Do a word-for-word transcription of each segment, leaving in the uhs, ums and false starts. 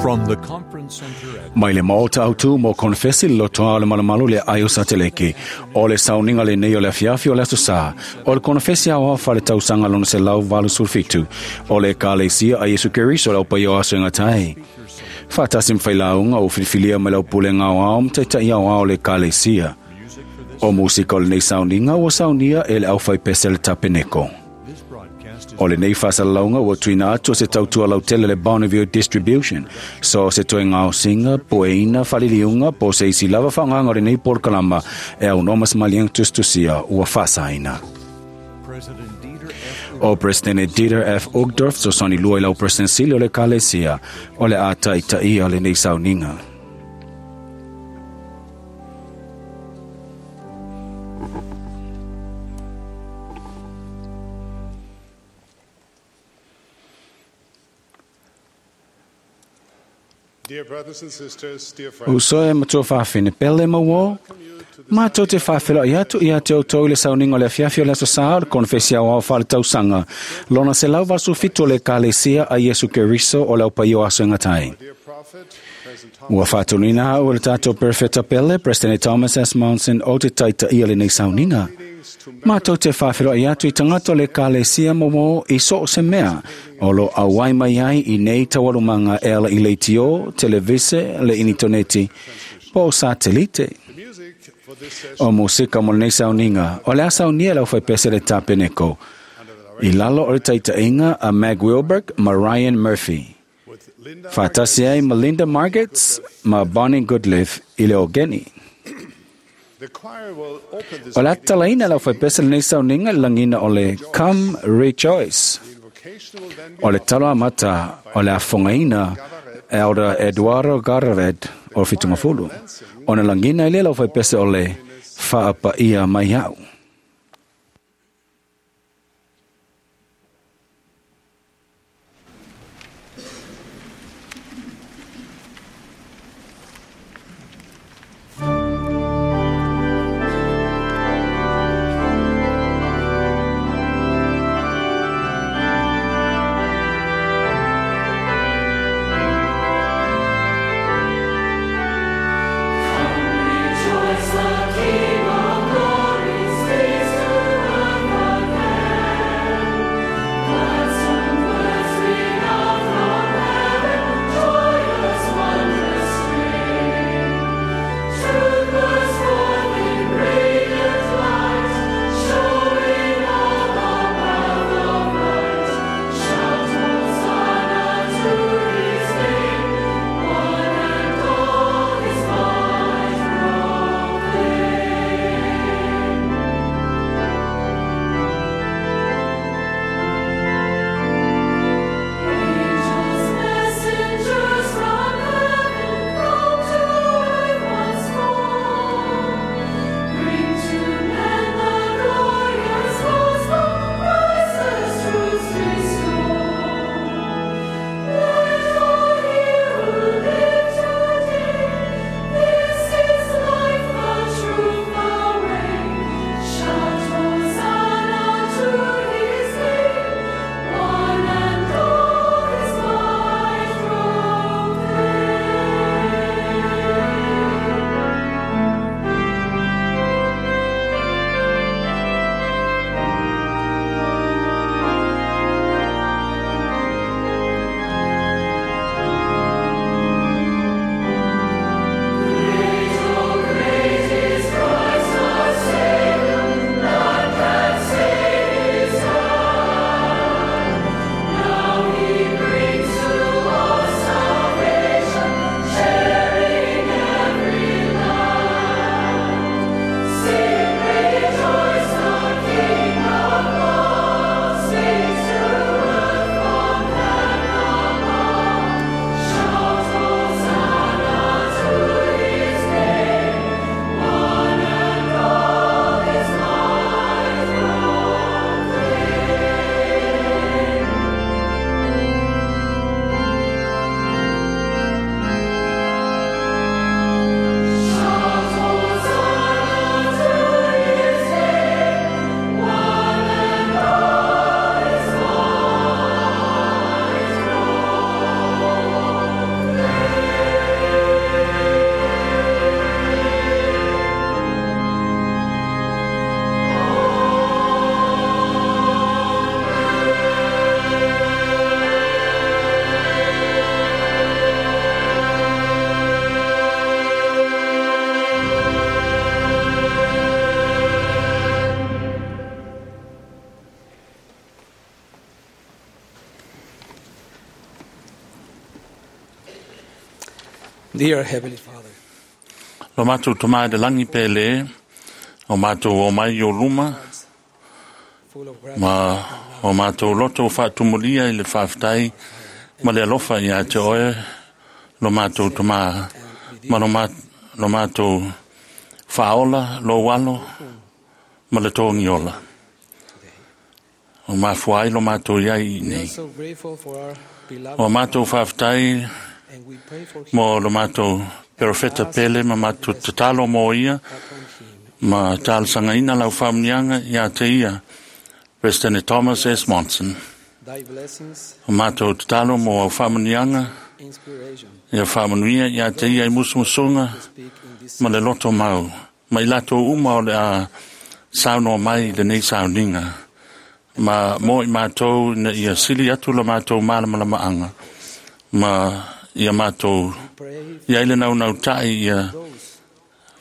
From the conference center at Mai le maota au tu mo konfesi le lotoa o le malumalu le ai o sateleke. O le sauniga lenei o le afiafi o le aso sa. O le konfesi au fa le tausaga lona selau valu sefulufitu. O le ekalesia a Iesu Keriso le aupaia o aso e gata ai. Faatasi ma failauga ua filifilia mai le aupulega aoao ma taita'i aoao o le ekalesia. O musika o lenei sauniga ua saunia e le aufaipese le tapeneko. this broadcast is O lenei faasalalauga ua tuuina atu o se tautua lautele le Bonneville Distribution. So se toe gaosiga, pueina, faaliliuga, po o se isi lava faaaogaga o lenei polokalama e aunoa ma se maliega tusitusia ua faasaina. President Dieter F. O Presidente Dieter F. Uchtdorf fesoasoani lua i lau President sili o le Ekalesia o le a taitaia lenei sauniga. Dear brothers and sisters, dear friends, Uso e matua faafine pele ma uō. Mātou te faafeiloai atu ia te outou i le sauniga o le afiafi o le aso sa o le konefesi aoao faaletausaga. Lona selau valu fitu o le Ekalesia a Iesu Keriso o le aupaia o aso e gata ai. dear prophet, President Thomas, Ua faatonuina au e le tatou perofeta pele, President Thomas S. Monson, o te taitaia lenei sauniga. Mātou te faafeiloai atu i tagata o le Ekalesia ma uō i so o se mea o lo auai mai ai i nei taualumaga e ala i leitio, televise, le initoneti, po o satelite. the music for this session O musika mo lenei sauniga, o le a saunia le aufaipese le tapeneko. I lalo o le taitaiga a Meg Wilberg ma Ryan Murphy. with Linda Faatasi ai ma Linda Margets ma Bonnie Goodliff i le ogeni. The choir will open this O le meeting atalaina le aufaipese lenei sauniga i le lagiga o le Come Rejoice. The invocation will then be O le talo amata o le afogaina Elder Eduardo Garavet o le Fitungafulu. Ona lagina ai lea le aufaipese o le Faapaia mai au. Rejoice, the King of glory. Dear Heavenly Father, Lo mātou tō le langi pele, o mātou o mai o luma, full of gratitude ma o mātou loto o whaatumulia i le whaaftai, ma le alofa ia te oe, lo mātou tō ma lo, ma, lo mātou whaola, lo walo, ma le tōngi ola. O mafuai lo mātou iai i We are nei. so grateful for our beloved O mātou whaaftai and we pray for him mo lo mātou perofeta pele ma mātou tatalo mo ia, upon him. ma talosaga lau faamanuiaga ia te ia President Thomas S. Monson. Thy blessings, O mātou tatalo mo au faamanuiaga inspiration ia faamanuia ia te ia i musumusuga to speak in this ma le loto mau. Ma i latou uma o le a saunoa mai i lenei sauniga. Ma mo i mātou ina ia sili atu la mātou malamalamaaga. Ma ia mātou pray ia i le naunautai ia those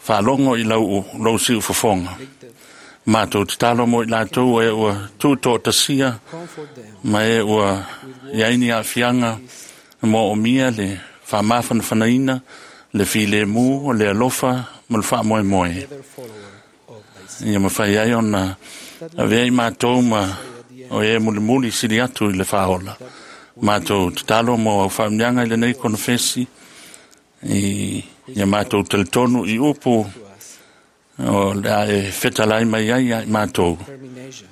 faalogo i lau, lau siufofoga. afflicted, Mātou tatalo mo i latou e ua tutoʻatasia comfort them ma e ua iai ni aafiaga mo omia le faamafanafanaina le filemu o le alofa ma le faamoemoe other follower of thy Son. ia mafai ai ona avea i matou ma o e mulimuli sili atu i le faaola matou tatalo mo au faamanuiaga i lenei konofesi i ia matou talitonu i upu To us, o le a e fetalai mai ai ia i matou determination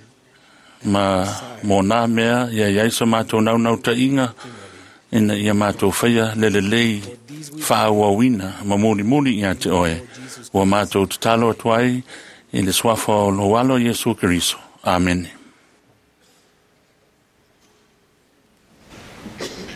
ma mo nā mea ia iai so mātou naunautāiga ina ia mātou faia le lelei faaauauina ma mulimuli ia te oe ua mātou tatalo atu ai i le suafa o lou alo Iesu Keriso. Amene. Spirit.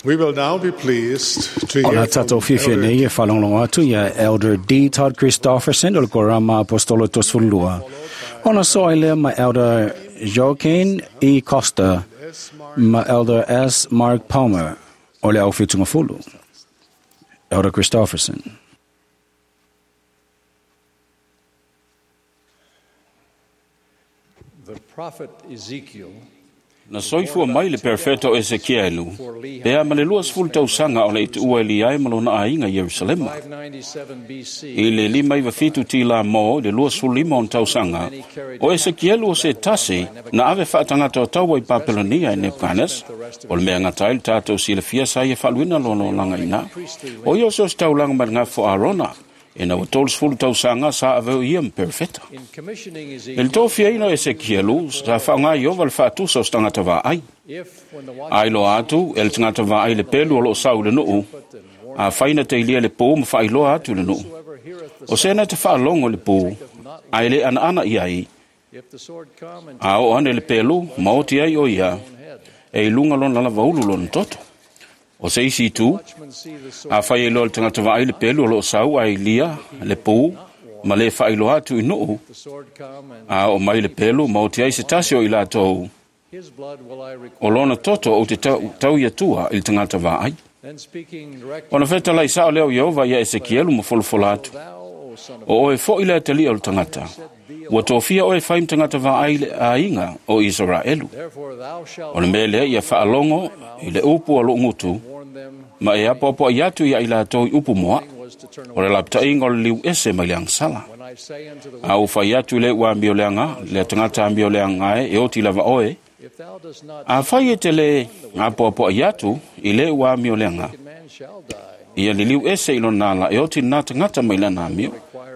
We will now be pleased to O la hear tātou from fiafia Elder nei e whalonglongo atu ia Elder D. Todd Christofferson o le Korama Apostolo Tosfulua. Ona soa i lea ma Elder Joaquin E. Costa ma Elder S. Mark Palmer o le au whitunga fulu. Elder Christofferson. The prophet Ezekiel Na soifua mai le perfeto Ezekielu, pea ma le lua sefulu tausaga o le ituua i ai ma lona aiga i Ierusalema. five ninety-seven B C I le lima iva fitu tila mo i le lua sefulu lima ona tausaga, o Ezekielu o se tasi na ave faatagata o taua i Papelonia e Nebukadnesa, o le mea gata ai le tatou silafia sa ia faaluina lona olaga ina. O ia o se o se taulaga mai le gafo Arona, ina ua tolu sefulu tausaga sa aveu ia ma perfeta. in commissioning I le Ezekiel tofiaina o Ezekielu, sa faaaoga Ieova le faatusa o se tagata vaai. if when the Ai loa atu, e le tagata vaai le pelu o loo sau i le nuu, a faina teilia le pō ma faailoa atu i le nuu. whosoever heareth the O sena te faalogo i le pō, ai le anaana i ai, if the sword come and a o ane le pelu, ma oti ai o ia, e i lunga lona lava ulu lona toto. O se isi itu, watchmen see the sword a fai e loa le tagata vaai le pelu o loo sau ai lia le pō, ma le faailoa atu i nuu, the sword come and a o mai le pelu, ma oti ai se tasi o i latou, his blood will I o require. lona toto o te tau, tau ia tua i le tagata vaai. Then speaking directly Ona fetalai sao leo Iehova ia Ezekielu ma folofola atu. thou O son of O oe fo'i le atalia o le tagata. Ua tofia oe fai ma tagata vaai le aiga o Israelu. therefore thou shalt O le mea lea ia faalogo i le upu a lou gutu, warn them ma e apoapoai atu ia i latou i upu moa. was to turn O le away lapataiga o le liu ese mai le agasala. when I say unto the A ua fai atu i le ua amioleaga, le tagata amioleaga e, e oti lava oe, if thou dost not a fai e te le apoapoai atu i le ua amioleaga, wicked man shall die ia liliu ese i lona ala e oti nā tagata mai lana amio,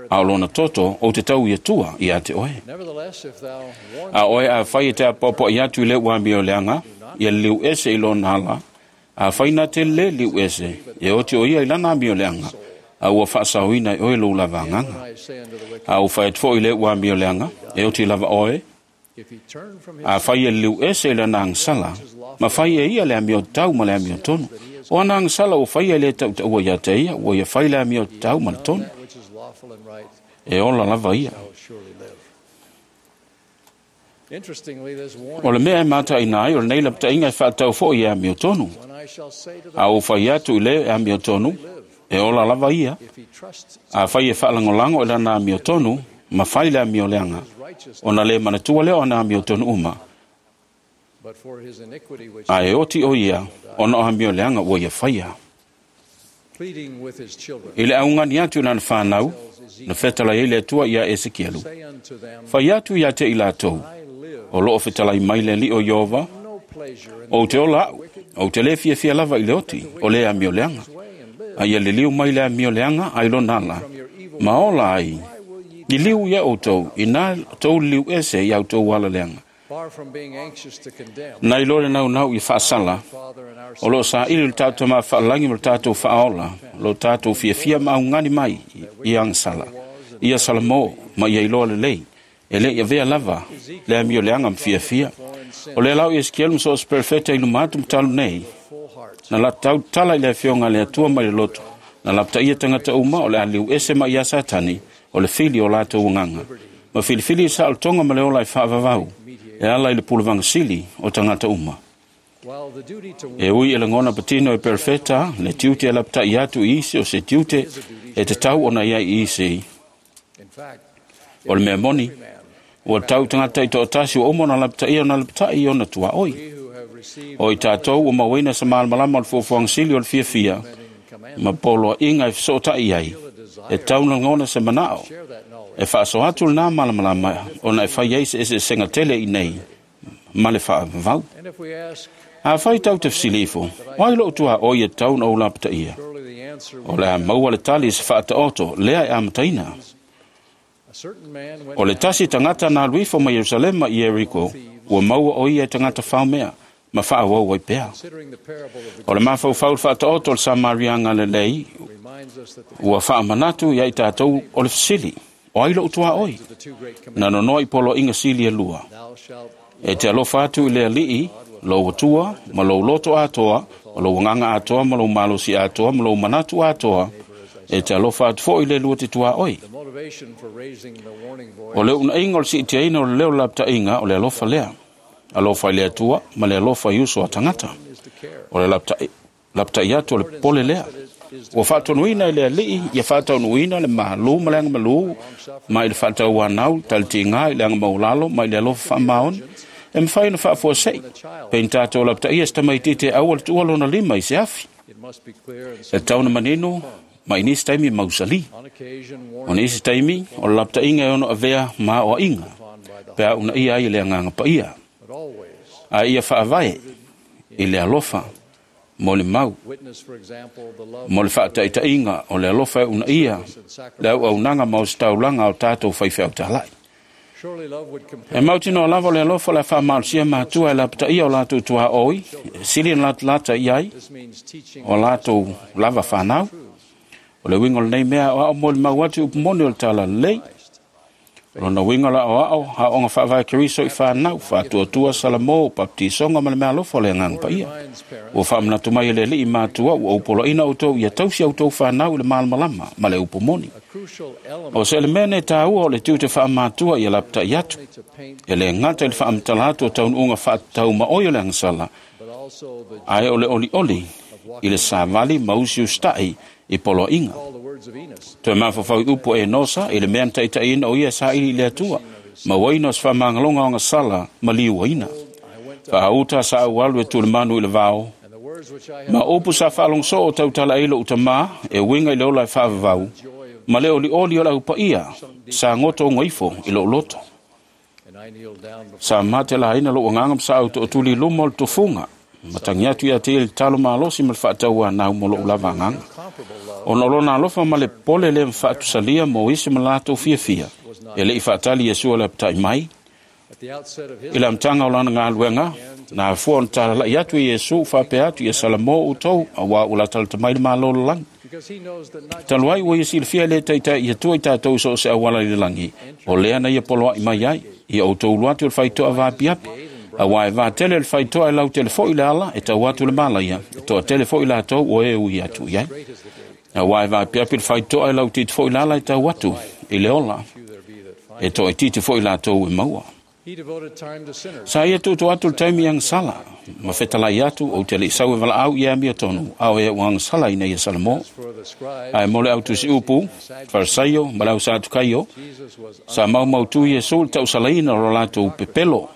a o lona toto o te tau ia tua ia te oe. Nevertheless if thou warn A oe a fai e te apoapoai atu i le ua amioleaga, ia liliu ese i lona ala, a fai nā te le liu ese, e oti o ia i lana amioleaga, a ua faasaoina i oe lou lava agaga. when I say unto the wicked A ua fai atu foi i le ua amioleaga, e oti lava oe, if he turn from his a fai e liliu ese i lana agasala, ma fai e ia le amio tau ma le amio tonu. O ana agasala ua fai e le tautaua ia te ia, ua ia fai le amio tau ma le tonu. that which is lawful and right E ola lava ia. shall surely live. Interestingly, this O warning le mea e mataina ai, o lenei lapataiga e faatau foi e amio tonu. when I shall say to the A ua fai atu i le amio tonu, e ola lava ia. if he trusts A fai e faalagolago i lana amio tonu, ma fai le amio leaga. righteousness Ona le manatua lea o ana amio tonu uma. but for his iniquity which A e oti o ia, ona o amio leaga ua ia faia. pleading with his children I le augani atu i lana whānau, na fetalai ai le Atua ia Ezekielu. say unto them Fai atu ia te i latou, I live o loo fetalai mai le alii o Ieova, no pleasure in o te ola au, o te le fiafia lava i le oti, o le amio leaga. his way and live A ia liliu mai le amio leaga ai lona ala, ma ola ai, liliu ia outou, ina tou liliu ese i au tou ala leaga. far from being anxious to condemn Nai lo le naunau i faasala, Father and our o loo saili le tatou mafaalagi ma le tatou faaola, lo tatou fiafia ma augani mai i agasala. Ia Salamo ma ia iloa lelei, e le ia vea lava le amio leaga ma fiafia. O le lau i Ezekielu ma so o se perfeta i luma atu ma talu nei, full heart na la tau tala i le afioga a le Atua mai le loto, na lapataia tagata uma o le a liu ese mai ia Satani, o le fili o latou agaga. Ma filifili i saolotoga ma le ola e faavavau, e ala i le pulavagasili o tagata uma. while the duty to E ui e lagona patino e perfeta, le tiute e lapatai atu i isi o se tiute, e te tau ona ia i isi. in fact O le mea moni, ua tau tagata i toatasi ua uma ona lapataia ona lapatai i ona tuaoi. we who have received O i tātou ua mauaina sa malamalama o le fuafuaga sili o le fiafia, commandment ma poloaiga e fesootai ai, e tau lagona se manao, share that knowledge e faasoa atu lenā malamalama ona e fai ai se eseesega tele i nei, ma le faavavau. and if we ask A fai tau te fesili ifo, o ai lou tuaoi e tau na ou lapataia? surely the answer O le a maua le tali i se faataoto, lea e amataina. a certain man went O le tasi tagata na alu ifo mai Ierusalema i Ieriko, ua maua o ia e tagata faomea, ma faauau ai pea. considering the parable of the O le mafaufau le faataoto o le Samariaga lelei, reminds us that the, ua faamanatu ia i tatou o le fesili, o ai lou tuaoi? the two great Na commandments nonoa i poloaiga sili e lua. thou shalt E te alofa atu i le alii, Lou atua, ma lou loto atoa, ma lou agaga atoa, ma lou malosi atoa, ma lou manatu atoa, e te alofa atu fo'i le lua te tuaoi. The motivation for raising the warning voice O le unaiga o le siitiaina o le leo lapata'iga o le alofa lea. Alofa i le atua ma le alofa i uso a tagata. is to care. O le lapata'i lapata'i atu o le pole lea. Ua faatonuina i le ali'i ia faataunuuina le malu ma le agamalū ma i le faatauanau talitiga i le agamaulalo ma i le alofa faamaoni e mafai ona faafuase'i peina tatou lapataia se tamaititi e aua le tuua lona lima i se afi. It must be clear and E tau na manino ma i nisi taimi mausali. on occasion O warning nisi taimi o le lapata'iga e ono avea ma aoa'iga upon by the pe a unaia ai i le agaga paia. but always A ia faavae i le alofa mo le mau witness, for example, the love mo le faataita'iga o le alofa e unaia le auaunaga ma o se taulaga o tatou faifeautala'i. Surely love would E compel mautinoa lava o le alofa o le a faamalosia matua e lapataia o latou tuaoi, e sili na latalata i ai This means teaching o latou lava fanau. O le uiga o lenei mea aoao mo le mau atu i upu moni o le talalelei. O lona uiga o le aoao, aoaoga faavae Keriso i fanau, faatuatua Salamo, baptisoga ma le meaalofa o le agaga paia. reminds parents Ua faamanatu mai e le ali'i matua ua ou poloaina outou ia tausi outou fanau i le malamalama ma le upu moni. a crucial element O se elemene tāua o le tiute faamatua ia lapata'i atu. to paint E le gata i le faamatala atu o taunuuga faatataumaoi o le agasala, but also the ae o le olioli i le savali ma usiusita'i i poloa'iga. all the words of Enos. Toe mafaufau i upu e Enosa i le mea na taita'iina o ia saili i le Atua, ma uaina o se faamagaloga o agasala ma liuaina. I went to Faauta sa aualu e tulemanu i le vao, and the words which I have ma upu sa faalogosoo o tautala ai lo'u tamā e uiga i le ola e faavavau, joy of ma le olioli o le aupaia sa goto ogoifo i lo'u loto. and I kneeled down before Sa mate laina lo'u agaga ma sa auto'otuli i luma o le tofuga, ma tagi atu ia te ia i le talo malosi ma le faatauanau mo lo'u lava agaga. comparable love Ona o lona alofa ma le pole lea mafaatusalia mo isi ma latou fiafia. E le'i faatali Iesu o le apata'i mai, at the outset of his i le amataga o lana galuega, na afua ona talala'i atu i Iesu faapea atu ia Salamo outou, auā ua latalata mai le malo o le lagi. because he knows that not Talu ai ua ia silafia e le taita'i atua i tatou i so o se auala i le lagi, o lea na ia poloa'i mai ai, ia outou ulu atu i le faito'a vaapiapi. Auā e vatele le faito'a e lautele fo'i le ala e tau atu le malaia, e to'atele fo'i latou o e ui atu i ai. great is the gate Auā e vaapiapi le faito'a e lautiti fo'i le ala e tau atu i le ola, few there be that find e to'aititi fo'i latou e maua. He devoted time to sinners Sa ia tutu atu le taimi i agasala, ma fetalai atu ou te le'i sau e valaau ia amia tonu, ao e ua agasala ina ia Salamo. for the scribes Ae mo le autusi upu, Farisaio ma le au Satukaio, Jesus was sa maumautu Iesu le tausalaina o lo latou pepelo,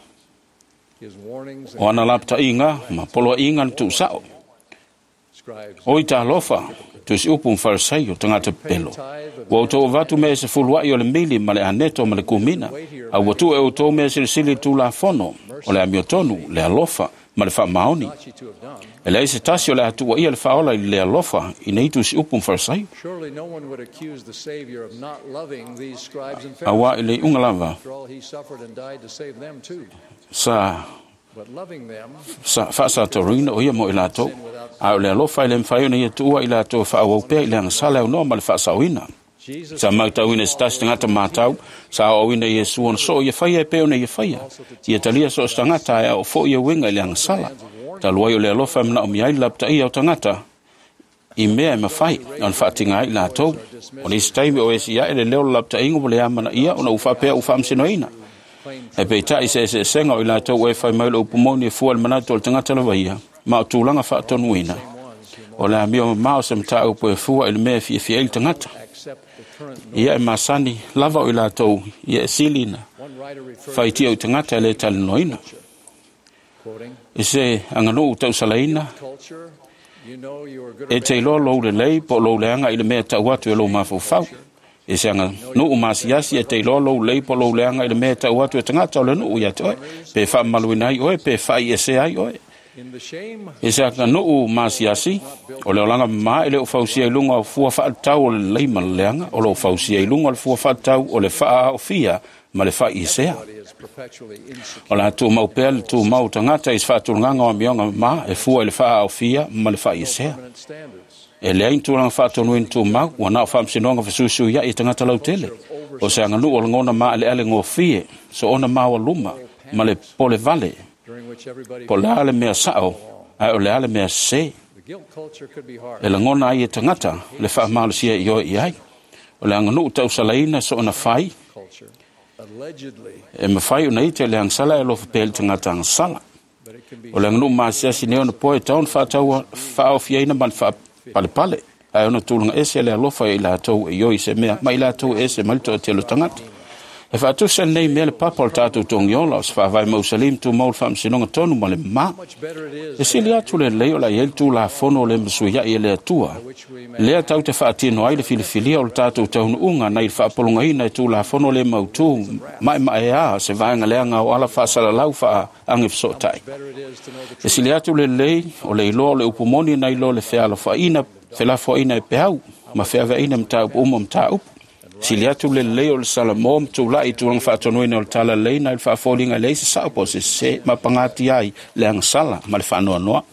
his warnings o ana lapata'iga ma poloa'iga na tu'usa'o. scribes O i talofa, tusi upu ma Farisaio tagata pepelo. Ua outou avatu mea e sefulua'i o le mili ma le aneto ma le kumina, a ua tuu e outou mea silisili i le tulafono, o le amiotonu, le alofa ma le faamaoni. ought ye to have done E leai se tasi o le atuaia le faaola i le alofa i nei tusi upu ma Farisaio. Surely no one would accuse the Savior of not loving these scribes and Pharisees. Auā i le iuga lava After all, he suffered and died to save them too. sa But loving them sa faasatoruina o ia mo i latou. A o le alofa e le mafai ona ia tuua i latou e faaauau pea i le agasala e aunoa ma le faasaoina. Jesus Sa mautauina e se tasi tagata matau, sa aoaoina Iesu ona soo ia faia e pei ona ia faia. Ia talia so o se tagata ae ao fo'i e uiga i le agasala. Talu ai o le alofa e manaomia ai le lapataia o tagata i mea e mafai ona faatiga ai i latou. O nisi taimi o esi ae le leo o le lapata'iga ua le amanaia ona ua faapea ua faamasinoina. E peita'i se eseesega o i latou e fai mai le upu moni e fua i le manatu o le tagata lava ia, ma o tulaga faatonuina. O le amio mamao se mataupu e fua i le mea e fiafia ai le tagata. accept the current norm. Ia e masani lava o i latou ia e silina. One writer referred Faitia o i tagata e le talanoaina. quoting I se aganuu tausalaina, culture you know you are good e or te bad iloa lou lelei po o lou leaga i le mea tau atu e lou mafaufau. E se aganuu masiasi e te iloa lou lelei po o lou leaga i le mea tau atu e tagata o le nuu ia te oe. Pe faamamaluina ai oe, pe faaiesea ai oe. in the shame E se aganuu masiasi, o le olaga mamā e le o fausia i luga o fua faatatau o le lelei ma le leaga, o loo fausia i luga o le fua faatatau o le faaaofia ma le faaiesea. is perpetually insecure O la tumau pea le tumau o tagata i se faatulagaga o amioga mamā e fua i le faaaofia ma le faaiesea. permanent standards E leai ni tulaga faatonuina tumau, ua na o faamasinoga fesuisuia'i e tagata lautele. O se aganuu o lagona maaleale gofie, soona maualuma ma le pole vale during Po le a le mea sao, ae o le a le mea sese. E lagona ai e tagata le faamalosia i oe i ai. O le aganuu tausalaina so ona fai, e mafai ona ite le agasala e alofa pea i le tagata agasala. O le aganuu masiasi nei ona poe e tau ona faataua faaofiaina ma le faapalepale, ae ona tulaga ese le alofa i latou e ioi i se mea, ma i latou e ese mai le toatele o tagata. E faatusa lenei mea le papa o le tatou togiola o se faavae mausali ma tumau le faamasinoga tonu ma le mamā. E sili atu le lelei o le a i ai le Tulafono o le masuiai e le Atua, lea tau te faatino ai le filifilia o le tatou taunuuga nai le faapologaina e Tulafono le mautū maemaea se vaega leaga o ala faasalalau faaagefesootai. E sili atu le lelei o le iloa o le upu moni nai lo le fealofaina felafoaiina e peau ma feaveaina mataupu uma mataupu. Sili atu le lelei o le Salamo ma tula'i i tulaga faatonuina o le talalelei nai le faafoliga e leai se sao po o se sese ma pagatia ai le agasala ma le faanoanoa.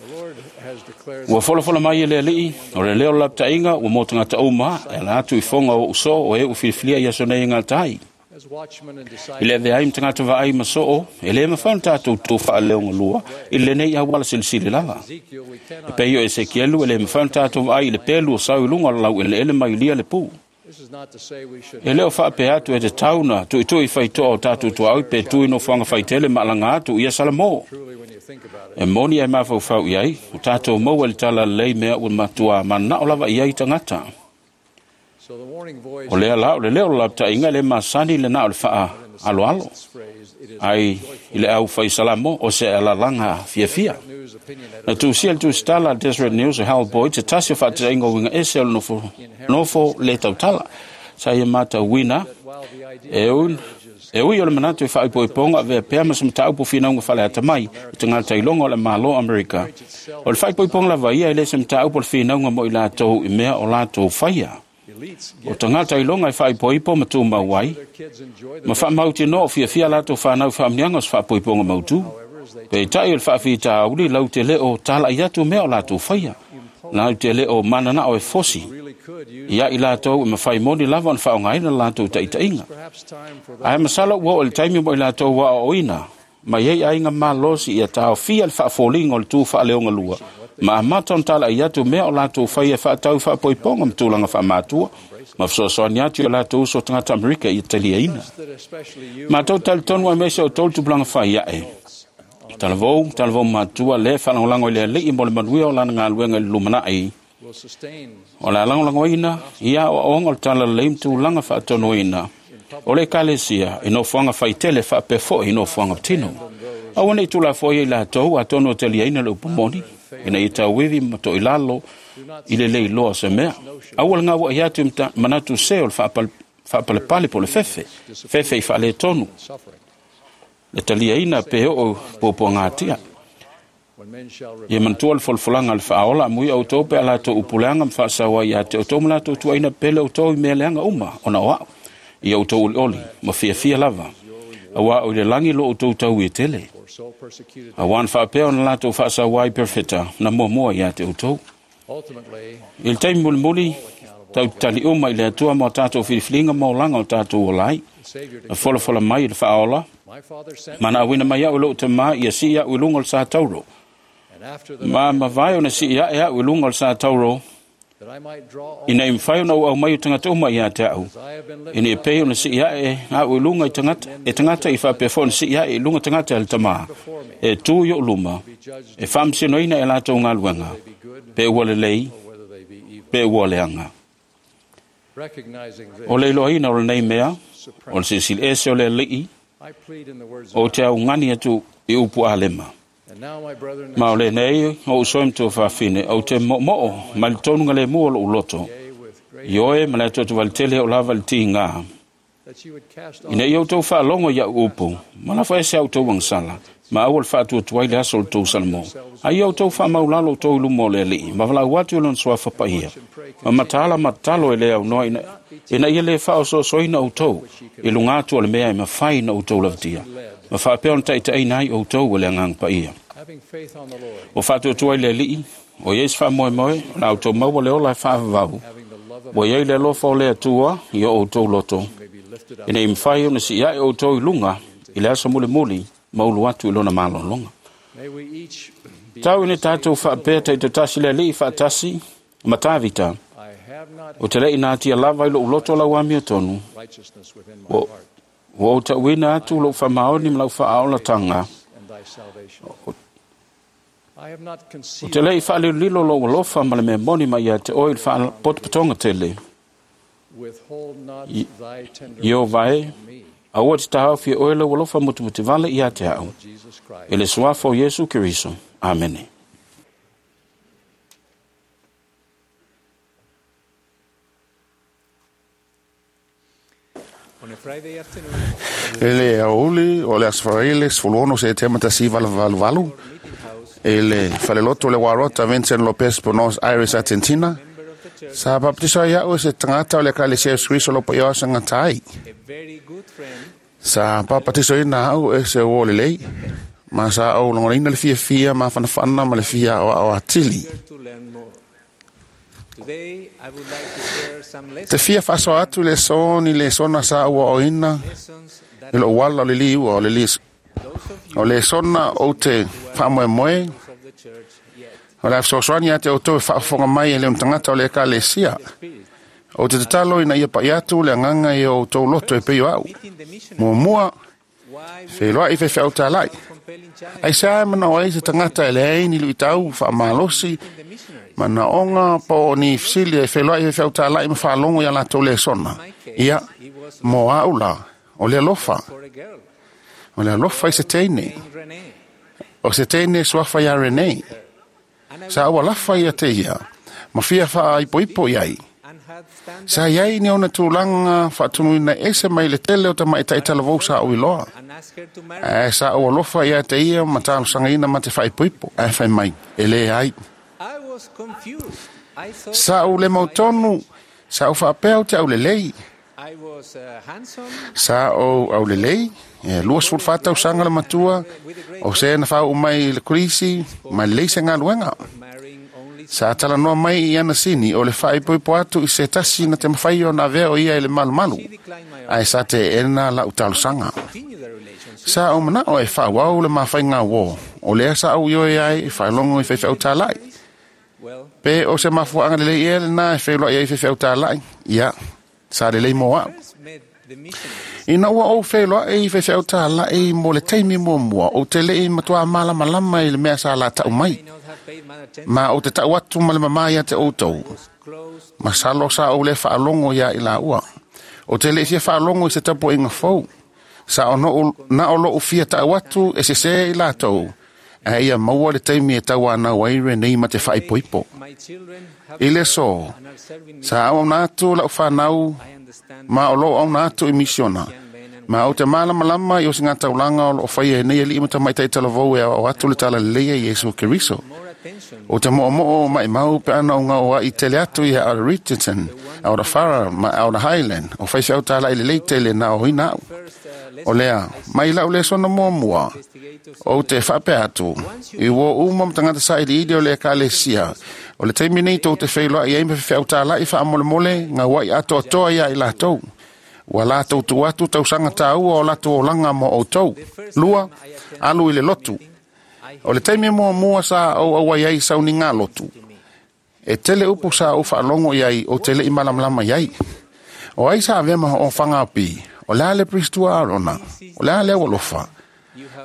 Ua folafola mai e le Alii, o le leo o le lapataiga ua mo tagata uma e ala atu i foga o ou soo o e ua filifilia i aso nei e gata ai. I le avea ai ma tagata vaai ma soo, e le mafai ona tatou tu faaleogalua i lenei auala silisili lava. E pei o Esekielu e le mafai ona tatou vaai i le pelu o sau i luga o le laueleele mai lia le pu. E le o faapea atu e te tauna tuitui faitoa o tatou tuaoi pe tui nofoaga faitele ma alaga atu ia Salamo. E moni e mafaufau i ai, o tatou maua i le talalelei mea ua matua manao lava i ai tagata. O lea la o le leo o le lapataiga e le masani le na o le faaaloalo, ai i le au fai Salamo o se alalaga fiafia. Na tusia le tusitala a Deseret News e Hal Boyd se tasi o faataiga o uiga ese o le nofo, nofo le tautala. Sa ia matauina e ui, e ui o le manatu e faaipoipoga avea pea ma se mataupu finauga faleata mai i tagata iloga o le Malo Amerika. O le faaipoipoga lava ia e le se mataupu o le finauga mo i latou i mea o latou faia. O tagata iloga e faaipoipo ma tumau ai, ma faamautinoa o fiafia latou fanau faamanuiaga o se faapoipoga mautū. Peitai o le faafitauli lau te le o tala'i atu mea o latou faia. Lau te le o mananao e fosi ia i latou e mafai moni lava ona faaaogaina le latou taitaiga. Ae masalo ua oo i le taimi mo i latou aoaoina mai ai aiga malosi ia taofia le faafoliga o le tu faaleogalua ma amata ona tala'i atu mea o latou faia e faatau faapoipoga ma tulaga faamatua ma fesoasoani atu i o latou uso tagata Amerika ia taliaina. Matou talitonu aemaise o outou le tupulaga fai ae. Talavou, talavou matua le faalagolago i le Alii mo le manuia o lana galuega i le lumanai. O le alagolagoina ia aoaoga o le talalelei ma tulaga faatonuina o le ekalesia i nofoaga faitele faapea foi i nofoaga patino. Aua nei tulafoia i latou atonu o taliaina le upu moni, ina ia tauivi ma toilalo i le leiloa o se mea. Aua le gauai atu i manatu se o le faapalepale po o le fefe, fefe i faaletonu, le taliaina pe oo puapuagatia. Ia manatua le folafolaga a le faaola amui outou pe a latou upuleaga ma faasaua ia te outou ma latou tuuaina pele outou i mea leaga uma ona o au. Ia outou olioli ma fiafia lava, auā o i le lagi lo outou tau e tele. Auā na faapea ona latou faasaua ai perofeta na muamua ia te outou. I le taimi mulimuli, tau tali uma i le Atua ma o tatou filifiliga ma olaga o tatou ola ai. Na folafola mai i le faaola, ma na auina mai au e lou tamā ia sii au i luga o le sa tauro. Ma mavae ona sii ae au i luga o le sa tauro, ina ia mafai ona ou aumai o tagata uma ia te au, ina ia pei ona sii ae au i luga i tagata, e tagata i faapea foi ona sii ae i luga tagata e le tamā, e tu i ou luma, e faamasinoina e latou galuega, pe ua lelei, pe ua leaga. O le iloaina o lenei mea, o le silisili ese o le Alii, o te augani atu i upu alema. Ma o lenei o ou soe matua faafine, ou te moomoo mai le tonuga le mua o lou loto, i oe ma le atu atu o lava le tiga. Ina ia outou faalogo i au upu, ma lafo ese au outou agasala, ma aua le faatuatua ai le aso o le tou Salamo. Ai ia outou faamaulalo outou i luma o le Alii, ma valaau atu i lona suafa paia, ma mataala matalo e le aunoa ina, ina ia le faaosoosoina outou i luga atu o le mea e mafai na outou lavatia, ma faapea ona taitaiina ai outou e le Agaga Paia. Ua faatuatua i le Alii, o iai se faamoemoe, o la outou maua le ola e faavavau, ua iai le alofa o le Atua i o outou loto, ina ia mafai ona sii ae outou i luga i le aso mulimuli ma ulu atu i lona malologa. Tau ina tatou faapea taitoatasi le Alii faatasi ma Tavita, o te lei natia lava i lou loto lau amiotonu, ua ou tauina atu lou faamaoni ma lau faaaolataga. O te lei faalilolilo lou alofa ma le mea moni mai ia te oe i le faapotopotoga tele. Ieova e, aua te taofi e oe lau alofa mutemutivale ia te au. I le suafa o Iesu Keriso. Amene. I le aoauli o le Aso Faraile sefulu ono Setema tasi iva valu valu i le faleloto o le Warota Vincent Lopez, Buenos Aires, Argentina, sa bapatiso ai a'u e se tagata o le Ekalesia Iesu Keriso o lo paia o asagata ai. Sa papatisoina a'u e se uō lelei ma sa ou lagonaina le fiafia mafanafana ma le fia aoao atili. Te fia faasoa atu i le aso ni lesona sa ou aoaoina i lo'u ala o le liua o le li o lesona ou te faamoemoe o le a fesoasoani ia te outou e faafofoga mai e le ona tagata o le Ekalesia. Ou te tatalo ina ia pa'i atu le agaga i o outou loto e pei o a'u. Muamua, feiloa'i faifeau tala'i. Aisea e manao ai se tagata e leai ni lu'itau faamalosi manaoga po o ni fesili e feiloa'i faifeau tala'i ma faalogo iā latou lesona? Ia, mo a'u la, o le alofa. O le alofa i se teine. O se teine suafa iā Renei. Sa ou alafa ia te ia, ma fia faaipoipo i ai. Sa iai ni ona tulaga faatumuina ese mai le tele o tamaʻitaʻi talavou sa ou iloa. Ae sa ou alofa ia te ia ma talosagaina ma te faaipoipo, ae fai mai, e lē ai. Sa ou le mautonu, sa ou faapea ou te aulelei. Sa ou aulelei, e lua sefulu fa tausaga le matua, o se na faauu mai i le kolisi, ma lelei se galuega. Sa talanoa mai i ana sini o le faaipoipo atu i se tasi na te mafai ona avea o ia i le malumalu, ae sa teena la'u talosaga. Sa ou mana'o e faaauau le mafaiga uō, o lea sa ou ioe ai e faalogo i faifeau tala'i. Pe o se mafuaaga lelei ea lenā e feiloa'i ai faifeau tala'i? Ia, sa lelei mo a'u. Ina ua ou feiloa'i i faifeau tala'i mo le taimi muamua, ou te le'i matuā malamalama i le mea sa lata'u mai. Ma ou te ta'u atu ma le mamā ia te outou. Masalo sa ou lē faalogo iā i laua. Ou te le'i fia faalogo i se tapua'iga fou. Sa o na o lo'u fia ta'u atu e sesē i latou, ae ia maua le taimi e tauanau ai Renei ma te faaipoipo. I le aso, sa auauna atu la'u fanau ma o loo auna atu i misiona. Ma ou te malamalama i osigataulaga o loo faia e nei ali'i ma tamaita'i talavou e aoao atu le talalelei a Iesu Keriso. O te mo'omo'o ma'imau pe ana o gaoa'i tele atu ia Elder Richardson, Elder Farah ma Elder Highland, o faifeau tala'i lelei tele na aoina a'u. O lea, mai la'u lesona muamua, ou te faapea atu, i uō uma ma tagata sailiili o le Ekalesia, o le taimi nei tou te feiloa'i ai ma faifeau tala'i faamolemole gaua'i atoatoa iā i latou. Ua latou tuu atu tausaga tāua o latou olaga mo outou. Lua, alu i le lotu. O le taimi muamua sa ou auai ai sauniga lotu. E tele upu sa ou faalogo i ai ou te le'i malamalama i ai. O ai sa avea ma ho'ofaga O le a le Pristua Arona? O le a le aualofa?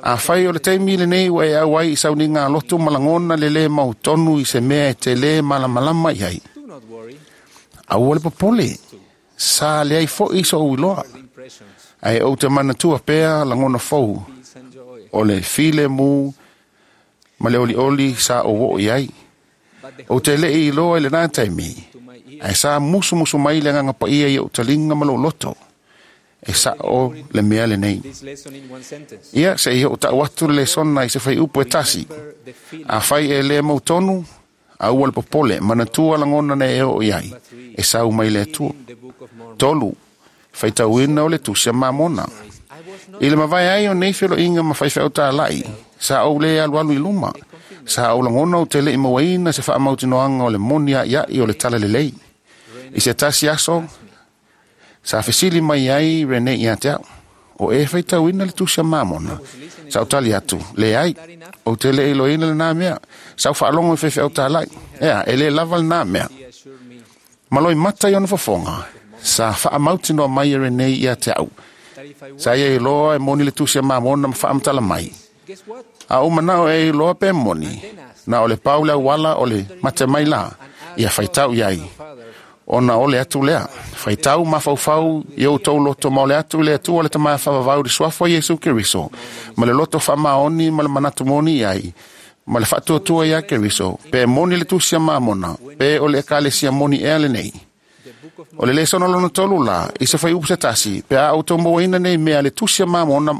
Afai o le taimi lenei ua e auai i sauniga lotu ma lagona le lē mautonu i se mea e te lē malamalama i ai, aua le popole, sa leai fo'i so'ou iloa. Ae ou te manatua pea lagona fou o le filemu ma le olioli sa ou oo i ai. Ou te le'i iloa i lenā taimi, ae sa musumusu mai le Agaga Paia i o'u taliga ma lou loto. E sa'o le mea lenei. Ia, se'i o'u ta'u atu le lesona i se faiupu e tasi. Afai e lē mautonu, aua le popole, manatua lagona na e oo i ai, e sau mai le Atua. Tolu, faitauina o le Tusi a Mamona. I le mavae ai o nei felo'iga ma faifeau tala'i, sa ou lē alualu i luma. Sa ou lagona ou te le'i mauaina se faamautinoaga o le moni a'ia'i o le talalelei. I se tasi aso, sa fesili mai ai Rene ia te a'u. O e faitauina le tusi a Mamona. Sa ou tali atu, leai, ou te le iloaina lenā mea. Sa ou faalogo i faifeau tālai. Ea, e lē lava lenā mea. Ma loimata i ona fofoga, sa faamautinoa mai e Renee ia te au. Sa ia iloa e moni le tusi a Mamona ma faamatala mai. A ou manao e iloa pe moni, na o le pau le auala o le mate mai la, ia faitau i ai. Ona o le atu lea, faitau mafaufau i outou loto ma o le atu i le Atua le Tama faavavau i le suafa o Iesu Keriso, ma le loto faamaoni ma le manatu moni i ai, ma le faatuatua ia Keriso, pe moni le tusi a Mamona, pe o le ekalesia moni ea lenei. O le lesona lona tolu la, i se faiupu se tasi, pe a outou mauaina nei mea le tusi a Mamona,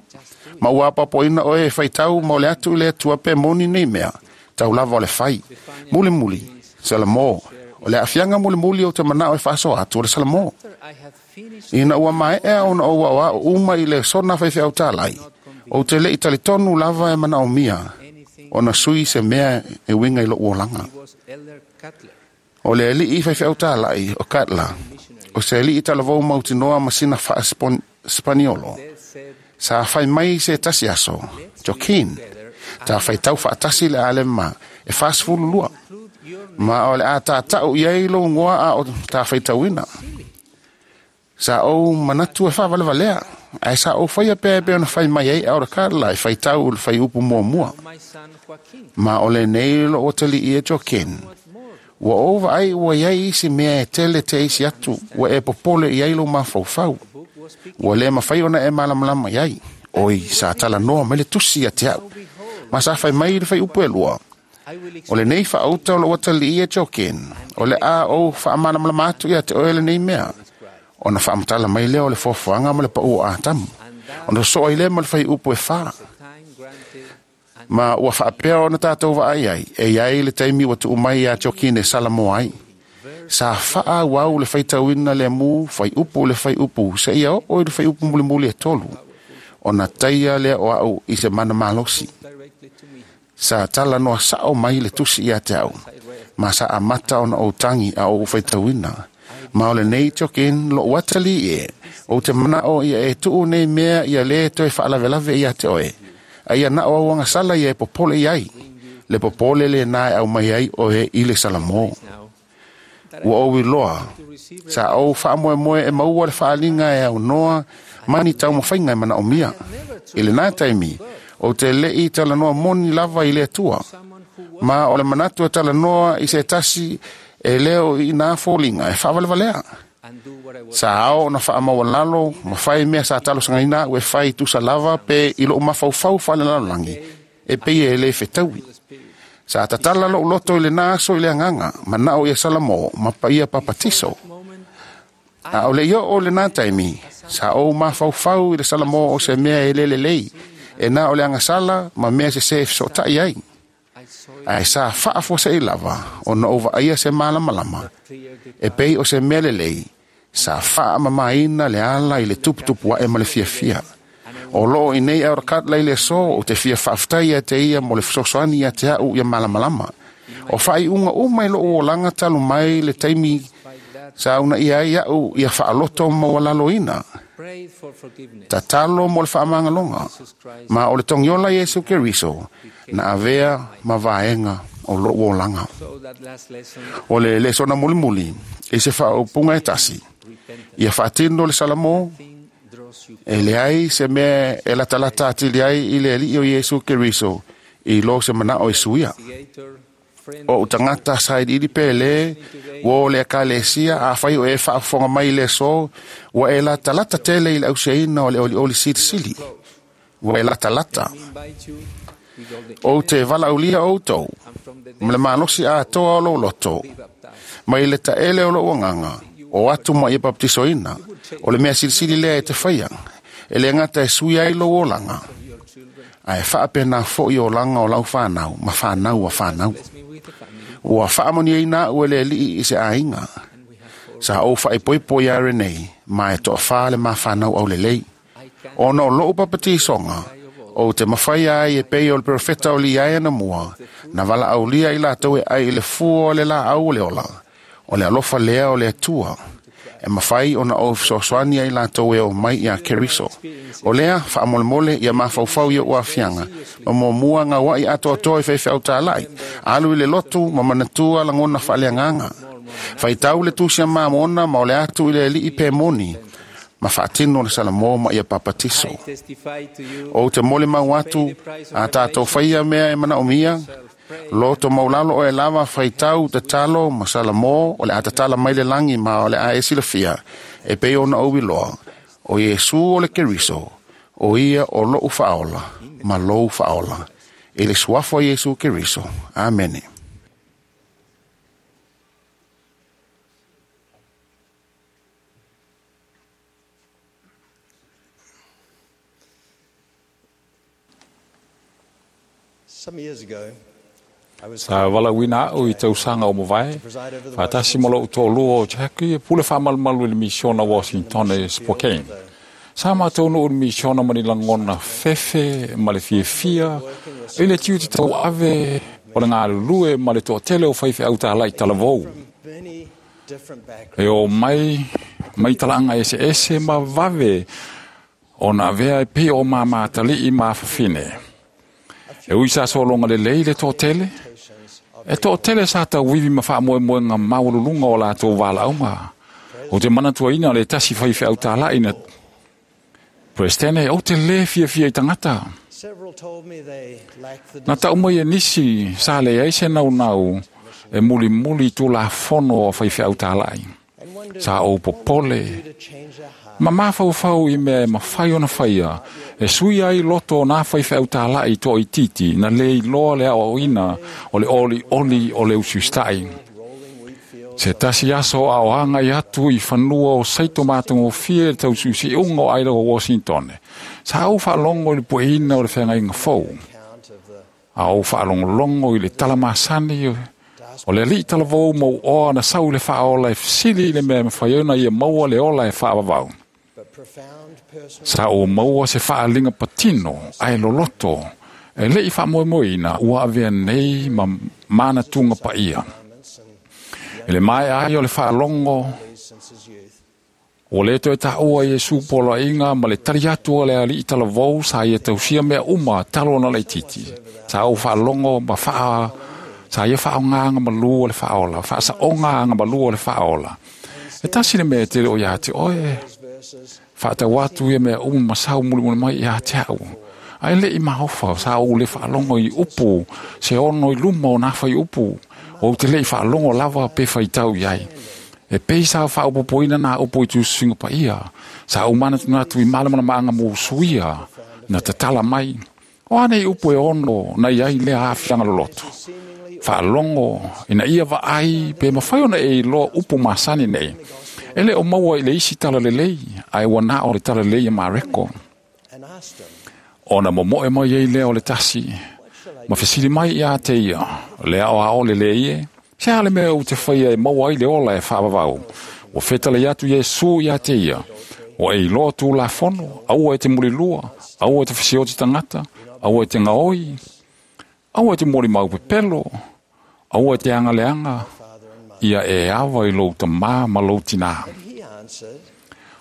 ma ua apoapoaina oe e faitau ma o le atu i le Atua pe moni nei mea, tau lava o le fai. Mulimuli, Salamo. O le aafiaga mulimuli o te manao e faasoa atu o le Salamo. Ina ua maea ona ou aoao uma i le sona faifeau tālai, ou te le'i talitonu lava e manaomia ona sui se mea e uiga i lo'u olaga. O le ali'i faifeau tālai o Katla, o se ali'i talavou mautinoa ma sina faa-Spaniolo, sa fai mai se tasi aso, Joaquin, ta faitau faatasi le alema e fasefululua. Ma o le a tātau i ai lou igoa a o ta faitauina. Sa ou manatu e faavalevalea, ae sa ou faia pea e pei ona fai mai ai Elder Cutler e faitau i le faiupu muamua. Ma o lenei loo atalii e Joaquin. Ua ou vaai ua iai isi mea e tele te isi atu ua e popole i ai lou mafaufau. Ua le mafai ona e malamalama i ai. Oi, sa talanoa mai le tusi ia te au. Ma sa fai mai i le faiupu e lua. O lenei faauta o lou atalii e Joaquin, o le a ou faamalamalama atu ia te oe lenei mea. Ona faamatala mai lea o le foafoaga ma le pau o Atamu. Ona sosoo ai lea ma le faiupu e fa. Ma ua faapea ona tatou vaai ai, e iai le taimi ua tuu mai ia Joaquin e Salamo ai. Sa faaauau le faitauina le mu, faiupu le faiupu, seia oo i le faiupu mulimuli e tolu. Ona taia lea o au i se mana malosi. Sa talanoa sao mai le tusi ia te au. Ma sa amata ona ou tagi a ou faitauina. Ma o lenei Joaquin lou atalii e, ou te manao ia e tuu nei mea ia lē toe faalavelave ia te oe. A ia na o au agasala ia e popole i ai. Le popole lenā e aumai ai oe i le Salamo. Ua ou iloa, sa ou faamoemoe e maua le faaaliga e aunoa ma ni taumafaiga e manaomia. I lenā taimi, ou te le'i talanoa moni lava i le Atua. Ma o le manatu e talanoa i se tasi e lē o iinā foliga e faavalevalea. Sa ao ona faamaualalo ma fai mea sa talosagaina a'u e fai tusa lava pe i lo'u mafaufau faalelalolagi e pei e lē fetaui. Sa tatala lo'u loto i lenā aso i le agaga, mana'o ia Salamo ma paia papatiso. A o le'i oo lenā taimi, sa ou mafaufau i le Salamo o se mea e lē lelei, e na o le agasala ma mea sesē e fesoota'i ai. Ae sa faafuase'i lava ona ou vaaia se malamalama, e pei o se mea lelei, sa faamamaina le ala i le tuputupu a'e ma le fiafia. O loo i nei Elder Cutler i le aso, ou te fia faafetai ia te ia mo le fesoasoani ia te a'u ia malamalama. O faaiuga uma i lo'u olaga talu mai le taimi sa uunaia ai a'u ia faaloto maualaloina. Tatalo mo le faamagaloga, ma o le togiola Iesu Keriso na avea ma vaega o lo'u olaga. O le lesona mulimuli i se faaupuga e tasi, ia faatino le Salamo, e leai se mea e latalata atili ai i le alii o Iesu Keriso i lo se manao e suia. O ou tagata sailiili pe lē, ua o le ekalesia, afai o e faafofoga mai i le aso, ua e latalata tele i le ausiaina o le olioli silisili. Ua e latalata. Ou te valaaulia outou, ma le malosi atoa o lou loto, mai le taele o lou agaga, o atu ma ia papatisoina, o le mea silisili lea e te faia, e le gata e sui ai lou olaga, ae faapenā fo'i olaga o lau fanau ma fanau a fanau. Ua faamanuiaina a'u e le Alii i se aiga. Sa ou faaipoipo iā Renee, ma e toafā le mafanau aulelei. Ona o lo'u papatisoga, ou te mafai ai e pei o le perofeta o liai anamua, na valaaulia i latou e ai i le fua o le laau o le ola, o le alofa lea o le Atua. E mawhai o na o fesoasoani ai latou e o mai ia Keriso. O lea, whaamolemole ia mafaufau ia uafianga, ma muamua ngā wai atoatoa i whaiwhau tālai, alu i le lotu ma manatua langona whaaleanganga. Whaitau le tusia mamona ma o le atu i le alii pe moni, ma whaatino le salamo ma ia papatiso. O te mole mau atu, a tātou whaia mea e mana o mia, loto maulalo o e lava whaitau te talo ma salamo o le atatala mai le langi ma o le a e silafia, e pei ona o wiloa, o Iesu o le Keriso, o ia o lou whaola, ma lou whaola. E le suafo Iesu Keriso. Amene. Some years ago, Sa walauina au i tausaga o mavae, faatasi ma lou toalua o Jackie e pule faamalumalu i le misiona Washington e Spokane. Sa matou nuu i le misiona ma ni lagona fefe ma le fiafia i le tiute tauave o le galulue ma le toatele o faifeau talai talavou. E o mai mai talaaga eseese ma vave ona avea e pei o mamatali'i ma afafine. E ui sa sologa lelei le toatele, e toatele sa tauivi ma faamoemoega maualuluga o latou valaauga. O te manatuaina le tasi faifeau tala'i na Presidente, ou te lē fiafia i tagata. Na tau mai e nisi sa leai se naunau e mulimuli i tulafono o faifeau tala'i. Sa ou popole, ma mafaufau i mea e mafai ona faia, e sui ai loto o nā faifeau tala'i toaitiiti na lē iloa le aoaoina o le olioli o le usiusitai. Se tasi aso a o agai atu i fanua o saito matagofie le tausiusiuga o Idaho Washington. Sa ou faalogo i le pueina o le feagaiga fou. A ou faalogologo i le talamasani o le alii talavou mau oa na sau i le faaola e fesili i le mea e mafai ona ia maua le ola e faavavau. Sa ou maua se faaliga patino ae loloto e le'i faamoemoeina ua avea nei ma manatuga paia. E le mae ai o le faalogo ua lē toe taʻua Iesu poloaiga ma le tali atu a le alii talavou sa ia tausia mea uma talo ona laititi. Sa ou faalogo ma faa sa ia faaogāga malū o le faaola, faasaʻoga malū o le faaola. E tasi le mea e tele o iā te oe, faatau atu ia mea uma ma sau mulimuli mai iā te au. Ae leʻi maofa sa ou le faalogo i upu, se ono i luma o nā fai upu, ou te leʻi faalogo lava pe faitau i ai. E pei sa faaopopoina nā upu i tususuiga paia, sa ou manatunatu i malamalamaga mo usuia, na tatala mai. O anei upu e ono na iai lea aafiaga loloto. Faalogo ina ia vaai pe mafai ona e iloa upu masani nei. E le o maua i le isi talalelei, ae ua na o le talalelei e Mareko. Ona momoe mai ai lea o le tasi, ma fesili mai iā te ia, le ao ao le le ie, se a le mea ou te faia e maua ai le ola e faavavau. Ua fetalai atu Iesu iā te ia, ua e iloa tulafono, aua e te mulilua, aua e te fesioti tagata, aua e te gaoi, aua e te molimau pepelo, aua e te agaleaga, ia e ava i lou tamā ma lou tinā.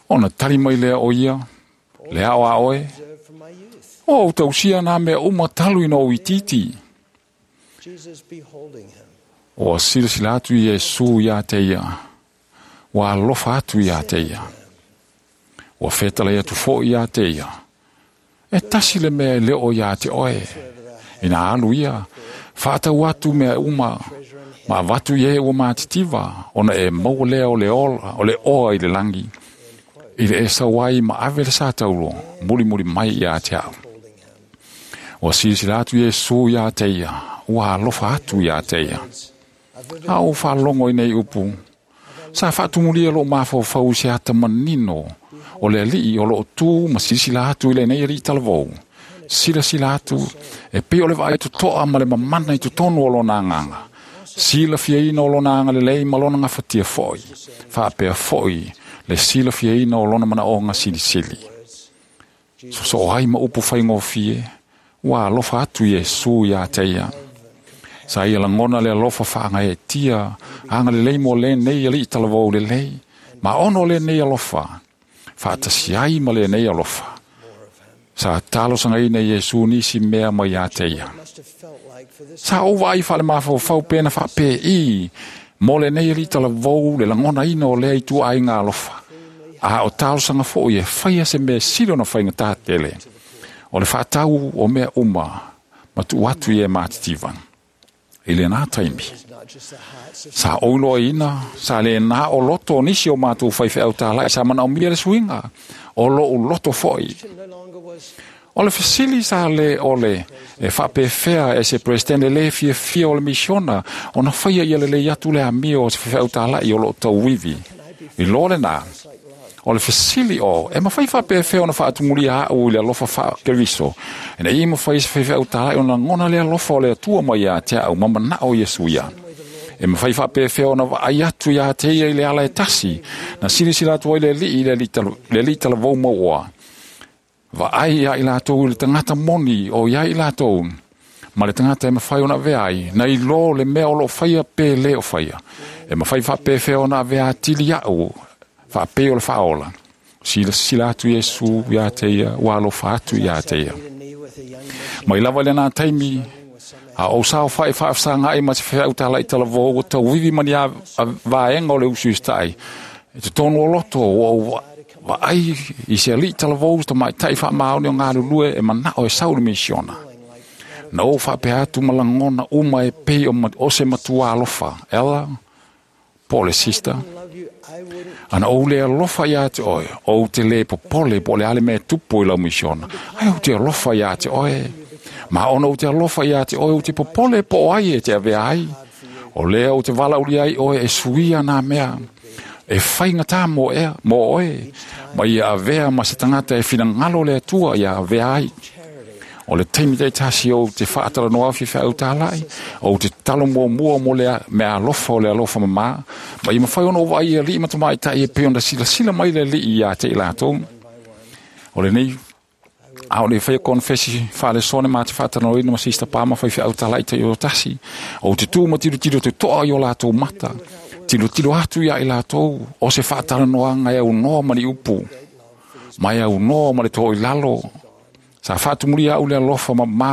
Ona tali mai lea o ia, le ao a oe, o ou tausia nā mea uma talu ina ou itiiti. Ua silasila atu Iesu iā te ia, ua alofa atu iā te ia, ua fetalai atu foʻi iā te ia. E tasi le mea e le o iā te oe, ina alu ia, faatau atu mea uma, ma avatu i e ua matitiva, ona e maua lea o le ola, o le oa i le langi, i le e sau ai ma ave le sa taulo, mulimuli mai iā te au. Ua silasila atu Iesu iā te ia, ua alofa atu iā te ia. A ou faalogo i nei upu, sa faatumulia loo mafaufau i se ata manino, o le alii o loo tu ma silasila atu i lenei alii talavou. Silasila atu, e pei o le vaai totoa ma le mamana i totonu o lona agaga. Silafiaina o lona agalelei ma lona gafatia foʻi, faapea foʻi le silafiaina o lona manaoga silisili. Sosoo ai ma upu faigofie, ua alofa atu Iesu iā te ia. Sa ia lagona le alofa faagaeatia, agalelei mo lenei alii talavou lelei, Ma ono le nei alofa, whaatasi ai ma le nei alofa. Sa talosanga ina Iesu nisi mea mai ia te ia. Sa ova ai whale mawhau pena whape i, mo le nei ali talavou le langona ina o lea i tua ai ngā alofa. A o talosanga fo i e whaia se mea silo na whainga tātele. O le whaatau o mea uma, matu atu i e mātitivan. I le nā taimi. Sa oiloa ina, sa le nā o loto o nisi o mātou whaiwheau tālai, sa mana o mia le suinga, o lo u loto foi. O le fesili sa le ole, e whapewhea e se presidente le fia fia o le misiona, o na whaia ia le le atu le amio o se whaiwheau tālai o lo tauwiwi. I lo le nā, o le fesili o, e mawhai whapewhea o na whaatumulia au i le alofa whakeriso. E na i mawhai se whaiwheau tālai o na ngona le alofa o le atua mai a te au, mama nao Iesu ia. E mawhai whapewhea o na waai atu ia te ia i le ala e tasi, na silisila atu ai le li i le li talavou maua. Vaai ia i lātou i le tangata moni o ia i lātou. Ma le tangata e mawhai o na veai, na i lo le mea o lo whaia pe le o whaia. E mawhai whapewhea o na vea tili au, whapeo le whaola. Sila sila atu Iesu ia te ia, walo whaatu ia te ia. Mai lava le nā taimi, a o sao whae whaafsanga ai ma te wheau tāla i talavou, o tau wiwi mani a vaenga o le usu istai. E te tonu o loto o wa ai i se ali talavou ta mai tai wha maoni o ngā lulue e manao e sauli misiona. Na o whapea atu malangona uma e pei o, o se matua alofa. Ela, po le sister. Ana o le alofa ia te oe, o te le popole po le ale me tupu i lau misiona. Ai o te alofa ia te oe. Ma ona o te alofa ia te oe o te popole po ai e te avea ai. O lea o te wala uli ai oe e suia nā mea. E whainga tā mō ea, mō oe. Ma ia avea ma se tangata e whinangalo le atua ia avea ai. O le taimi te tasi o te whaatara noa whiwha au tālai, o te talo mua mua mo le mea alofa o le alofa mamā. Ma i mawhai ono wa ia li matamai tai e pe onda sila sila mai le li ia te i lātou. O le nei, a o le whaia konfesi whaale sone mā te whaatara noa ina ma sista pāma whai au tālai te o tasi. O te tū ma tiro tiro te toa i o lātou mata. Tiro tiro atu ia i lātou, o se whaatara noa ngai au noa mani upu. Mai au noa ma le tō i lalo. Sa whaatumuri au le alofa ma mā,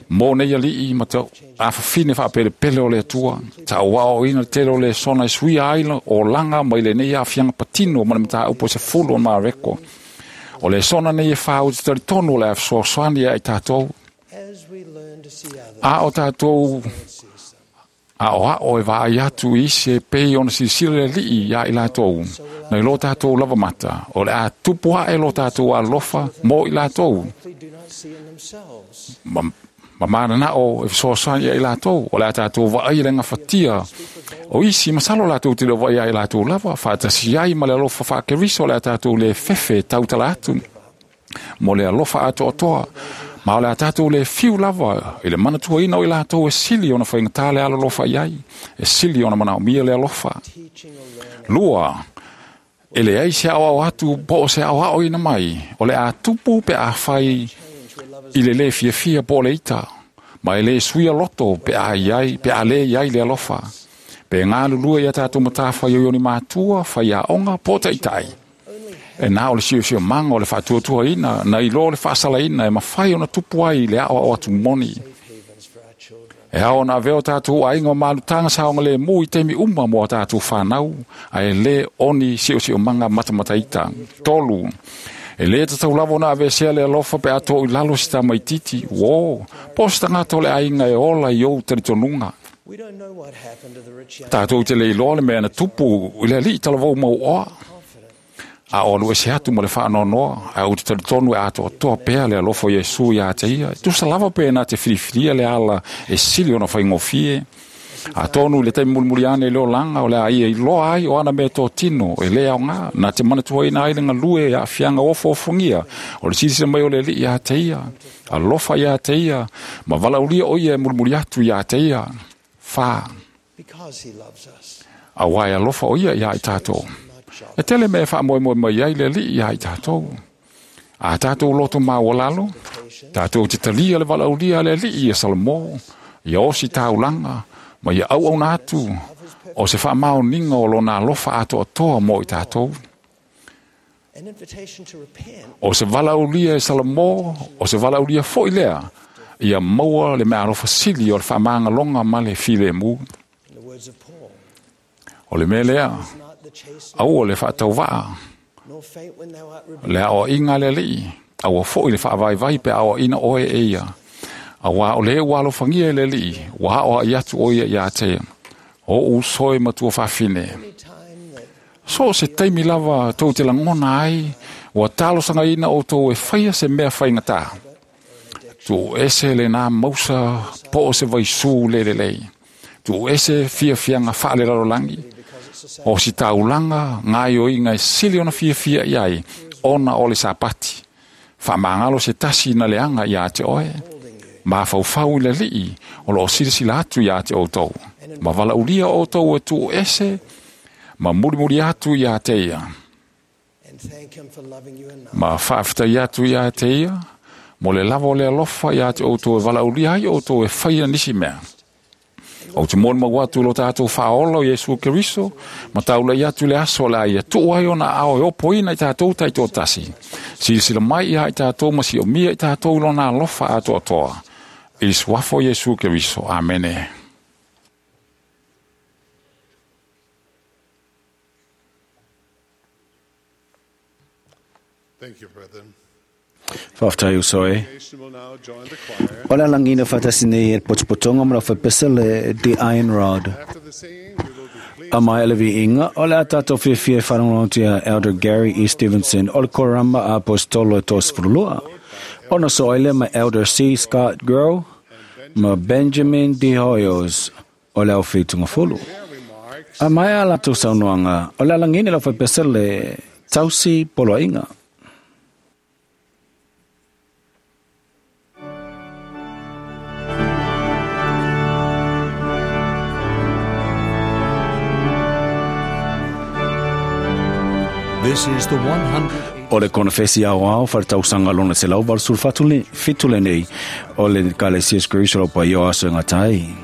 mō nei alii ma te awhawhine whaapele pele o le atua. Ta o wao ina tele o le sona e suia aila o langa mai le nei awhianga patino ma le mata upo se fulu o mareko. O le sona nei e whau te taritonu o le awsoasoani ai tātou. A o tātou, a o a o e vaai atu isi e pei ona silisila le lii ia i lātou. Nei lo tātou lava mata, o le a tupu hae lo tātou alofa mō i lātou. Ma, ma mana o e fesoasoani ia i lātou, o le a tātou vaai le ngawhatia. O isi masalo lātou te leo vaai ia i lātou lava, whaatasi ai ma le alofa whaakeriso o le a tātou le fefe tautala atu. Mo le alofa atoatoa. Ma o le a tātou le fiu lava, i le manatua ina o i lātou e sili ona whaingatā le alalofa iai, e sili ona manao mia le alofa. Lua, e le ai se au au atu po o se au au ina mai, o le a tupu pe a whai i le le fia fia po le ita, ma e le suia loto pe a iai, pe a le iai le alofa. Pe ngā lulua ia tātou matawha i o ni mātua, whai a onga, po te itai. E nā o le sio sio manga o le whaatuatua ina, na i lo le whaasala ina, e mawhai ona tupu ai le ao au atu moni. E ao na veo tātou ainga o malutanga saonga le mū i teimi uma mō tātou whanau, a e le oni sio sio manga matamataita. Tolu, e le tatau lavo na avesea le alofa pe ato i lalo si tā maititi, wō, po se tangata o le ainga e ola i ou taritonunga. Tātou te le iloa le mea na tupu, i le li talavou mau oa. A o lue se atu mo le whaanonoa, a o te taritonu e atoa toa pea le alofa Iesu ia te ia. Tusa lava pe nā te whiriwhiria le ala e sili ona whaingofie. A tonu le taimi mulimuli ane i leo langa o le a ia i loa ai o ana mea tō tino e le au ngā. Nā te manatua ina ai le ngalue a whianga ofo ofongia. O le silisila mai o le li ia te ia. Alofa ia te ia. Ma valaulia o ia e mulimuli atu ia te ia. Whā. A wai alofa o ia ia i tātou. E tele mea wha moe moe mai ai le li ia i tātou. A tātou loto māualalo, tātou te talia le valaulia le li ia Salamo, ia osi tāulanga, ma ia au au nātu, O se whaamaoninga o lona alofa atoatoa mo i tātou. O se valaulia e Salamo, o se valaulia foi lea, ia maua le mea alofa sili o le whaamaangalonga ma le filemu. O le mea lea, aua le whaatauvaa, le aoainga le alii, aua foi le whaavaivai pe aoaina oe e ia. Aua o le ua alofangia e le alii, ua aoai atu oe ia te ia. O usoe matua whawhine. So se taimi lava tou te langona ai, ua talosanga ina o tou e whaia se mea whaingata. Tu ese le nā mausa po o se vaisu le le lei. Tu ese fia fianga whaale lalolangi. O si taulanga ngai o inga e sili ona fia fia iai, ona o le sapati. Whaamangalo se tasi na leanga ia te oe. Ma whaufau i le lii o lo o silasila atu ia te outou. Ma valaulia o outou e tu ese, ma murimuri atu ia te ia. Ma whaaftai atu ia te ia, mo le lava o le alofa ia te outou e valaulia ai outou e whaia nisi mea. O te mōna mau atu lo tātou whaola o Iesu Keriso, ma taula i atu le aso la ia tuu ai ona ao e opo ina i tātou taito tasi. Silasila mai ia i tātou ma si o mia i tātou lona alofa atoatoa. I le suafa o Iesu Keriso. Amene. Thank you, brethren. Whaftai usoe. Nation will now join the choir. O le alangina whatasine e potopotonga mo la whapesa le The Iron Rod. After the singing, we will be pleased A mai ele inga, o le atato whiawhia wharangontia Elder Gary E. Stevenson o le korama apostolo e tosfurulua. Ona so aile ma Elder C. Scott Grow ma Benjamin D. Hoyos o le au whitunga fulu. remarks A mai ala tau saunoanga, o le alangina la whapesa le tausi poloinga. This is the one hundred O le konfesi au au whartausanga lona se lau sul fatule fitule nei o le kalesia Kristo lo pa io aso ngā tai.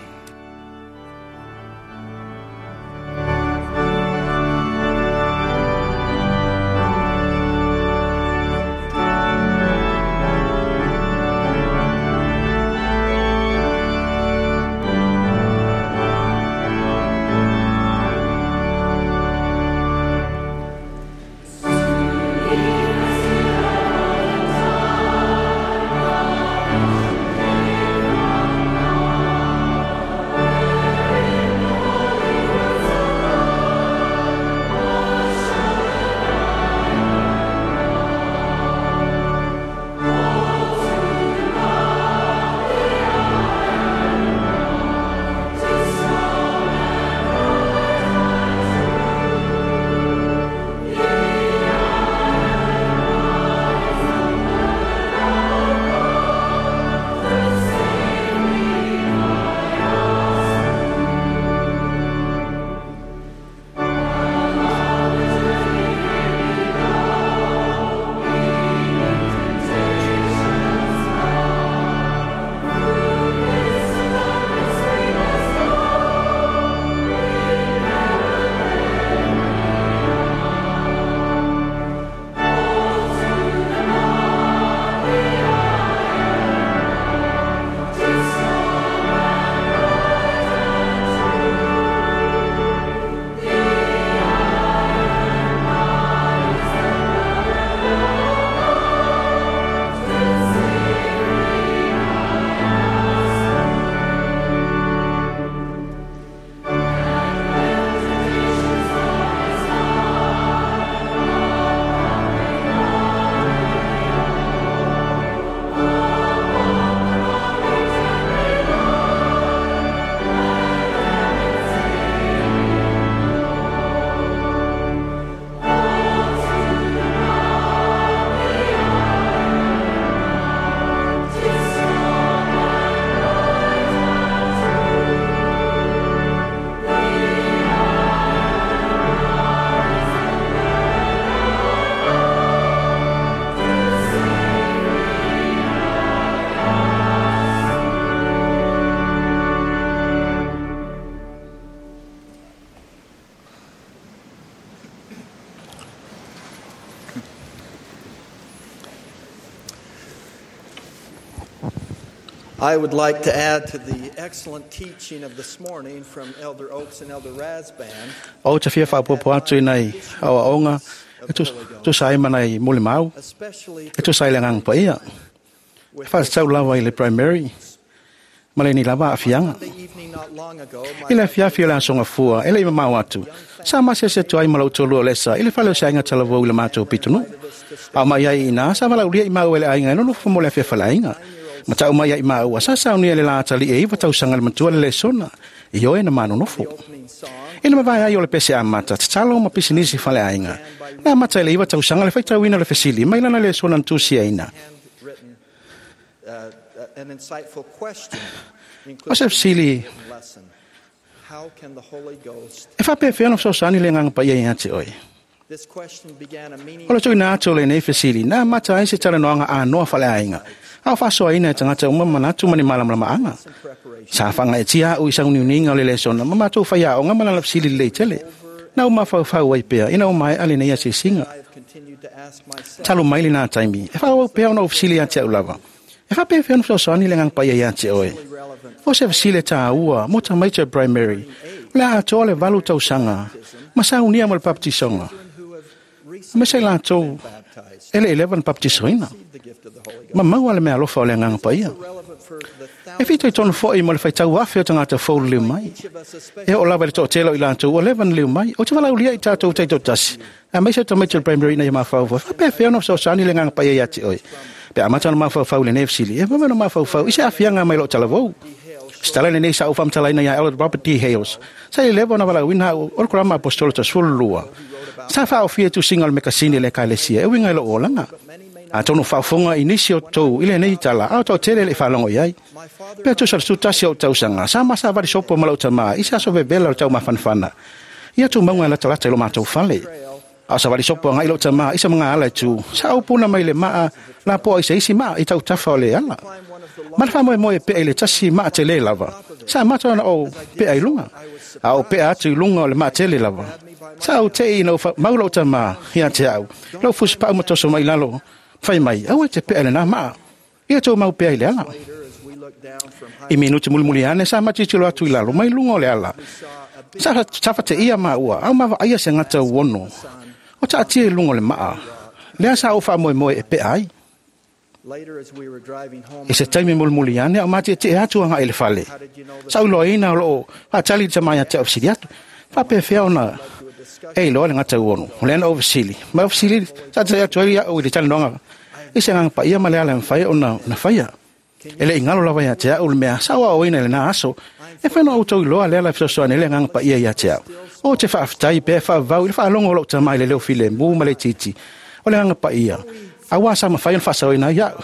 I would like to add to the excellent teaching of this morning from Elder Oaks and Elder Rasband. O te fia whaapopo atu i nei aua onga, e tusa ai mana i muli mau, e tusa ai le nganga pa ia. E whaatau lava i le primary, ma le ni lava afianga. I le afiafi o le asonga fua, e le ima mau atu. Sa mase se tuai malau tolu o lesa, i le whale o se ainga talavou i le mātou pitunu. Au mai ai ina, sa wala ulia i mau ele ainga, e nono fumo le afia whala ainga. Ma tau mai ai maua, sa saunia le laatali e iwa tausanga le matua le lesona, i oe na manonofo. Ina mawai ai o le pese amata, tatalo ma pisinisi whale ainga. Na amata ele iwa tausanga le whaitauina le fesili, mai lana lesona ntusia ina. O se fesili, e whapewhea no sosani le nganga paia i ate oe. O le tuina atu o le nei fesili, nā mata ai se talanoanga a noa whale ainga. Au whasoa ina e tangata uma manatu mani malamalama anga. Sa whanga e tia au i sauniuninga o le lesona, ma mātou whaia o ngā manala fesili lei tele. Nā uma whauwhau ai pea, ina o mai ale nei a se singa. Talo maili nā taimi, e whau au pea ona o fesili ate au lava. E whapewhea no sosani le nganga paia i ate oe. O se fesili tā ua, mo tamaiti primary, le atoa le valu tausanga, ma saunia mo le baptisonga. Me se lātou, ele eleven baptisoina. Ma maua le mea alofa o le nganga paia. E fito i tonu foi mo le whaitau afe o tangata fōlu liu mai. E o lava le to'atelo i lātou, o eleven liu mai, o te walaulia i tātou teito tasi. A meisa tamaiti o le primary na i mawhau. Whapewhea no sosani le nganga paia i ate oe. Pe amata no mawhauwhau le nefsili. E mama no mawhauwhau, i se afianga mai lo talavou. Stala le nei sa ufamtalaina ia Elder Robert D. Hales. Sa i lewa na walauina o le kurama apostolo ta sululua. Sa whaofia tu singa o le mekasini le kailesia, e winga i lo olanga. A tono whaofonga i nisi o tau i le nei tala, a o tau tele le whalongo i ai. Pea tusa le sutasi o tausanga, sa masa wari sopo malau tama, i sa so vevela o tau mawhanwhana. Ia tu maunga lata lata i lo mātou whale. A sa wari sopo anga i lo tama, i sa mga ala i tu, sa au puna mai le maa, la poa i sa isi maa i tau tawha o le ala. Mana wha moe pea i le tasi maa te le lava. Sa mata ona o pea i lunga. A o pea atu i lunga o le maa te le lava. Sa au te i na maula o tama ia te au. Lau fusi pau matoso mai lalo. Whai mai, au e te pea le nā maa. Ia tō mau pea i le ala. I minuti mulimuli ane, sa matitilo atu i lalo, mai lunga o le ala. Sa whate ia maua, au mawa aia se ngata uono. O ta atia i lunga o le maa. Lea sa au wha moe moe e pea ai. I se taimi mulimuli ane, au mati e te atu anga i le whale. Sa uloa ina o loo, whaatali te mai a te aufsili atu. Whapewhea ona e iloa le ngata uono. O le ana o fesili. Ma o fesili, sa te atu ai au i le talanoanga. I se nganga paia ma le ala mwhaia o na, na whaia. E le ingalo lawa ia te au le mea, sa oa oina le nā aso. E whaino au tau iloa le ala fesoasoani le nganga paia ia te au. O te whaaftai pe whaavau i le whaalongo lo tamai le leo file mū ma le titi. O le nganga paia. Awa sa mawhai o whasaoina ia au.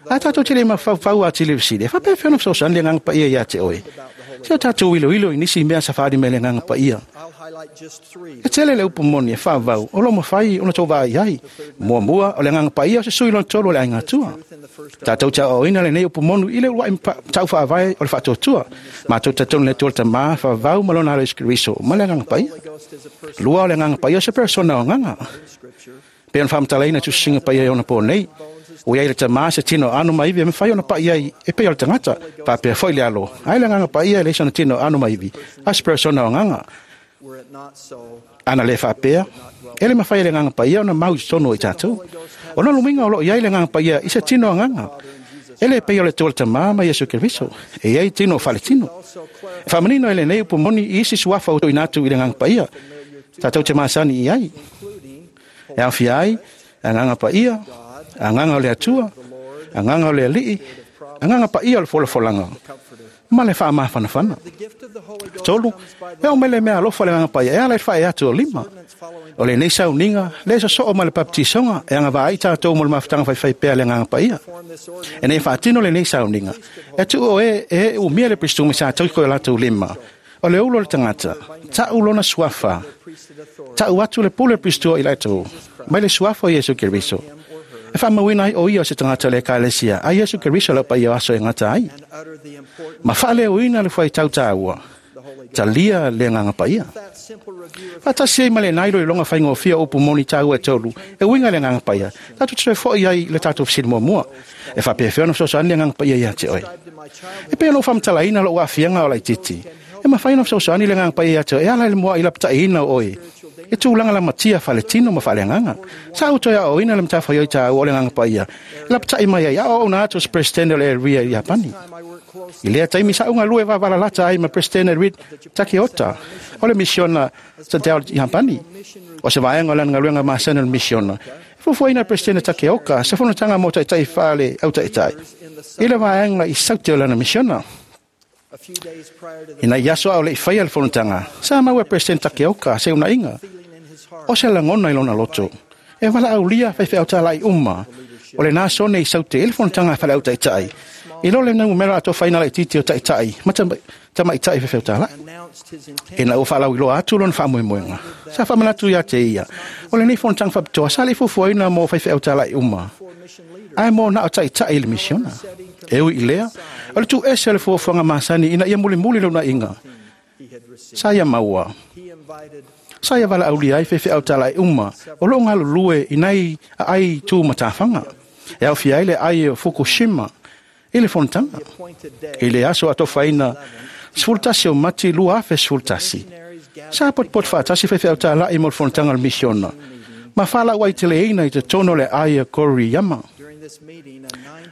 A tātou te le mawhau a te le fesili. E whapewhea no fesoasoani le nganga paia ia te oe. Se o tātou wilo wilo i nisi mea sawhari me le nganga paia. E tele le upu moni e whaavau, o lo mawhai o na tō vaa iai. Mua mua o le nganga paia o se sui lona tolu o le ainga tua. Tātou te o ina le nei upu monu i le ua tau whaavai o le whaatotua. Mātou tatonu le tuol tamā whaavau ma lona alo iskiriso ma le nganga paia. Lua o le nganga paia o se persona o nganga. Pe on whamtalaina tu singa paia i ona pō nei. O iai le tamā se tino anu maivi e mwhai ona paia i e pei o le tangata. Pāpea foi le alo. Ai le nganga paia e le isona tino anu maivi. A se persona o nganga. Ana le whapea, e le mawhai le nganga paia ona mau tono i tātou. O na luminga o lo iai le nganga paia i se tino a nganga. E le pei o le tuol tamā ma Yesu Keriso. E iai tino whale tino. E whamanino e le nei upu moni i isi suafa o inatu i le nganga paia. Tātou te māsani i ai. E awhia ai, a nganga paia, a nganga o le atua, a nganga o le alii, a nganga paia o le folafolanga. Ma le wha mawhanawhana. Tolu, e o mele mea alofa le nganga paia, e ala e whae atu o lima. O le nei sauninga, le sa soo ma le baptisonga, e anga vaai tātou mo le mawhitanga whaiwhai pea le nganga paia. E nei whaatino le nei sauninga, e tu o e, e umia le pristumi sa tau koe lātou lima. O le ulo le tangata, ta ulona suafa, ta uatu le pule pristua i lātou, mai le suafa o Yesu Keriso. E whamawina ai o ia o se tangata le kailesia, a Yesu Keriso lau paia aso e ngata ai. Ma whale uina le whai tau tāua. talia le agaga paia. Faatasi ai ma lenā iloiloga faigofia o upu moni tāua e tolu e uiga i le agaga paia, tatou te toe fo'i ai i le tatou fesili muamua, e faapefea ona fesoasoani le agaga paia iā te oe. E pei ona ou faamatalaina lo'u aafiaga o laitiiti, e mafai ona fesoasoani le agaga paia iā te oe e ala i le mua'i lapata'iina o oe e tulaga lamatia faaletino ma faaleagaga. Sa ou toe aoaoina le matafaioi tāua o le agaga paia e lapata'i mai ai aoaouna atu o se peresetene o le area i Iapani. I lea taimi sa ou galue vavalalata ai ma Peresetene Reid Takeota o le misiona Sadao i Iapani. O se vaega o lana galuega masani o le misiona, e fuafuaina e le Peresetene Takeoka se fonotaga mo taʻitaʻi faale autaʻitaʻi i le vaega i Saute o lana misiona. Ina i aso a o leʻi faia le fonotaga, sa maua e Peresetene Takeoka se unaʻiga o se lagona i lona loto e valaaulia faifeau tālaʻi uma o lenā sone i Saute i le fonotaga a faleautaʻitaʻi i lo le numera atofaina laitiiti o taʻitaʻi ma tamaʻitaʻi faifeau tālaʻi. Ina ua faalauiloa atu lona faamoemoega, sa faamanatu iā te ia o lenei fonotaga faapitoa sa leʻi fuafuaina mo faifeau tālaʻi uma ae mo na o taʻitaʻi i le misiona. E ui i lea, o le tuuese o le fuafuaga masani ina ia mulimuli le unaʻiga sa ia maua, sa ia valaaulia ai faifeau tālaʻi uma o loo galulue i nai aai tu matafaga e aofia ai le ai o Fukushima i le fonotaga. I le aso atofaina sefulu tasi o Mati lua afe sefulu tasi, sa potopoto faatasi faifeau tālaʻi mo le fonotaga o le misiona ma faalaʻu ai teleina i totonu o le ai o Koriyama.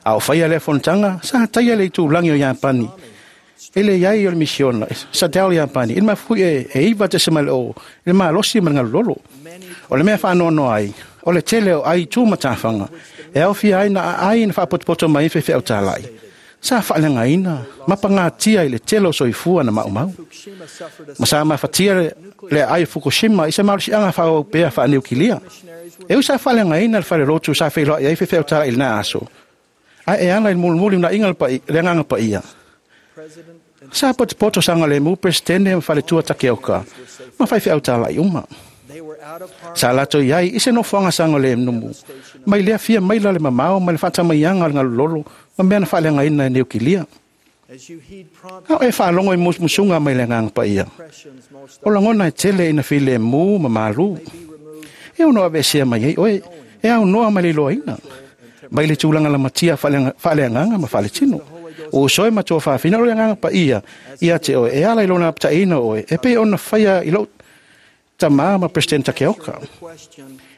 A o faia lea fonotaga, sa taia le itulagi o Iapani e le iai o le misiona Sadao Iapani i le mafu'i e, e iva tesemale o i le malosi ma le galulolo. O le mea faanoanoa ai, o le tele o ai tu matafaga e aofia ai na aai na faapotopoto mai ai faifeau tālaʻi sa faaleagaina ma pagatia i le tele o soifua na maʻumau. Ma sa mafatia le, le aai o Fukushima i se malosiaga faaauau pea faaniukilia. E ui sa faaleagaina le falelotu sa feiloaʻi ai faifeau tālaʻi i lenā aso, ae e ala i le mulimuli unaʻiga le paia- le agaga paia. Sa potopoto saogalemu Peresetene ma faletua Takeoka ma faifeau tālaʻi uma. Sa latou iai i se nofoaga saogalemu mai lea fia maila le mamao ma le faatamaiaga o le galulolo ma mea na faaleagaina e niukilia. A o e faalogo i musumusuga mai le agaga paia, o lagona e tele ina filemu ma malū, e ono aveesea mai ai oe e aunoa ma le iloaina mai le tulaga lamatia faaleagaga ma faaletino. O uso e matua faafina o le agaga paia ia te oe e ala i lona lapataʻiina o oe e pei ona faia i lou tamā ma Peresetene Takeoka.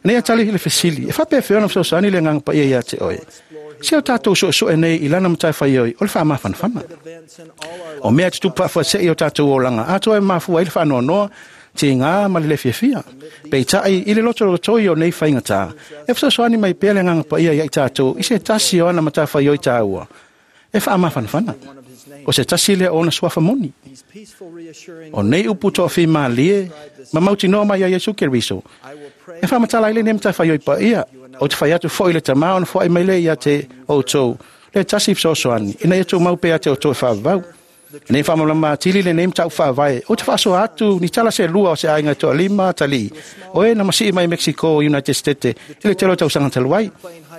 Nei a tali i le fesili, e faapefea ona fesoasoani le agaga paia ia te oe. Se o tatou suesu'e nei i lana matafaioi o le faamafanafana. O mea e tutupu faafuase'i o tatou olaga atoa e mafua ai le faanoanoa, tigā ma le le fiafia. Peitaʻi i le lotolotoi o nei faigatā, e fesoasoani mai pea le agaga paia ia i tatou i se tasi o ana matafaioi tāua e faamafanafana. O se tasi lea o ona suafa moni. O nei upu toafimalie ma mautinoa mai ia Iesu Keriso e faamatala ai lenei matafaioi paia, o te fai atu fo'i le tamā ona foai mai lea ia te outou le tasi fesoasoani ina ia tumau pea te outou e faavavau. Nei faamalamalama atili lenei mataupu faavae o te faasoa atu ni tala se lua o se aiga e toalima atalii o e na masii mai Mexico United States i le tele o tausaga talu ai.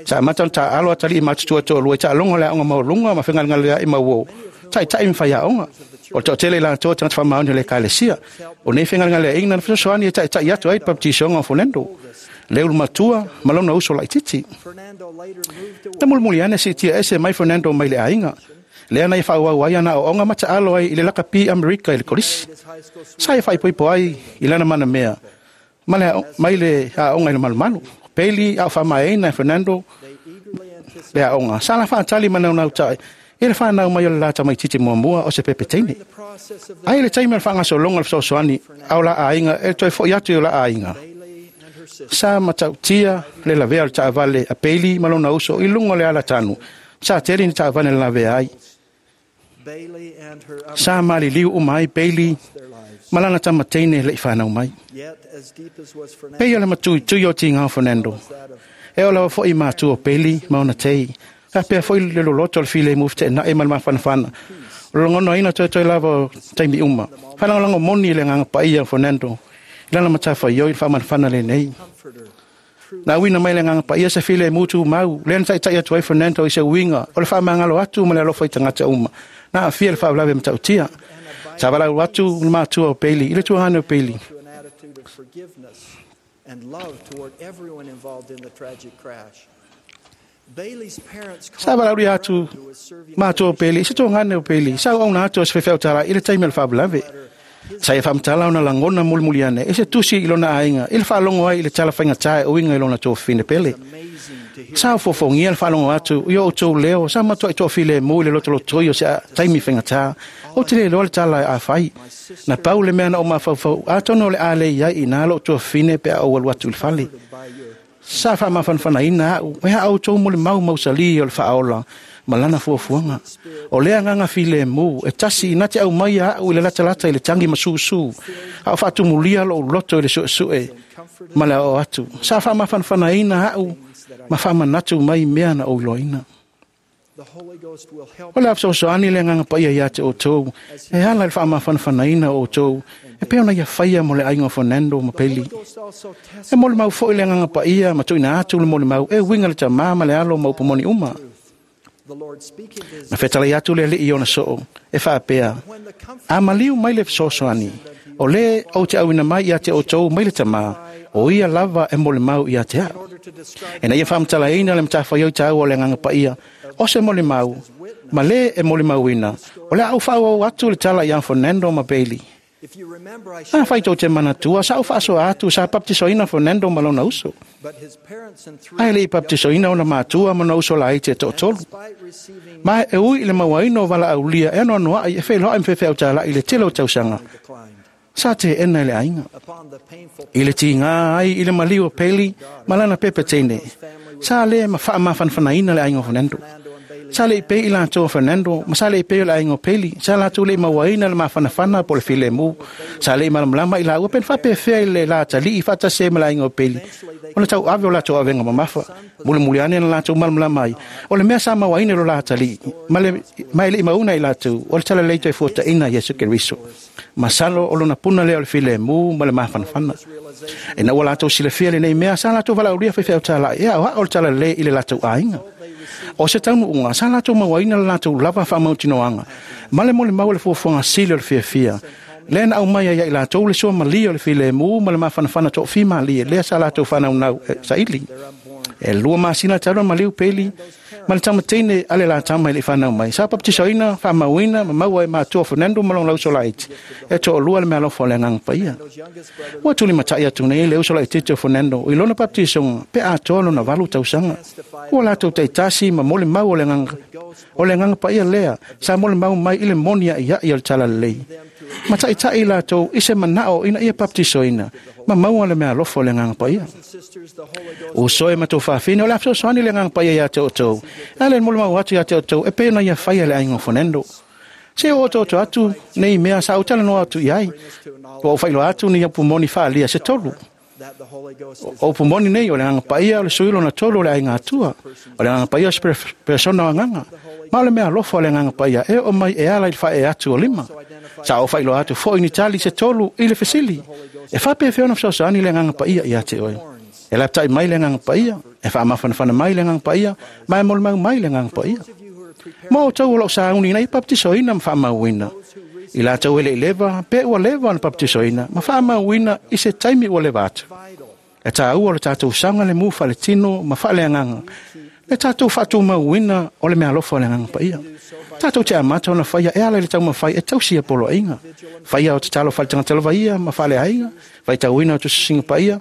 Sa amata ona taaalo atalii matutua toalua i taaloga o le aoga maualuga ma fegalegaleaʻi mauō taʻitaʻi ma faiaoga. O le toatele i latou tagata faamaoni o le ekalesia. O nei fegalegaleaʻiga na fesoasoani e taʻitaʻi atu ai le bapetisoga o Fernando, le ulu matua ma lona uso laitiiti. Na mulimuli ane siitia ese mai Fernando mai le aiga lea na ia faaauau ai ana aoaoga ma taalo ai i le lakapi Amerika i le kolisi. Sa ia faaipoipo ai i lana manamea ma le mai le aoga i le malumalu. Peli a o faamaeaina e Fernando le aoga, sa la faatali ma naunautai i le whanau mai o le la tamaitiiti muamua o se pepe teine. Ai le taimi o le faagasologa o le fesoasoani a o la aiga e toe fo'i atu i o la aiga. Sa matautia le lavea o le taavale a Bailey ma lona uso i luga o le alatanu. Sa tele ni taavale na lavea ai. Sa maliliu uma ai Bailey ma lana tamateine leʻi fanau mai. Pei o le matuitui o tigā o Fernando, e oo lava fo'i matua o Bailey ma ona tei. Faapea fo'i le loloto o le filemu feteenaʻi ma le mafanafana. O le logonaina toetoe lava o taimi uma. Faalagolago moni i le agaga paia o Fernando i lana matafaioi i le faamanafana lenei. Na uina mai le agaga paia se filemu tumau, lea na taʻitaʻi atu ai Fernando i se uiga o le faamagalo atu ma le alofa i tagata uma na aafia i le faalavelave matautia. Sa valaau atu le matua o Bailey i le tuagane o Bailey. To an attitude of forgiveness and love toward everyone involved in the tragic crash. Bailey's parents Sa valaaulia atu matua o Bailey i se tuagane o Bailey. Sa auauna atu o se faifeau talai i le taimi o le faalavelave. Sa ia faamatala ona lagona mulimuli ane e se tusi i lona aiga i le faalogo ai i le tala faigata e uiga i lona tofine pele. Sa ofofogia le faalogo atu i o outou leo sa matuai toafilemu i le lotolotoi o se taimi faigata. Ou te le iloa le tala e afai. Na pau le mea na ou mafaufau atonu o le a le i ai i nā lou tuafine pe a ou alu atu i le fale. Sa faamafanafanaina au e a outou molimau mausali o le faaola ma lana fuafuaga. O lea agaga filemu e tasi na te aumaia au i le latalata i le tagi ma susū, a o faatumulia lou loto i le suesue ma le aoao atu. Sa faamafanafanaina au ma faamanatu mai mea na ou iloaina. The Holy Ghost will help O le a fesoasoani le agaga paia ia te outou, e ala i le faamafanafanaina o outou, e pei ona ia faia mo le aiga o Fernando ma Peli. Ghost also test E molimau foi le agaga paia ma tuuina atu le molimau e uiga le tamā ma le alo ma upu moni uma. the Lord speaking to his Na fetalai atu le alii i ona soo, e faapea, when the comfort a maliu mai le fesoasoani, o le ou te auina mai ia te outou mai le tamā, o ia lava e molimau ia te au. order to describe E na ia faamatalaina le matafaioi taua o le agaga paia, o se molimau, ma le e molimauina, o le a ou faaauau atu le tala ia Fernando ma Bailey. If you remember, I A shared fai tou te manatua, sa ou faasoa atu, sa baptisoina Fernando ma lona uso. but his parents and three Ae le i baptisoina ona matua ma ona uso laiti e toatolu. despite receiving Ma e ui i le mauaina o valaaulia e anoanoai e feiloai ma faifeau talai i le tele o tausaga. declined Sa teena e le aiga. upon the painful I le tigā ai i le maliu o Peli ma lana pepe teine. Sa le ma faamafanafanaina le aiga o Fernando. Sa le i pei i latou o Fernando, ma sa le i pei o le aiga o Peli. Sa latou le i mauaina le mafanafana po o le filemu. Sa le i malamalama i laua pe na faapefea i le latalii faatasi ai ma le aiga o Peli. Ona tauave o latou avega mamafa. Mulimuli ane na latou malamalama ai. O le mea sa mauaina i lo latalii, ma le ma e le i mauna i latou, o le talalei toe fuataina Iesu Keriso. Masalo o lona puna lea o le filemu ma le mafanafana. E na ua latou silafia lenei mea, sa latou valaaulia faifeau talai, e aoao le talalelei i le latou aiga. O se taunuuga, sa latou mauaina le latou lava faamautinoaga, ma le molimau o le fuafuaga sili o le fiafia. Lea na aumai ai ia i latou le suamalie o le filemu ma le mafanafana toafimalie, lea sa latou fanaunau e saili. E lua masina talu ona maliu Peli, ma le tamateine a le latama i le i fanau mai. Sa baptisoina, faamauina, ma maua e matua o Fernando ma lona uso laiti. E toalua le meaalofa o le agaga paia. Ua tulimatai atu nei le uso laitiiti o Fernando i lona baptisoga pe atoa lona valu tausaga. Ua latou taitasi ma molimau o le agaga o le agaga paia lea sa molimau mai i le moni aiai o le talalelei. Ma taitai latou i se manao ina ia baptisoina ma maua le meaalofa o le agaga paia. sisters the Holy Ghost O soe ma tau faafine o le a fesoasoani le agaga paia ia te outou. E ala i le molimau atu ia te outou e pei ona ia faia le aiga o Fernando. Se o otooto atu nei mea sa ou talanoa atu i ai. Ua ou faailoa atu ni upu moni faaalia se tolu. that the Holy Ghost is O upu moni nei o le agaga paia o le sui lona tolu o le aiga Atua. O le agaga paia o se persona o agaga. Ma o le meaalofa o le agaga paia e oo mai e ala i le faaee atu o lima. Sa ou faailoa atu foi ni tali se tolu i le fesili. E faapefea ona fesoasoani le agaga paia ia te oe. E lapatai mai le agaga paia, e faamafanafana mai le agaga paia, ma e molimau mai le agaga paia. Ma outou o loo sauni ina ia baptisoina ma faamauina. I latou e le i leva, pe ua leva ona baptisoina, ma faamauina i se taimi ua leva atu. E tāua o le tatou saogalemu faaletino ma faaleagaga, le tatou faatumauina o le meaalofa o le agaga paia. Tatou te amata ona faia e ala i le taumafai e tausi ia poloaiga. Faia o tatalo faaletagata lava ia ma faaleaiga, faitauina o tusisiga paia,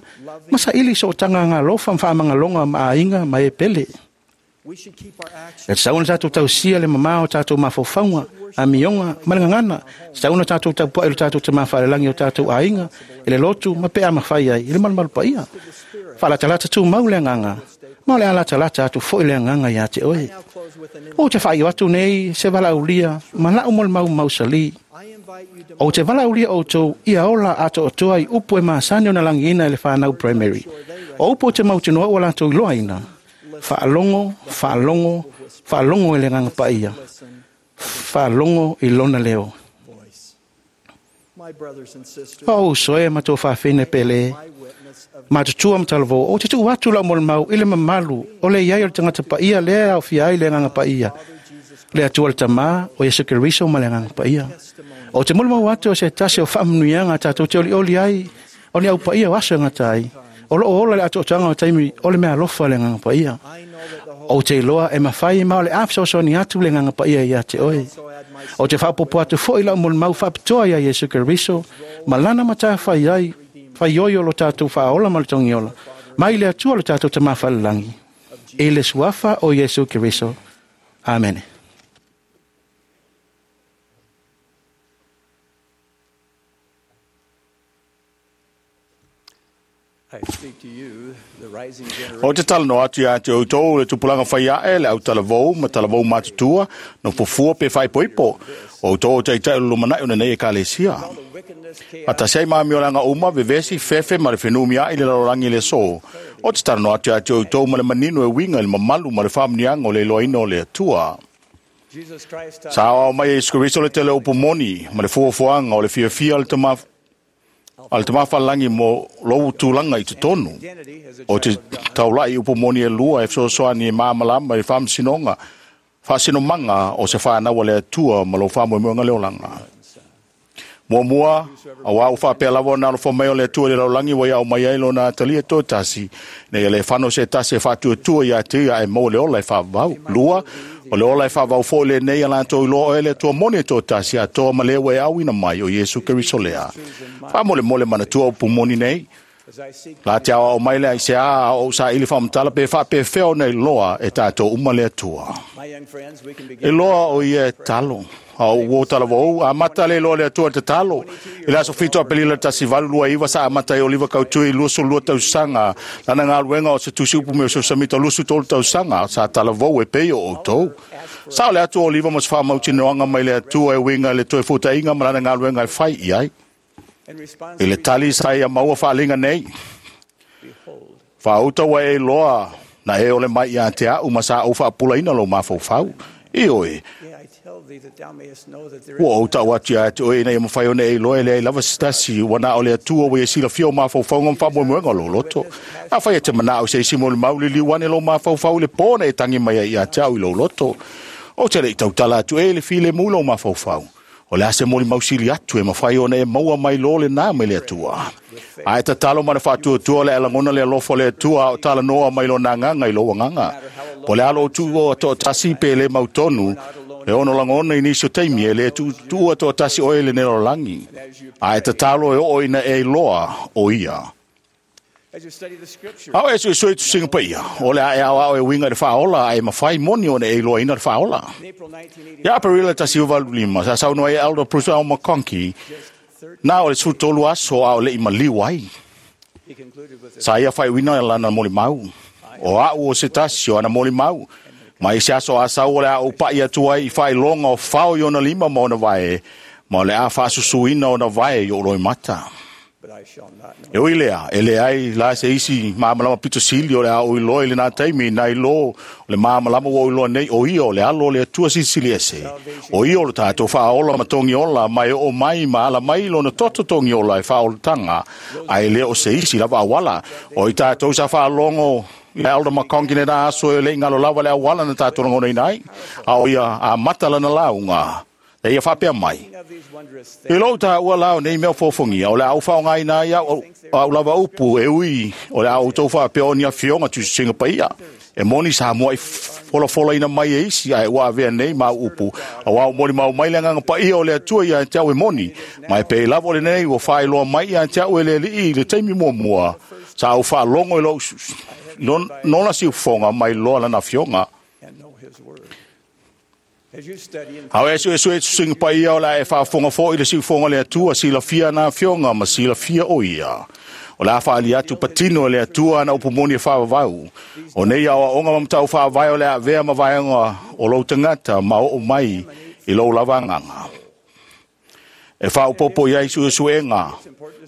ma saili i sootaga agalofa ma faamagaloga ma aiga ma e pele. we should keep our actions E tatau ona tatou tausia le mamā o tatou mafaufauga, amioga ma le gagana. E tatau ona tatou tapuai i lo tatou tamā faalelagi o tatou aiga, i le lotu ma pe a mafai ai i le malumalu paia. Faalatalata tumau le agaga, ma o le alatalata atu foi le agaga ia te oe. now close with an Ou te faaiu atu nei se valaaulia ma lau molimau mausali. I invite you to Ou te valaaulia outou ia ola atoatoa i upu e masani ona lagiina i le whanau primary. O upu o te mautinoa ua latou iloaina. Faalogo, faalogo, faalogo i le agaga paia. Faalogo i lona leo. voice. My brothers and sisters, O uso e ma tō whawhine pele. my witness of Matutua ma talavou, o te tuu atu lau molimau i le mamalu o le iai o le tangata paia lea au fia ai le agaga paia. Father Jesus Le Atua le Tamā, o Iesu Keriso ma le Agaga Paia. O te molimau atu o se tasi o faamanuiaga tatou te olioli ai, o ni au paia o aso e gata ai. O loo ola le atoatoaga o taimi o le mea alofa le Agaga Paia. O te iloa e mafai ma o le a fesoasoani atu le Agaga Paia ia te oe. O te faapopo atu foi lau molimau faapitoa ia Iesu Keriso, ma lana matafai ai, faioi o lo tatou faaola ma le togiola, mai le Atua le tatou Tamā Falelagi. I le suafa o Iesu Keriso. Amene. I speak to you, the rising O te generation. talanoa atu ia te outou le tupulaga fai ae le au talavou ma talavou matutua no fofua pe faaipoipo. O outou o taitai o le lumanai o lenei ekalesia. Wickedness, A tasi ai maamiolanga uma vevesi fefe ma le fenumiai i le lalolagi i le aso. O te talanoa atu ia te outou ma le manino e uiga i le mamalu ma le faamanuiaga o le iloaina o le Atua. Jesus Christ, Sa aoao mai e Iesu Keriso le tele o upu moni ma le fuafuaga o le fiafia o le tama a le tamafalagi mo lou tulaga i totonu. identity as a O te child of God. taulai upu moni e lua e fesoasoani e malamalama i le faamasinoga faasinomaga o se fanau a le Atua ma lou faamoemoega le olaga. Muamua, auā ua faapea lava ona alofa mai o le Atua i le lalolagi ua ia aumai ai lona atalia toatasi, ina ia le fano se tasi e faatuatua ia te ia ae maua le ola e faavavau. Lua, o le ola e faavavau foi lenei a latou iloa oe le Atua moni e toatasi atoa ma le ua e auina mai o Iesu Keriso lea. Faamolemole manatua upu moni nei, As I seek La te aoao mai le ai se a o sa ili whamtala pe whaapewhea o nei loa e tātou uma le Atua. my young friends, we can E begin. loa o ia e talo. A o uo tala vau, a mata le loa le Atua te talo. I le aso fito a pelila tasi valu lua iwa sa amata e oliva kautui luasu lua tausanga. Lana ngā luenga o se tusi upu me o se samita luasu tolu tausanga. Sa tala vau e pei o outou. Sa o le Atua oliva mo se whamauti noanga mai le Atua e winga le toe futainga ma lana ngā luenga e whai i ai. In response, I le tali sa ia maua whaalinga nei. behold, Whaauta wa e loa na e ole mai ia te au ma sa au whaapulaina lo mafaufau. I oe, yea, I tell thee that thou mayest know that there ua is ou tau atu ia te oe ina ia mawhai one e loa e lea i lava sitasi ua na o le Atua ua ia silafia o mafaufauga ma faamoemoega o lou loto. A whai e te manao se isi mo le mauli liu ane lo mafaufau le pōna e tangi mai ai ia te au i lou loto. O te le i tautala atu e le file mu lou mafaufau. O le ase moli mausili atu e mawhai ona e maua mai lo le nā mai le Atua. A e tatalo mana whaatuatua le alangona le alofa le Atua o tala noa mai lo nā nganga i lo wanganga. Po le alo o tu o to tasi pe le mautonu, le ono langona i nisi o taimi e le tu tua to tasi o e le nero langi. A e tatalo e o ina e loa o ia. As you study the scriptures, Au e sui sui tu singa pa ia. O le ae au au e winga le whaola, ae mawhai moni ona e loa ina le whaola. in April nineteen eighty, Ia Aparila tasi o valu lima, sa saunoa e Elder Bruce L. McConkie, nā o le sutolu aso a o le i maliu ai. he concluded with this. Sa ia whai wina e lana moli mau. O au o se tasi o ana moli mau. Mai se aso a sau o le a o pai atu ai i whai longa o whao i ona lima ma ona vae. Ma o le a whaasusuina ona vae i o roi mata. But I shall not know. E oi lea, e le ai la se isi māmalama pito sili o le a oi loa i le nā taimi nai lo o le māmalama ua oi loa nei o ia o le alo o le Atua silisili ese. O ia o le tātou whaola ma tongi ola mai o mai ma ala mai lona toto tongi ola e whaolatanga ai le o se isi lava awala. O i tātou sa whaalongo i Elder McConkie ne nā aso e le ingalo lava le awala na tātou rangona inai. A o ia a matala na launga. E ia whapea mai. Of these wondrous I lou tā ua lao nei mea fōfongia, o le au whaongai nā ia o au lava upu e ui, o le au tau whaapea o ni a fionga tu singa paia. E moni sa mua i folafola ina mai e isi, ai ua avea nei mau upu. Au au moni mau mai le nganga paia o le Atua ia te au e moni. Mai pe lavo le nei ua whaeloa mai ia te au e le lii le taimi mua mua. Sa au whaalongo i lou nona si ufonga mai loa lana fionga. and know his word. As you study and Au e sue sue singa paia o la e whaafonga fo i le siufonga le Atua, sila fia nā fionga ma sila fia o ia. O la whaali atu patino le Atua na upu moni e whaavavau. O nei awa onga mamtau whaavai o le a vea mavaenga o lou tangata ma o mai i lou lavanganga. E whaaupopo iai sue suenga,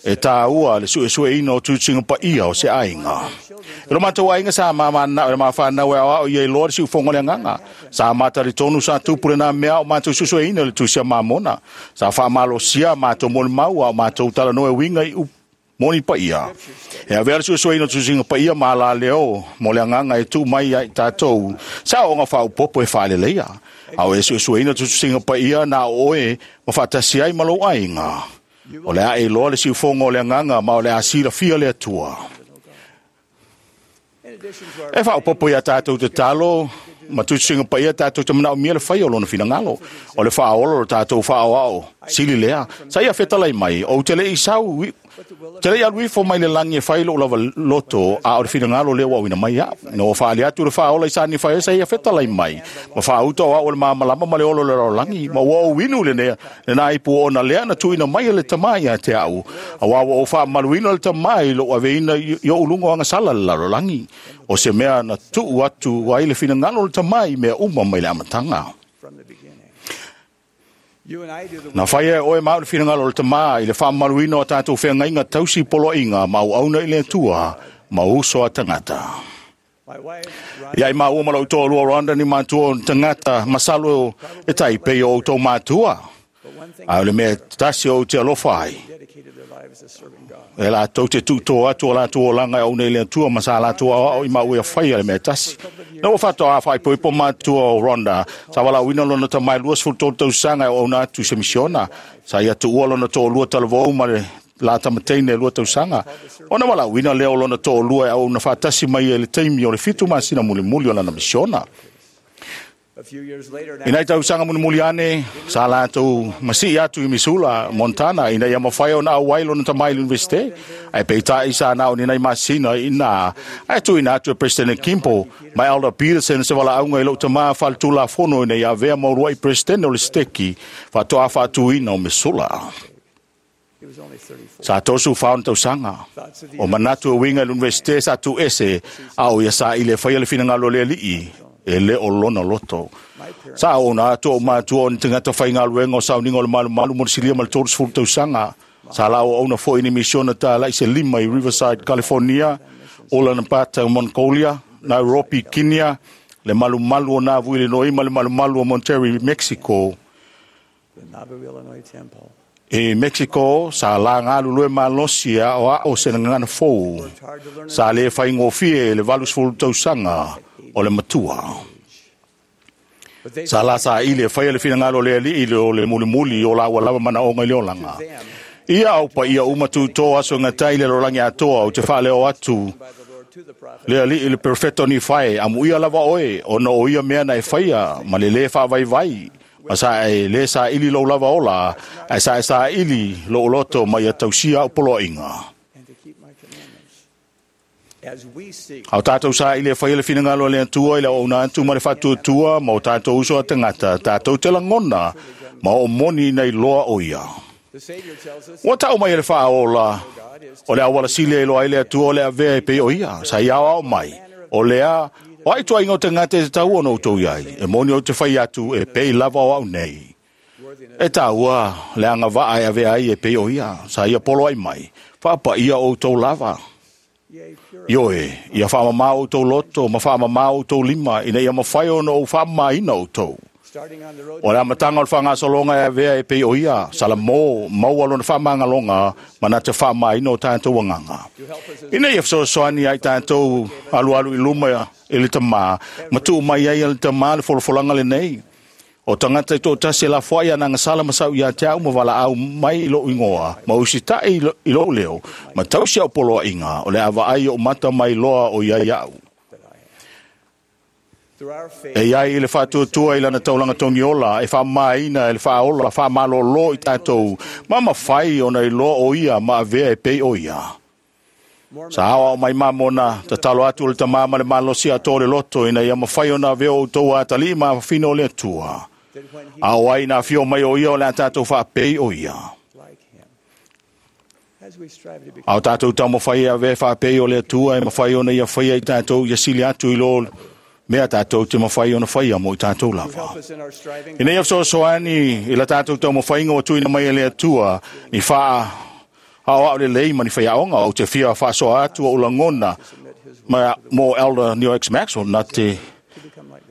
e tā ua le sue sue ina o tūtinga pa ia o se ainga. E lo mātou ainga sa māma na o le māwhanau e au ia i loa le siufonga le nganga. Sa mātari tonu sa tupure nā mea o mātou susue ina le tusia māmona. Sa whaamalosia mātou moli mau au mātou talanoa e winga i Moni paia. E a vea suesueina o tusiga paia ma la leo mo le agaga e tuu mai ai tatou sa oga faaopopo e faaleleia. A o e suesueina tusiga paia na o oe ma faatasi ai ma lou aiga. O le a e iloa le siufogo o le agaga ma o le a silafia le Atua. E faaopopo ia tatou tatalo ma tusiga paia tatou te manaomia le fai o lona finagalo. O le faaola o tatou faaoao sili lea. Sa ia fetalai mai, ou te le i sau te le i alu ifo mai le lagi e fai lou lava loto a o le finagalo lea ua auina mai au. Ina ua faali atu le faaola i sani fai sa ia fetalai mai. Ma faauta o au o le mamalama ma le olo le lalolagi. Ma ua ou inu le lena ipu ona lea na tuuina mai e le tamai ia te au. Auā ua ou faamaluina le tamai lou aveina i ou luga o agasala le lalolagi. O se mea na tuu atu ai le finagalo o le tamai mea uma mai le amataga. Na whaia e oe mau le finagalo o le tamā i le whaamaluina o tātou whengainga tausi poloaiga ma au auna i le Atua ma uso a tangata. Ia i maua ma lau toalua Rhonda ni mātua o tangata masalo e tai pei o outou mātua. A o le mea tasi o te alofa ai. E latou te tuuto atu o latou olaga e auna i le Atua ma sa latou aoao i maua e whaia le mea tasi. Na ua whatoa a whaipoipo mātua o Rhonda, sa walauina lona tamai lua sefulu tolu tausaga e auauna atu i se misiona. Sa ia tuua lona toalua talavou ma le la tamateine lua tausaga. Ona walauina lea o lona toalua e auauna faatasi mai e le taimi o le fitu masina mulimuli o lana misiona. Ina i tausaga mulimuli ane, sa latou masii atu i Missoula, Montana, ina ia mawhai o na auai lona tamai i universite. Ai peitai sa na o ni nai masina ina. Ai tuuina atu e President Kimpo, mai Elder Peterson se walaauga i lou tamā faaletulafono ina ia avea mauluai President o le steki, faatoa faatuina o Missoula. Sa tosu whaona tausaga. O manatu e winga i le universite sa tu ese, a o ia sa i le whaia le finagalo le alii, e le o lona loto. Sa o na atu o mātua o ni tangata whaingaluenga o sauniga o le malumalu mo le silia ma le tolu sefulu tausaga. Sa lao auna foi ni misiona tālai se lima i Riverside, California, Ulaanbaatar, Mongolia, Nairobi, Kenya, le malumalu o Nauvoo, Illinois, ma le malumalu o Monterrey, Mexico. E Mexico, sa la ngalu lue malosi a o ao se ngana fou. Sa le whaingofie le valu sefulu tausaga o le matua. Sa la sa ile whaia le finagalo le alii le o le mulimuli o la ua lava manaoga i le olaga. Ia au pa ia uma tūtō aso ngatai le lolangi atoa o te whaaleo atu le alii le perfecto ni whae amu ia lava oe ona o ia mea na e whaia ma le le whaavaivai ma sa e le sa ili lou lava ola ai sa e sa ili lo loto ma ia tausia au poloaiga. Au tātou sa i le whaia le finagalo le Atua i le auauna atu ma le faatuatua ma o tātou uso a tangata, tātou te langona ma o moni nei loa o ia. Ua tau mai e le whaaola o le awala sile i loa i le Atua o le avea e pei o ia, sa i ao ao mai, o lea, o ai tuainga o tangata e te tau ona outou iai, e moni o te whai atu e pei lava o au nei. E taua le anga vaa e avea ai e pei o ia, sa ia polo ai mai, whaapa ia o outou lava. Ioe, ia whaamamā o tō loto, ma whaamamā o tō lima, ina ia mawhai ona o whaamāina o tō. O le amatanga o le whangasolonga e avea e pei o ia, Salamo, maua lona whamangalonga, mana te whaamāina o tātou anganga. Ina ia whasoasoani ai tātou alu alu i luma e le tamā, ma tuu mai ai le tamā le folofolanga le nei. O tangata i tō tasi e la fuai ana ngasala masau ia te au ma wala au mai i lou ingoa, ma usitai i lou leo, ma tausi au poloa inga, o le awa ai o mata mai loa o ia iau. E iai i le whaatuatua i lana taulanga tongiola, e whaamaina, e le whaola, whaamalolo i tātou, ma mawhai ona i loa o ia, ma avea e pei o ia. Sa awa o mai mamona, tatalo atu o le tamā ma le malosi a tō le loto, ina ia mawhai ona avea o tō atali ma whawhino o le Atua. A o ai nā whio mai o ia o le a tātou whaapei o ia. A o tātou tau mawhai a ve whaapei o le Atua e mawhai ona ia whaia i tātou ia sili atu i lo mea tātou te mawhai ona whaia mo i tātou lava. Ina ia whasoasoani i la tātou tau mawhainga o tuina mai e le Atua ni whaa ao au le lei ma ni whaiaonga o te whia whaasoa atu o ulangona ma mo Elder Neil X. Maxwell na te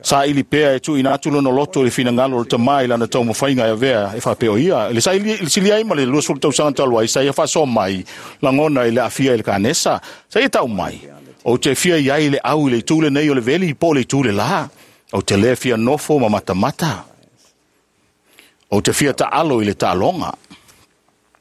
Sa ili pea e tuuina atu lona loto i le finagalo o le tamā i lana taumafaiga e avea e faapea o ia. I le saili- le sili ai ma le luasefulu tausaga talu ai, sa ia faasoa mai lagona i le aafia i le kanesa. Sa ia tau mai, ou te fia i ai le au i le itu lenei o le veli po o le itu le lā. Ou te lē fia nofo ma matamata. Ou te fia taalo i le taaloga.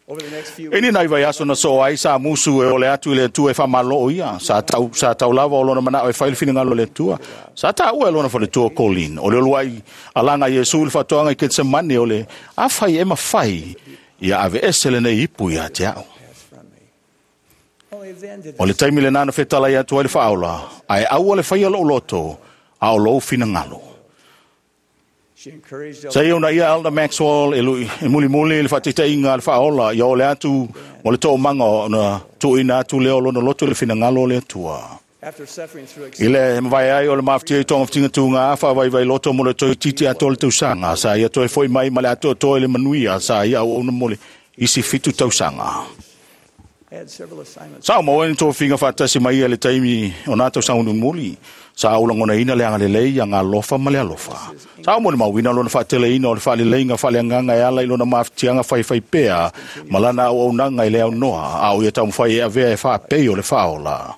Over the next few E ni nai vaiaso na soa ai sa musu e ole atu i le Atua e faamaloo ia. Sa tau, sa tau lava o lona manao e fai le finagalo o le Atua. Sa taua e lona faletua Colin. O le uluai alaga Iesu i le faatoaga i Ketsemane o le afai e mafai ia aveese lenei ipu ia te au. from me. Only then did O le taimi lenā na fetalai atu ai le faaola, ae aua le faia lou loto, a o lou finagalo. she encouraged Sa ia ona ia Elder Maxwell e, lui, e mulimuli le faataitaiga a le faaola ia ole atu mo le toomaga ona tuuina atu lea o lona loto i le finagalo o le Atua. after suffering through I le mavae ai o le mafatia i togafitiga tuga faavaivai loto mo le toeitiiti atoa le tausaga sa ia toe foi mai ma le atoatoa i le manuia sa ia auauna mo le isi fitu tausaga. had several assignments. Sa o maua ni tofiga faatasi mai ia le taimi o nā tausaga mulimuli. Sa ulagonaina le agalelei ia galofa ma le alofa. Sa o molimauina lona faateleina o le faaleleiga faaleagaga e ala i lona mafatiaga faifai pea ma lana auaunaga i le aunoa a o ia taumafai e avea e faapei o le faaola.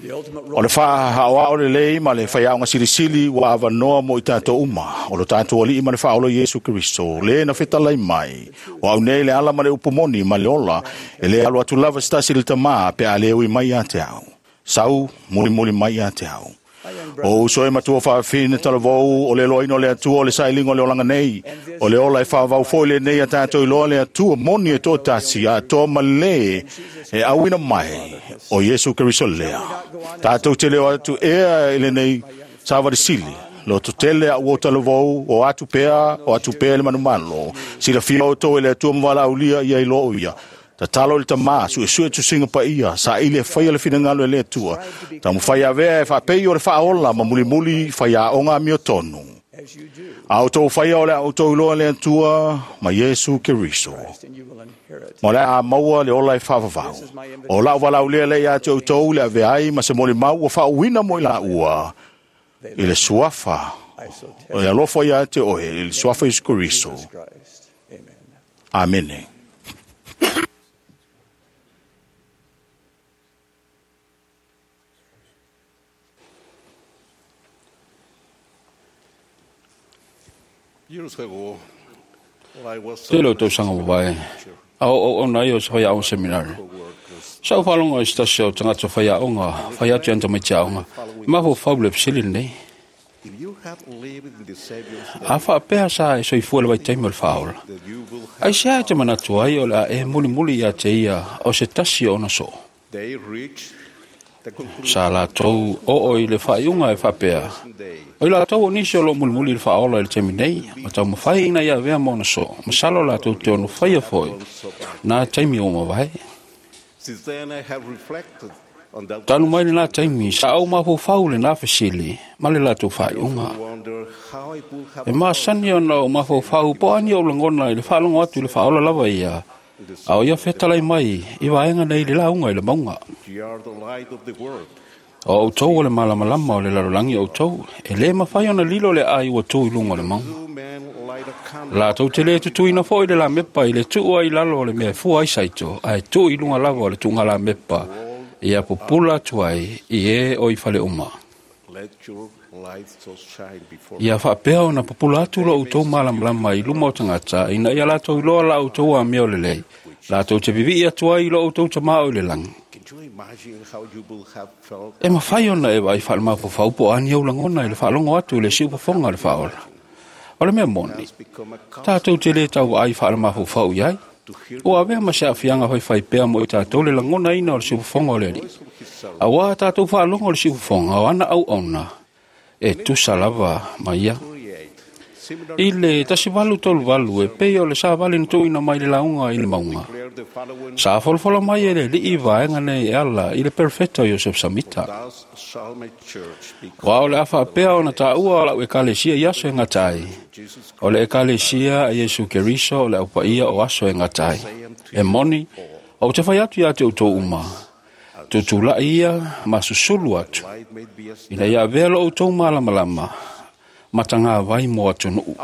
The ultimate O le faaoao lelei ma le faiaoga silisili ua avanoa mo i tatou uma. O lo tatou alii ma le faaola Iesu Keriso, le na fetalai mai. O au nei le ala ma le upu moni ma le ola, e le alu atu lava se tasi i le tamā pe a le ui mai ia te au. Sau, mulimuli mai ia te au. O uso e matua faafine talavou, o le loaina o le Atua, o le sailiga o le olaga nei. O le ola e faavau foi lenei a tatou iloa le Atua moni e toatasi, atoa ma le e auina mai o Iesu Keriso lea. Tatou te leo atu ea i lenei savali sili. Loto tele a ua talavou, o atu pea, o atu pea le manumalo. Silafia outou e le Atua ma valaaulia ia iloa o ia. Tatalo i le tamā, suesue tusiga paia, saili e faia le finagalo e le Atua. Taumafai avea e faapei o le faaola ma mulimuli faiaoga amiotonu. as you do, A outou faia o le a outou iloa le Atua ma Iesu Keriso. and you will inherit. Ma o le a maua le ola e faavavau. O lau valaaulia lea ia te outou le avea ai ma se molimau ua faauuina mo i laua i le suafa. I so O le alofa ia te oe, i le suafa Iesu Keriso. Jesus Christ. Amen. Amene. Years ago, I was Tele o tausaga mavae. A o o ona ia o se whaiaonga seminari. Sa o whalonga i se tasi o tangata whaiaonga, whaiatu anta mai te aonga. Mafo whau le pesili nei. If you had lived in the Savior's day, A whaapea sa e soifua le vaitaimi o le whaola. that you will Ai have se ai te manatu ai o le a e mulimuli ia te ia o se tasi o ona so. they reached the conclusion Sa lātou o o i le whaiunga e whaapea. day O i lātou o nisi o lo mulimuli i le whaola i le taimi nei, ma tau mawhai ina ia avea ma ona so. Masalo lātou te ono whaia foi, nā taimi o mawai. Since then I have reflected on that Tanu mai le nā taimi, sa au mafofau le nā fesili, ma le lātou whaiunga. wonder how I would have E masani ona o mafofau, po ani o langona i le whaalongo atu i le whaola lava ia. A o ia whetalai mai, i vaenga nei le launga i le maunga. You are the light of the world. O outou o le malamalama o le lalolagi o outou, e lē mafai ona lilo le ai ua tou i luga o le mauga. Two men light a candle. Latou te lē tutuina foʻi le lamepa i le tuu ai lalo o le mea e fua ai saito, ae tuu i luga lava o le tuuga lamepa, ia pupula atu ai i ē o i fale uma. Let your light so shine before Ia faapea ona pupula atu lo outou malamalama i luma o tagata, ina ia latou iloa la outou amio lelei. Latou te vivii atu ai i lo outou tamā o i le lagi. Can you imagine how you will have felt E mafai ona e vaai faalemafofau po o ani au lagona i le faalogo atu i le siufofoga o le faaola. O le mea moni, has become a tatou te lē tauvaai faalemafofau i ai. Ua avea ma se aafiaga faifai pea mo i tatou le lagonaina o le siufofoga o le alii. Auā tatou faalogo o le siufofoga o ana auauna e tusa lava ma ia. create similar I le tasi valu tolu valu e pei o le savali na tuuina mai le lauga i le mauga. declare the following Sa folafola mai e le alii vaega nei e ala i le perfeta o Iosef Samita. Thus shall my church be Wa o le a faapea ona taua o lau ekalesia i aso e gata ai. Jesus O le ekalesia a Iesu Keriso o le aupaia o aso e gata ai. E moni, o te whai atu ia te outou uma. Tutulai ia ma susulu atu. Ina ia avea lo outou malamalama ma tagavai mo atunuu.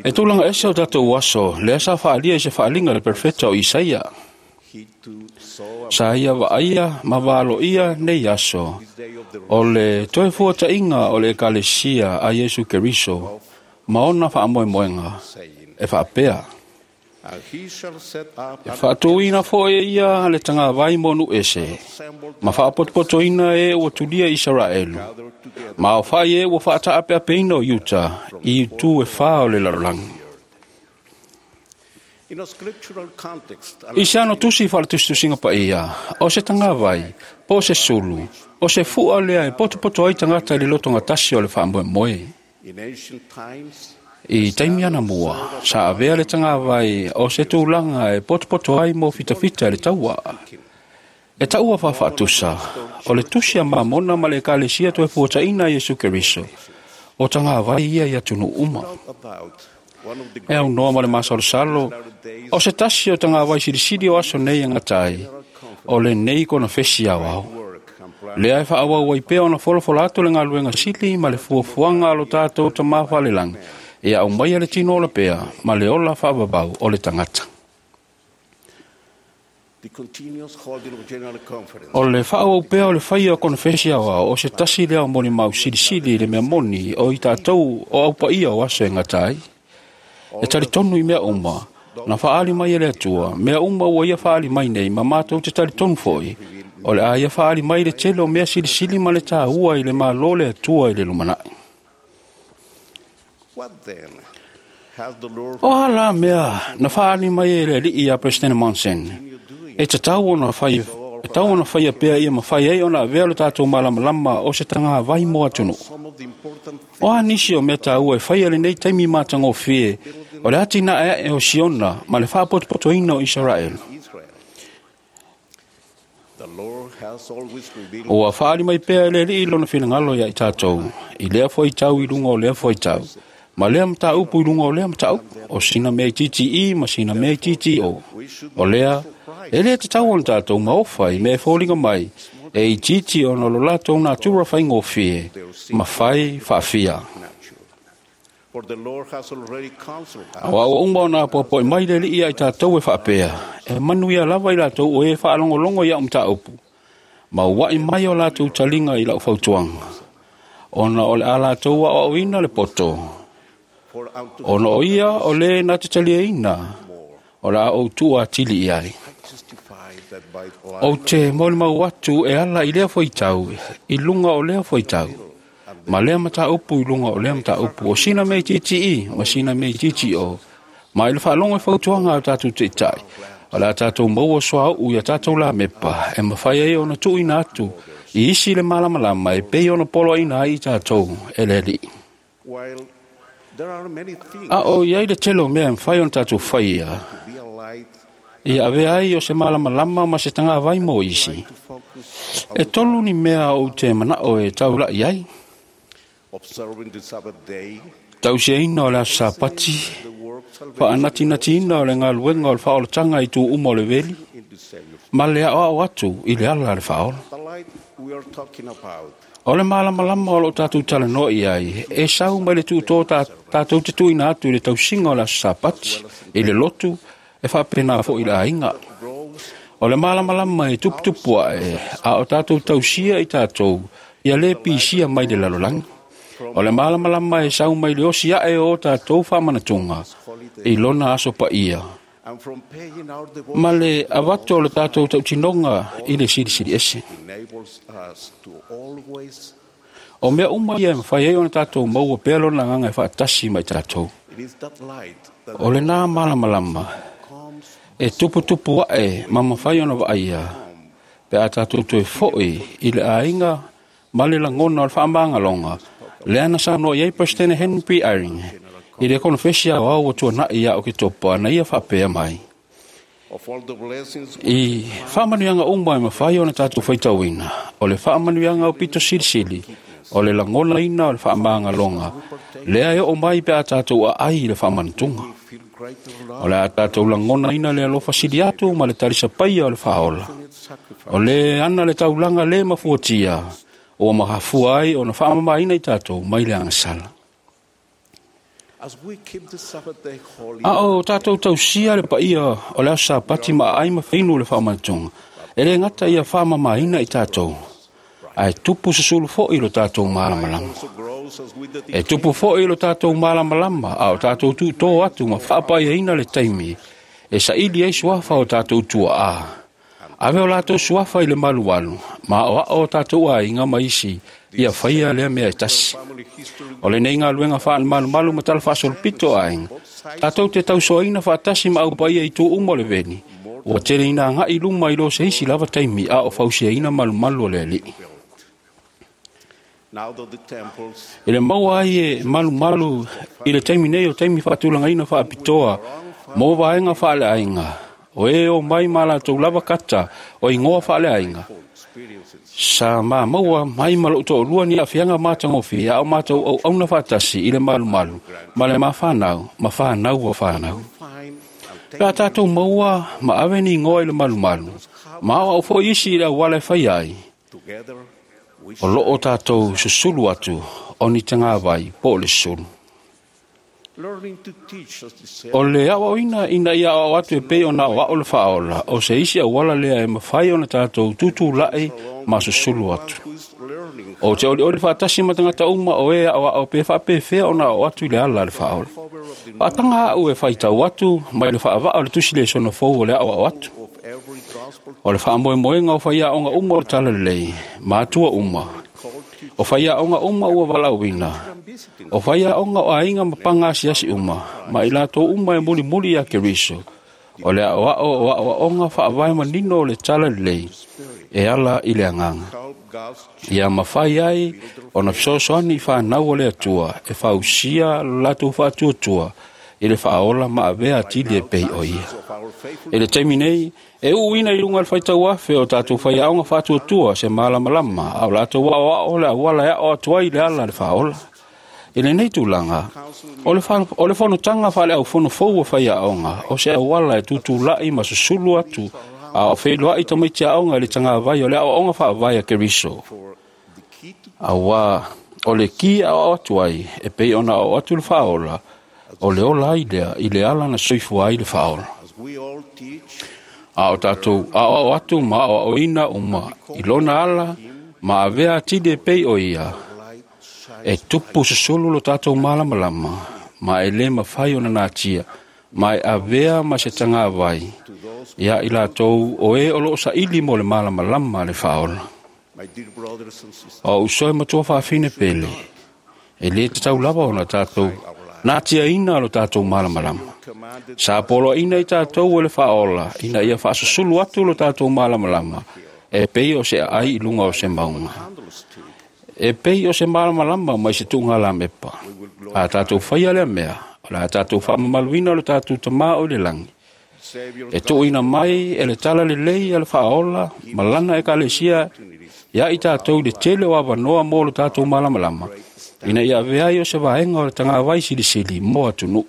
E tulaga ese o tatou aso, lea sa faalia i se faaliga le perfeta o Isaia. Sa ia vaaia ma valoia nei aso, o le toe fuataiga o le ekalesia a Iesu Keriso, ma ona faamoemoega, e faapea. E faatouina foi e ia le tagavai mo nuu ese, ma faapotopotoina e ua tulia Isaraelu, ma aofai e ua faataapeapeina o Iuta i itu e fā o le lalolagi. I se ano tusi faaletusitusiga paia, o se tagavai, po o se sulu, o se fua lea e potopoto ai tagata i le lotogatasi o le faamoemoe. I taimi ana mua, sa avea le tagavai o se tulaga e potopoto ai mo fitafita i le taua. E taua faafaatusa, o le tusi a Mamona ma le ekalesia toe fuataina Iesu Keriso, o tagavai ia i atunuu uma. E aunoa ma le masalosalo, o se tasi o tagavai silisili o aso nei e gata ai, o lenei konofesi aoao. Lea e faaauau ai pea ona folafola atu le galuega sili ma le fuafuaga a lo tatou Tamā Falelagi, e aumaia le tino ola pea ma le ola faavavau o le tagata. O le faaauau pea o le faia o konofesi aoao o se tasi lea o molimau silisili i le mea moni o i tatou o aupaia o aso e gata ai. E talitonu i mea uma, na faaali mai e le Atua, mea uma ua ia faaali mai nei ma matou te talitonu foi, o le a ia faaali mai le tele o mea silisili ma le tāua i le malo le Atua i le lumanai. O a la mea na faaali mai e le alii ia President Monson, e tatau ona fai, e tau ona faia pea ia mafai ai ona avea lo tatou malamalama o se tagavai mo atunuu. O a nisi o mea tāua e faia lenei taimi matagofie, o le atinae ae o Siona ma le faapotopotoina o Isaraelu. Ua faaali mai pea e le alii lona finagalo ia i tatou, i lea foitau i luga o lea foitau, ma lea mataupu i luga o lea mataupu, o sina mea i T T E ma sina mea i T T O. O lea, e le tatau ona tatou maofa i mea e foliga mai, e itiiti ona o lo latou natura faigofie, ma fai faafia. Aua uma ona apoapoai mai le alii ia i tatou e faapea, e manuia lava i latou o e faalogologo i au mataupu, ma ua'i mai o latou taliga i lau fautuaga, ona o le a latou aoaoina le poto, ona o ia o le na te taliaina, o le a ou tuu atili i ai. Ou te molimau atu e ala i lea foitau, i luga o lea foitau, ma lea mataupu i luga o lea mataupu, o sina mea i T T E, ma sina mea i T T O, ma i le faalogo e fautuaga a tatou taitai, o le a tatou maua soauu ia tatou lamepa, e mafai ai ona tuuina atu i isi le malamalama e pei ona poloaina ai i tatou e le alii. A o iai le tele o mea e mafai ona tatou faia, ia avea ai o se malamalama ma se tagavai mo isi. E tolu ni mea ou te manao e taulai ai. Tausiaina o le aso Sapati, faanatinatiina o le galuega o le faaolataga i tu uma o le veli, ma le aoao atu i le ala a le faaola. O le malamalama o loo tatou talanoa i ai, e sau mai le tuutō tatou te tuuina atu i le tausiga o le aso Sapati, i le lotu, e faapena foi i le aiga. O le malamalama e tuputupu ae, a o tatou tausia i tatou, ia le pisia mai le lalolagi. O le malamalama e sau mai le osi ae o tatou faamanatuga, i lona aso paia, ma le avato o le tatou tautinoga i le silisili ese. O mea uma ia e mafai ai ona tatou maua pea lona agaga e faatasi mai tatou. O lena malamalama e tuputupu ae ma mafai ona vaaia, pe a tatou toe foi i le aiga ma le lagona o le faamagaloga, lea na saunoa i ai President Henry P. Eyring i le konofesi aoao ua tuanai ia o Oketopa na ia faapea mai. I faamanuiaga uma e mafai ona tatou faitauina, o le faamanuiaga o pito silisili, o le lagonaina o le faamagaloga, lea e oo mai pe a tatou aai i le faamanatuga. O le a tatou lagonaina le alofa sili atu ma le talisapaia o le faaola. O le ana le taulaga le mafuatia ua mahafua ai ona faamamaina i tatou mai le agasala. A o tatou tausia le paia o le aso Sapati ma aai ma fainu le faamanatuga, e le gata ia faamamaina i tatou, ae tupu susulu fo'i lo tatou malamalama. E tupu fo'i lo tatou malamalama, a o tatou tuutō atu ma faapaiaina le taimi, e saili ai suafa o tatou tuaa. Ave o latou suafa i le malualu, ma o ao o tatou aiga ma isi, ia faia lea mea e tasi. O lenei galuega faamalumalu ma tala faasolopito aiga, tatou te tausoaina faatasi ma aupaia i tu uma o le veli, ua tele ina agai luma i lo se isi lava taimi a o fausiaina malumalu o le alii. I le maua ai e malumalu i le taimi nei o taimi faatulagaina faapitoa, mo vaega faaleaiga, o e o mai ma latou lava kata o ingoa faaleaiga. Sa ma maua mai ma lou toalua ni aafiaga matagofie a o matou auauna faatasi i le malumalu ma le mafanau ma fanau o fanau. Pe a tatou maua ma ave ni ingoa i le malumalu, ma aoao foi isi i le auala e fai ai, o loo tatou susulu atu o ni tagavai po o le susulu. O le aoaoina ina ia aoao atu e pei ona aoao le faaola, o se isi auala lea e mafai ona tatou tutulai ma susulu atu. O te olioli faatasi ma tagata uma o e aoao pe faapefea ona aoao atu i le ala le faaola. Faataga au e faitau atu mai le faavaa o le tusi le sono fou o le aoao atu. O le faamoemoega o faiaoga uma o le talalelei, matua uma. O faiaoga uma ua valaauina. O faiaoga o aiga ma pagasiasi uma, ma i latou uma e mulimuli ia Keriso. O le aoao o aoaoga faavae manino o le talalelei, e ala i le agaga. Ia mafai ai ona fesoasoani i fanau o le Atua e fausia lo latou faatuatua i le faaola ma avea atili e pei o ia. I le taimi nei, e uuina i luga le faitauafe o tatou faiaoga faatuatua se malamalama, a o latou aoao le auala e ao atu ai le ala le faaola. I lenei tulaga, o le, fa, o le fonotaga faaleaufono fou o faiaoga, o se auala e tutulai ma susulu atu, a o feiloai tamaiti aoga i le tagavai o le aoaoga faavae a Keriso. Auā, o le ki aoao atu ai, e pei ona aoao atu le faaola, o le ola ai lea i le ala na soifua ai le faaola. A o tatou aoao atu ma aoaoina uma i lona ala ma avea atili e pei o ia, e tupu susulu lo tatou malamalama, ma e le mafai ona natia, ma e avea ma se tagavai, ia i latou o e o loo saili mo le malamalama le faaola. O uso e matua faafine pele, e le tatau lava ona tatou natiaina lo tatou malamalama. Sa poloaina i tatou e le faaola, ina ia faasusulu atu lo tatou malamalama, e pei o se aai i luga o se mauga. E pei o se malamalama mai se tuuga lamepa. A tatou faia lea mea, o le a tatou faamamaluina lo tatou tamā o i le lagi. E tuuina mai e le tala lelei a le faaola, ma lana ekalesia, ia i tatou i le tele o avanoa mo lo tatou malamalama, ina ia avea ai o se vaega o le tagavai silisili mo atunuu.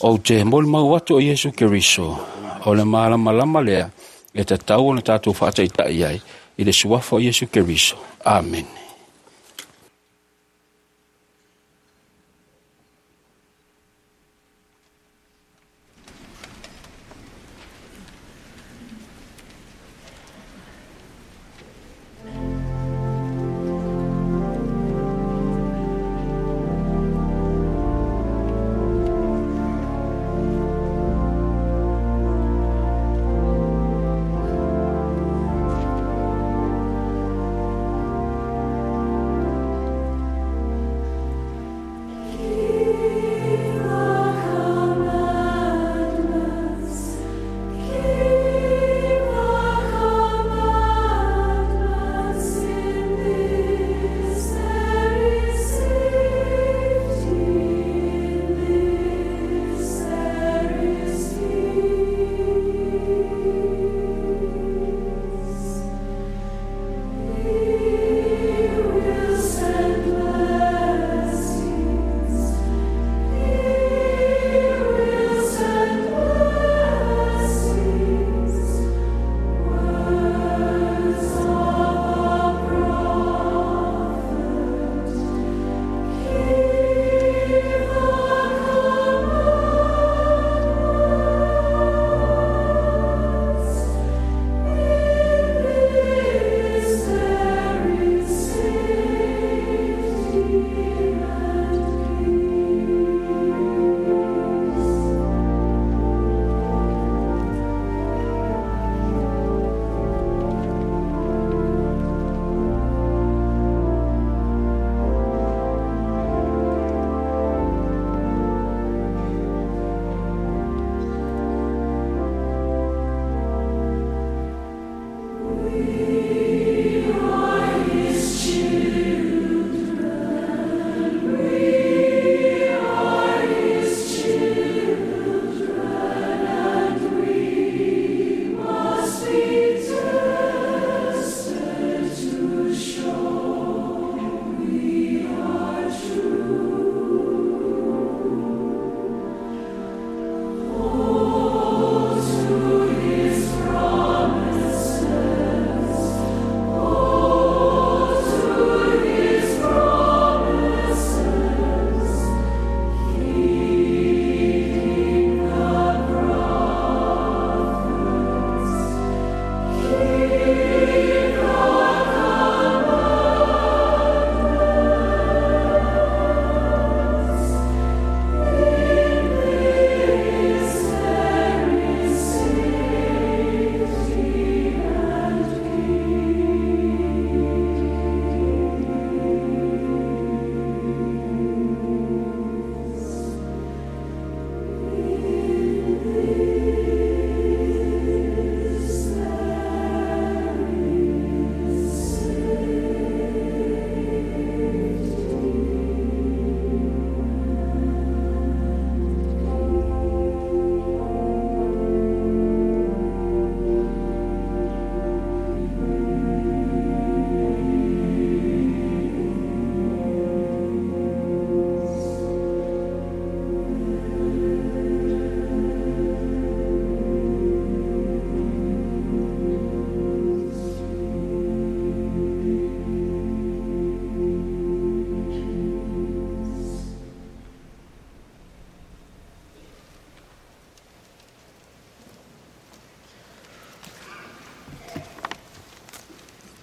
Ou te molimau atu o Iesu Keriso, o le malamalama lea e tatau ona tatou faataitai ai i le suafa o Iesu Keriso. Amen.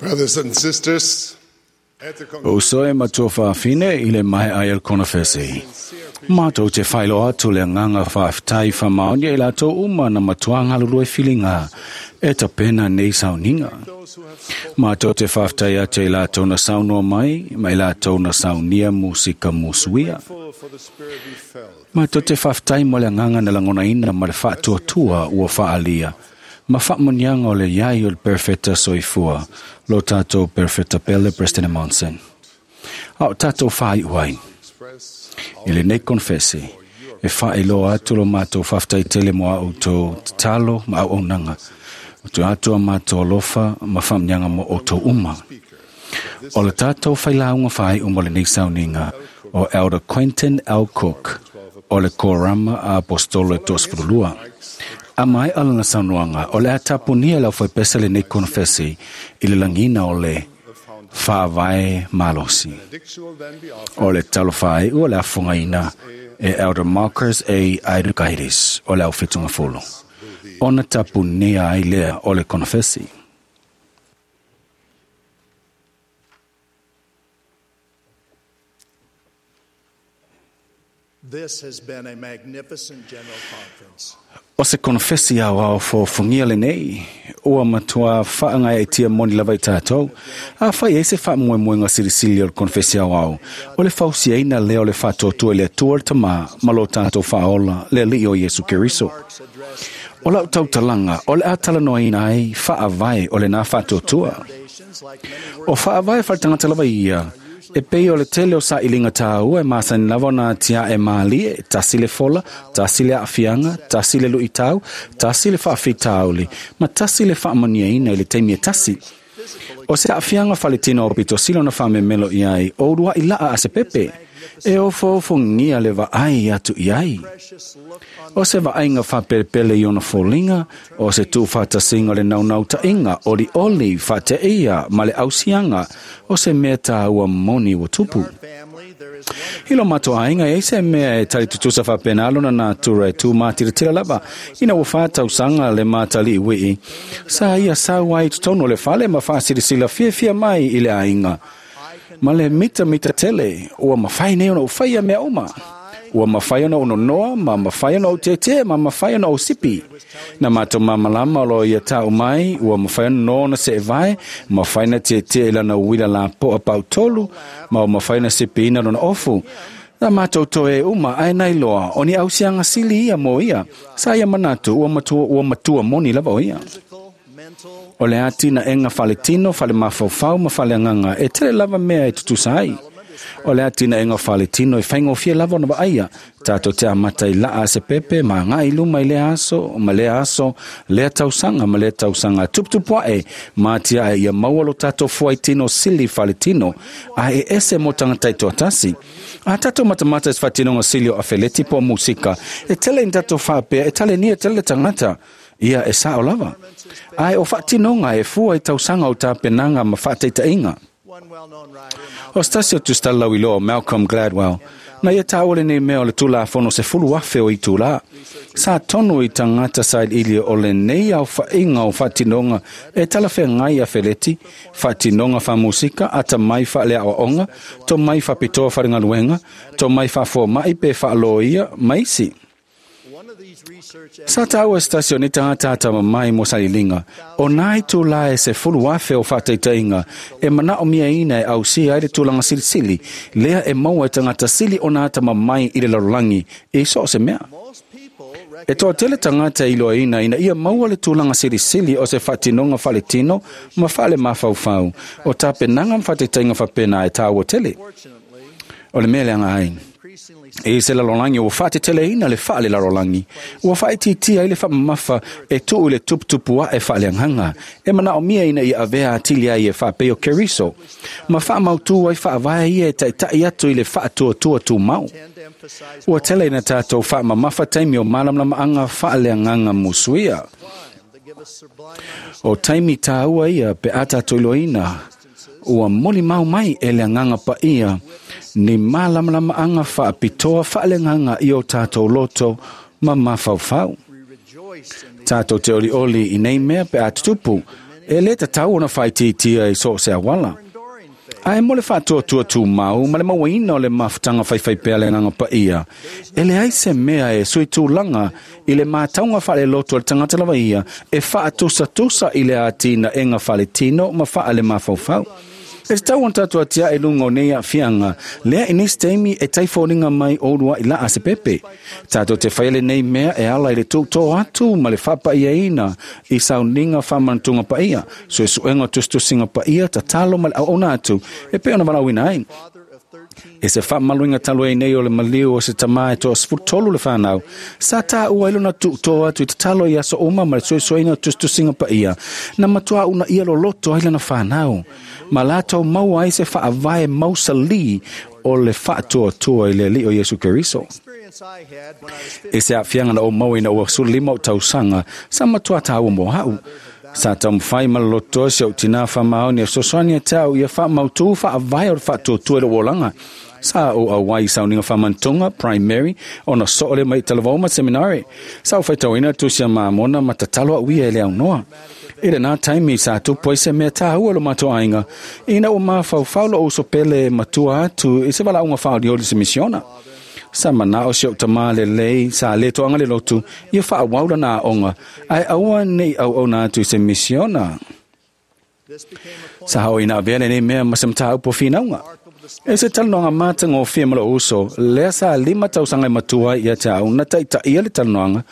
Brothers and sisters, at the O soe matua whaafine i le mai ai o le konofesi. Mātou te whailo atu le nganga whaaftai whamaonia i lātou uma na matua ngalulue whilinga e tapena nei sauninga. Mātou te whaaftai atu i lātou na saunoa mai, ma i lātou na saunia musika musuia. Mātou te whaaftai mo le nganga na langona ina ma le whaatuatua ua whaalia. Ma whaamonianga o le iai o le perfecta soifua, lo tātou perfecta pele Preston Monson. Ao tātou whai uai. I le nei konfesi, e whaeloa atu lo mātou whaftai tele mo au tō talo ma au aunanga. O te atua mātou alofa ma whamnyanga mo o tō uma. O le tātou whailaunga whai uma le nei sauninga o Elder Quentin L. Cook o le Korama a Apostolo e Tosfurulua. A mai alana saunoanga o le atapunia lau whaipesa le nei konfesi i le langina o le whaavae malosi. O le talo whae ua le afongaina e Elder Marcus A. Aidukairis o le au whitunga folo. Ona tapunia ai lea o le konfesi. This has been a magnificent general conference. O se konfesi au au fōfungia le nei, ua matua whaanga e tia moni lava i tātou, a whai e se whaamoemoenga sirisili o le konfesi au au, o le fausia ina lea o le whaatotua le atua le tamā, ma lo tātou whaola le alii o Iesu Keriso. O lau tautalanga, o le atalanoa ina ai, whaavae o le nā whaatotua. O whaavae whaatangata lava ia, e pei o le tele o sa ilinga tāua e māsani lava o nā tia e mālie, tasi le fola, tasi le aafianga, tasi le luitau, tasi le whaafitauli, ma tasi le whaamoniaina i le teimi e tasi. O se aafianga whaletino o pito silo na whamemelo iai, o urua i laa a se pepe, e o fōfongia le vaai atu iai. O se vaaiga whapelepele i ona fōlinga, o se tūwhatasinga le naunau-tainga, oli oli whateia ma le ausianga, o se mea tāua moni wa tupu. Hilo mato ainga e se mea e tali tutusa whapenalo na nātura e tū mātiratira lava, ina ua whātausanga le mātali i wii. Sa ia sau ai tutono le whale ma whaasirisila fia fia mai i le ainga. Ma le mita mita tele, ua mawhai nei ona uwhaia mea uma. Ua mawhai ona ono noa, ma mawhai ona o tete, ma mawhai ona o sipi. Na mātou mamalama o lo ia tau mai, ua mawhai ona noa na se evae, mawhai na tete ilana uwila la poa pau tolu, ma o mawhai na sipi ina lona ofu. Na mātou toe uma ai nai loa, o ni ausianga sili ia mo ia, sa ia manatu ua matua, ua matua moni lava o ia. O le ati na enga whaletino, whale mafaufau ma whale anganga, e tele lava mea e tutusa ai. O le ati na enga whaletino e whaingofia lava ona vaaia. Tātou te amata i laa se pepe, ma ngai luma i le aso, ma le aso, lea tausanga, ma lea tausanga. Tuputupu e, mātia e ia maua lo tātou fuaitino sili whaletino, a e ese mo tangata i tuatasi. A tātou matamata e whatinonga sili o afeleti po musika, e tele in tātou whapea, e tale nia tele tangata. Ia e sao lava. Ai o whaatinonga e fua i tausanga o tāpenanga ma whaateitainga. O stasi o tustalau i loa Malcolm Gladwell. Na ia tāole nei mea o le tūla fono se fulu afe o i tūla. Sa tonu i tangata sa ili o le nei au whainga o whaatinonga e talawhea ngai a feleti, whaatinonga wha musika, ata mai whaalea o onga, to mai whapitoa wharingaluenga, to mai whafoa mai pe whaaloia maisi. Sa tāua stasioni tangata tama mai mo salilinga, o nai tūla e se fulu afe o whāteitainga, e mana o mia ina e au si ai le tūlanga silisili, lea e maua e tangata sili o nā tama mai i le larolangi, e so o se mea. E toa tele tangata i loa ina ina ia maua le tūlanga silisili o se whaatinonga whaletino ma whaale mafaufau, o tāpenanga mwhāteitainga whapena e tāua tele. O le mea leanga ai. E se larolangi o whaatetele ina le whaale larolangi. Ua whaetitia i le whaamamafa e tuu le tuputupua e whaaleanghanga. E mana o mia ina i avea atili ai e whaapeo keriso. Ma whaamautua i whaavae ia e taitai atu i le whaatuatua tū mau. Ua tele ina tātou whaamamafa taimi o malamlamaanga whaaleanganga musuia. O taimi tāua ia pe ata toiloina. Ua moli mau mai e le anganga pa ia. Ni malamlamaanga whaapitoa whaalenganga i o tātou loto ma mafaufau. Tātou te oli oli i nei mea pe atutupu, E le tatau ona faaitiitia i so o se auala. Ae mo le faatuatua tumau ma le mauaina o le mafutaga faifaipea le agaga paia, e leai se mea e suitulaga i le matauga faaleloto a le tagata lava ia e faatusatusa i le atinaega faletino ma faalemafaufau. E tatau ona tatou atiae i luga o nei aafiaga, lea i nisi taimi e taifoliga mai o uluai laa se pepe. Tatou te faia lenei mea e ala i le tuutō atu ma le faapaiaina i sauniga faamanatuga paia, suesuega o tusitusiga paia, tatalo ma le auauna atu e pei ona valaauina ai. E se faamaluina talu ai nei o le maliu o se tamā e toasefulutolu le fanau, sa tāua ai lona tuutō atu i tatalo i aso uma ma le suesueina o tusitusiga paia, na matuā uunaia loloto ai lana fanau, ma latou maua ai se faavae mausalī o le faatuatua i le Alii o Iesu Keriso. E se aafiaga na ou maua ina ua sefululima ou tausaga, sa matuā tāua mo a'u. Sa taumafai ma le lotoa si ou tinā faamaoni e fesoasoani ia te au ia faamautū faavae o le faatuatua i lou olaga. Sa ou auai i sauniga faamanatuga primary ona soo le mai i talavou ma seminari. Sa ou faitauina le tusi a Mamona ma tatalo au ia e le aunoa. I lenā taimi sa tupu ai se mea tāua i lo matou aiga, ina ua mafaufau lou uso pele e matua atu i se valaauga faaolioli se misiona. Sa manao si ou tamā lelei sa lē toaga le lotu ia faaauau lana aoga, ae aua nei auauna atu i se misiona. Sa oo ina avea lenei mea ma se mataupu o finauga. E se talanoaga matagofie ma lou uso, lea sa lima tausaga e matua ai ia te au na taitaia le talanoaga,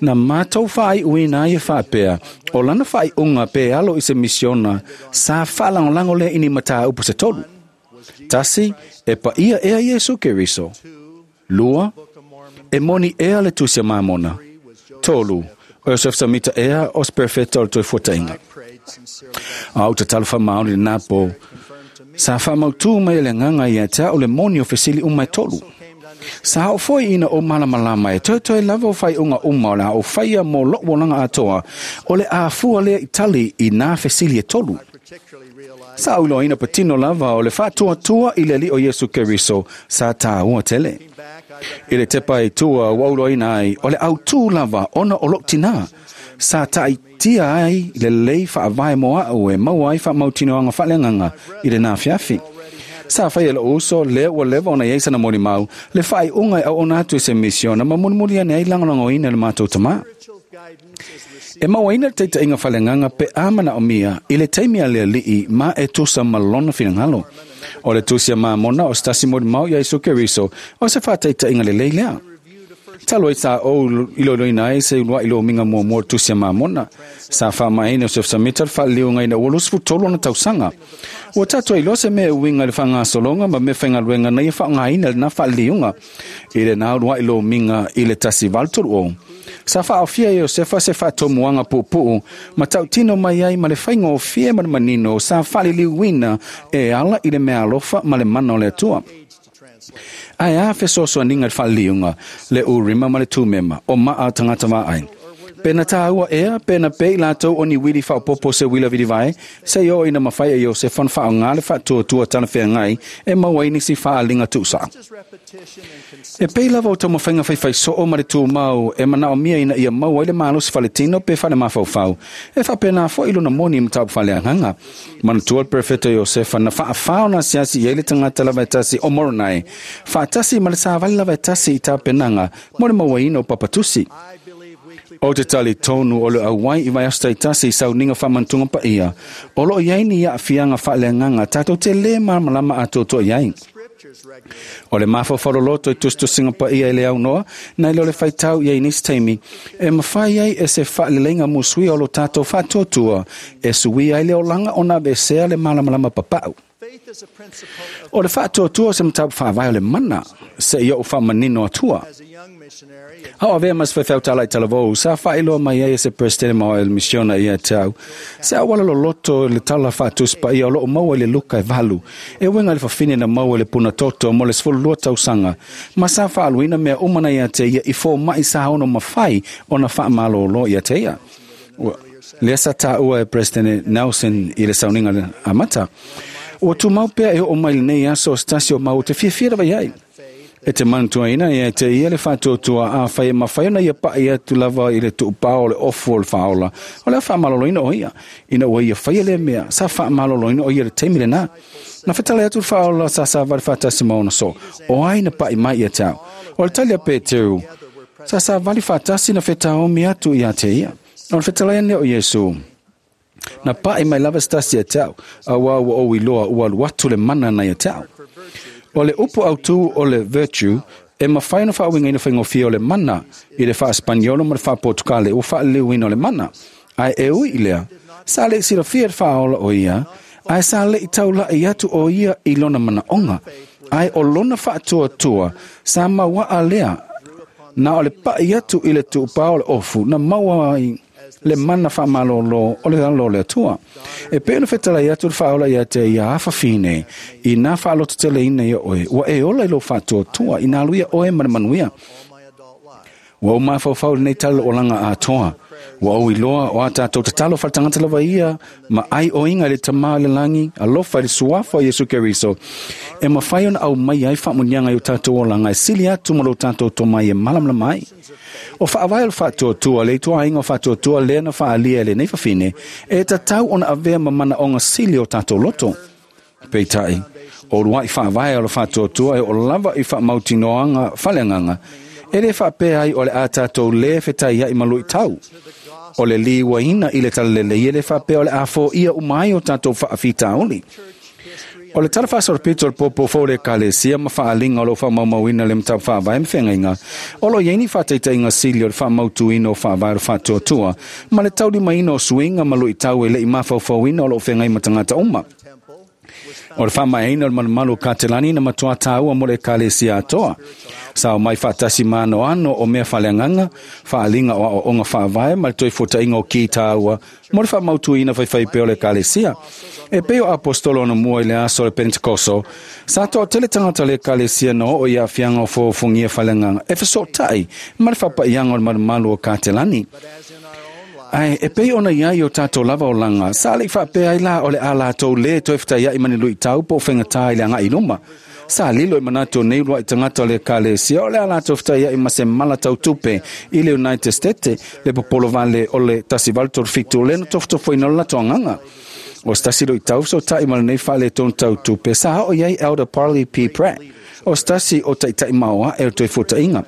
na matou faaiuina ai e faapea, o lana faaiuga pe alo i se misiona sa faalagolago lea i ni mataupu se tolu. Tasi, e paia ea Iesu Keriso. Lua, e moni ea le tusi a Mamona. Tolu, o Iosef Samita ea o se perfeta o le toefuataiga. A ou tatalo faamaoni lenā po, sa faamautū mai e le agaga ia te au le moni o fesili uma e tolu. Sa oo foi ina ou malamalama e toetoe lava o faaiuga uma o le a ou faia mo lou olaga atoa, o le afua lea i tali i nā fesili e tolu. Sa ou iloaina patino lava o le faatuatua i le Alii o Iesu Keriso sa tāua tele. I le tepa i tua ua ou iloaina ai o le autū lava ona o lou tinā, sa taaitia ai lelei faavae mo a'u e maua ai faamautinoaga faaleagaga i lenā afiafi. Sa faia e lou uso lea ua leva ona i ai sana molimau le faaiuga e auauna atu i se misiona ma mulimuli ane ai lagolagoina e le matou tamā. E mauaina le taitaiga faaleagaga pe a manaomia i le taimi a le Alii ma e tusa ma lona finagalo. O le tusi a Mamona o se tasi molimau ia Iesu Keriso o se faataitaiga lelei lea. Talu ai sa ou iloiloina ai se uluai lomiga muamua o le tusi a Mamona. Sa faamaeaina e Iosef Samita le faaliliuga ina ua luasefulutolu ona tausaga. Ua tatou ai loa se mea e uiga i le faagasologa ma mea faigaluega na ia faaaogaina lenā faaliliuga i lenā uluai lomiga i le tasi valu tolu o. Sa faaofia e Iosefa se faatomuaga puupuu ma tautino mai ai ma le faigofie ma le manino sa faaliliuina e ala i le meaalofa ma le mana o le Atua. Ae a fesoasoaniga i le faaliliuga, le Urima ma le Tumema o maa tagata vaai. Pe na tāua ea, pe na pei latou o ni uili faaopoopo se uila vilivae, seia oo ina mafai e Iosefa ona faaaoga le faatuatua talafeagai e maua ai nisi faaaliga tuusaʻa. E pei lava o taumafaiga faifaisoo ma le tumau e manaomia ina ia maua ai le malosi faletino pe falemafaufau, e faapenā foʻi lona moni i mataupu faaleagaga. Manatua le perofeta Iosefa na faafā ona asiasi i ai le tagata lava e tasi o Moronai, faatasi ma le savali lava e tasi i tapenaga mo le mauaina o papatusi. O te talitonu o le auai i vaiaso taitasi i sauniga faamanatuga paia, o loo i ai ni aafiaga faaleagaga tatou te lē malamalama atoatoa i ai. O le mafaufau loloto i tusitusiga paia e le aunoa, nai lo le faitau i ai nisi taimi, e mafai ai e se faaleleiga musuia o lo tatou faatuatua, e suia ai le olaga ona aveesea le malamalama papau. O le faatuatua o se mataupu faavae o le mana, seia ou faamanino atua. A o avea ma se faifeau tala i talavou, sa faailoa mai ai e se Peresetene ma o le misiona ia te au. Se auala loloto le tala faatusi paia o loo maua i le Luka e valu, e uiga i le fafine na maua i le puna toto mo le sefululua tausaga, ma sa faaluina mea uma na ia te ia i fomaʻi sa ono mafai ona faamalōlō ia te ia. Lea sa taua e Presidente Nelson i le sauniga amata. Ua tumau pea e oo mai lenei aso o se tasi o mau te fiafia lava i ai. E te manutuaina ia te ia le whātuatua a whai mawhai ona ia pai atu lava i le tuupao o le ofu o le whaola. O le whaamaloloina o ia. Ina ua ia whai le mea, sa whaamaloloina o ia le teimi le nā. Na whetale atu le whaola sa sa vale whātasi maona so. O ai na pai mai ia tau. O le tali a Peteru, sa sa vale whātasi na whetaomi atu ia te ia. O le whetale ane o Yesu. Na pai mai lava stasi ia tau. A wā ua o iloa ua luatu le mana na ia tau. O le upu autu o le virtue, e mawhai na whaawinga ina whaingofia o le mana i le wha-Espaniolo ma le wha-Portugale o wha-leuina o le mana. Ai e ui i lea, sa le silafia le whaola o ia, ai sa le i taula i atu o ia i lona mana onga. Ai o lona whaatuatua, sa maua lea, na o le pai atu i le tuupao o le ofu, na maua ai le mana whaamalolo o le alo le atua. E pe ona whetala i atu le whaola ia te ia awhawhine, i nā whaaloto tele ina ia oe, ua e ola i lo whaatuatua, i nā luia oe mana manuia. Ua o mawhauwhau le nei talo o langa atoa. Ua o iloa o a tātou tatalo whaletangata lava ia, ma ai o inga le tamā le langi, alofa i le suafa o Yesu Keriso. E mawhai ona au mai ai whaamunianga i o tātou o langa, e sili atu ma lo tātou tō mai e malamala mai. O whaawai o whaatuatua, le itua inga o whaatuatua lea na whaalia le nei whawhine, e tatau ona avea mamana onga sili o tātou loto. Peitai, o rua i whaawai o le whaatuatua e o lava i whaamautinoanga whaleanganga, e le whaapea ai o le a tātou le whetai ai malui tau. O le liwaina i le talalele i le whaapea o le afo ia umai o tātou whaawhitaoli. O le tala whaasarapito o le popo fo le kalesia ma whaalinga o lo whaamaumauina le mtau whaavae mwhengainga. O lo yeini whataitainga sili o le whaamautuina o whaavae o whaatuatua, ma le tauri maina o suinga ma lui tau e le i mawhauwhauina o lo whengai matangata uma. O le whaamaeina o le malumalu Katelani na matua tāua mo le kalesia atoa. Sa o mai whaatasi māno ano o mea whaleanganga, whaalinga o o onga whaavae ma le toi fotainga o ki tāua, mo le whaamautuina whaiwhai peo le kalesia. E peo apostolo na mua i le aso le Pentekoso, sa toa tele tangata le kalesia no o ia whianga o fōfungia whaleanganga, e whasotai ma le whapaianga o le malumalu o Katelani. Ai, e pei ona ia i o tātou lava o langa, sa le whaapea ai la o le a lātou le toi whitai ai mani lui tau po whengatai le anga i luma. Sa lilo i manato nei rua i tangata le kalesia o le a lātou whitai ai ma se mala tau tupe i le United States, le popolo vale o le tasi valu tolu fitu le no tofotofo ina o le lato anganga. O stasi lo i tau so tai ma le nei whale tonu tau tupe, sa o iai Elder Parley P. Pratt. O stasi o taitai maoa e o toi fotainga.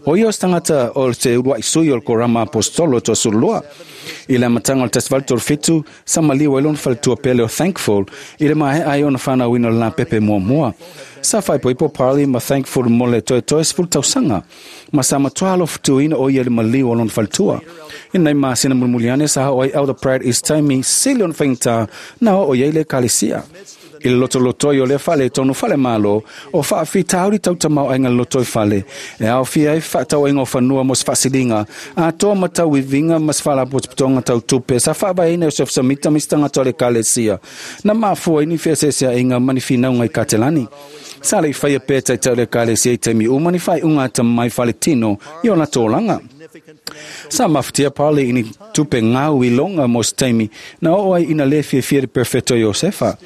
O ia o stangata o te urua i sui o le korama apostolo toa surulua. I le matanga o le tasi valu tolu fitu, sa maliwa i lona faletua pele o Thankful, i le mahe ai ona whanauina o le la pepe mua mua. Sa whaipoipo Parley ma Thankful mo le toe toe sefulu tausaga. Ma sa matua alofutuina o ia le maliu o lona faletua. I nei masina mulimuliane sa o ai Elder Pratt is taimi sili ona whaingata na o ia i le kalesia. I le loto lotoi o le whale tonu whale malo, o whaawhitauri tautamau ainga lotoi whale. E au fia e whaatau ainga o whanua mos whasilinga, a toa matau i vinga mas whala potopotonga tau tupe, sa whaabaina o Joseph Samita mistanga tole kalesia. Na mafua ini whiasesea inga maniwhinaunga i Katelani. Sa le whaia pēta i tau le kalesia i teimi umani whai unga ta mai whale tino i ona tōlanga. Sa mawhitia Parley ini tupe ngau i longa mos teimi, na o ai ina le fiafia de perfecto Josefa.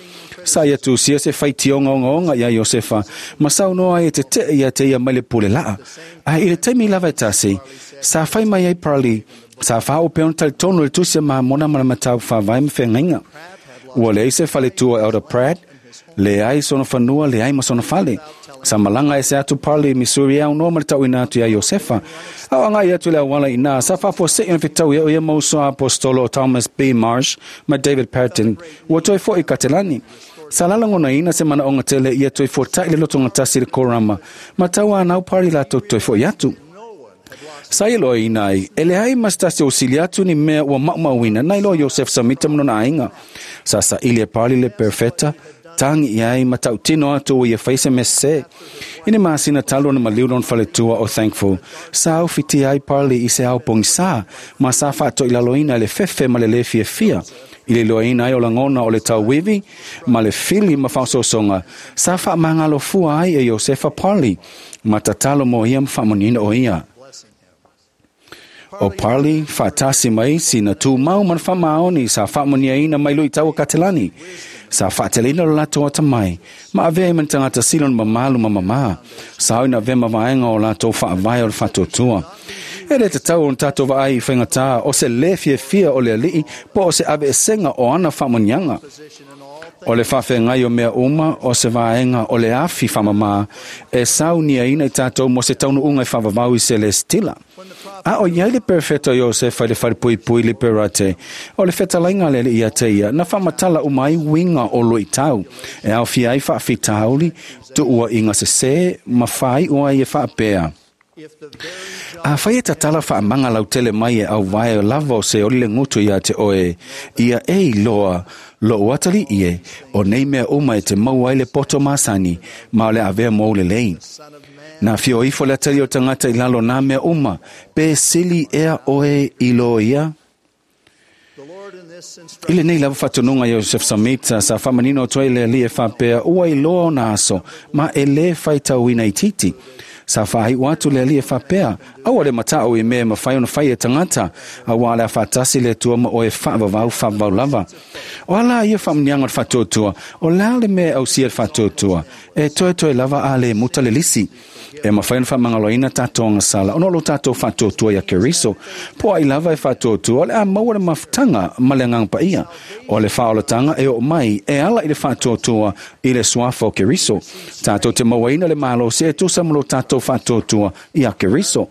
Sa ia tusia se whaitionga onga onga ia Josefa, ma sau noa e te te ia te ia mai le pule laa. A i le taimi lava e tasi, sa whai mai ai Parley, sa whao peon talitono le tusia maha mona mana matau whawai mwhengainga. Ua leai se faletua Elder Pratt, le ai sona whanua, le ai ma sona fale. Sa malanga e se atu Parley, Missouri au noa ma le tauina atu ia Josefa. Au anga i atu le awala ina, sa whafua se ina whitau ia o ia mausoa apostolo Thomas B. Marsh ma David Patton, ua toi fo i Katelani. Sa lalangona ina se mana onga tele ia toi fo tai le lotonga tasi le korama, ma tau anau Parley lato toi fo i atu. Sa ia loa ina ai, e le ai mastasi o sili atu ni mea ua maumauina, nai loa Joseph Samita manona ainga. Sa sa ili e Parley le perfecta, tangi iai ma tautino atu o ia whaise mese. Ine maasina talo na maliu lon faletua o Thankful. Sa au fiti ai Parley i se au pongi sa, ma sa whaato i laloina le fefe ma le le fia fia. I le loaina ai o langona o le tauwiwi, ma le fili ma whaososonga. Sa wha mangalo fua ai e Josefa Parley, ma tatalo mo ia mwhamonina o ia. O Parley whaatasi mai si na tū mau man whamaoni sa whamonia ina mai lui taua Katelani. Sa whaateleina lo lato atamai, ma avea i mantangata silo ni mamalu ma mama, sa au ina avea mavaenga o lato whaavae o le whatuatua. E le tatau o tatou vaai i whaingatā o se le fiafia o le alii po o se ave esenga o ana whaamonianga. O le whawhengai o mea uma o se vaenga o le afi whamamā e saunia ina i tātou mo se taunu unga i whawawau i se le stila. A o iai le perfecto Iosefa i le wharepuipui le perate o le whetalainga lele ia te ia na whamatala umai winga o lo i tau e au fia ai whaafitauli tuua i ngā sese ma whai ua i e whaapea. A whai e tatala whaamanga lau tele mai e au vae o lava o se ori le ngutu ia te oe, ia e iloa lo uatali ie, o nei mea uma e te mau ai le poto masani, ma o le avea mou le lei. Nā fio ifo le atali o tangata i lalo nā mea uma, pe sili ea oe i lo ia. I le nei lava whatununga Joseph Smith sa whamanino toi le lia whapea ua i loa o nā aso, ma e le whaitauina i titi. Sa whahai watu le alia whapea, aua le matao i mea mawhai ona whai e tangata, a wā le whatasi le tua ma oe whaavavau whaavau lava. O ala ia whamnianga o whatuatua, o la le mea au sia whatuatua, e toe toe lava a le muta le lisi. E mawhai ona whamangaloina tātou sala, ono lo tātou whatuatua ia Keriso, po ai lava e whatuatua, le a maua le mafutanga ma le ngangpa ia. O le whaolatanga e o mai, e ala i le whatuatua i le suafa o Keriso. Tātou te mauaina le malo se e tusa mo lo tātou whatuatua ia Keriso.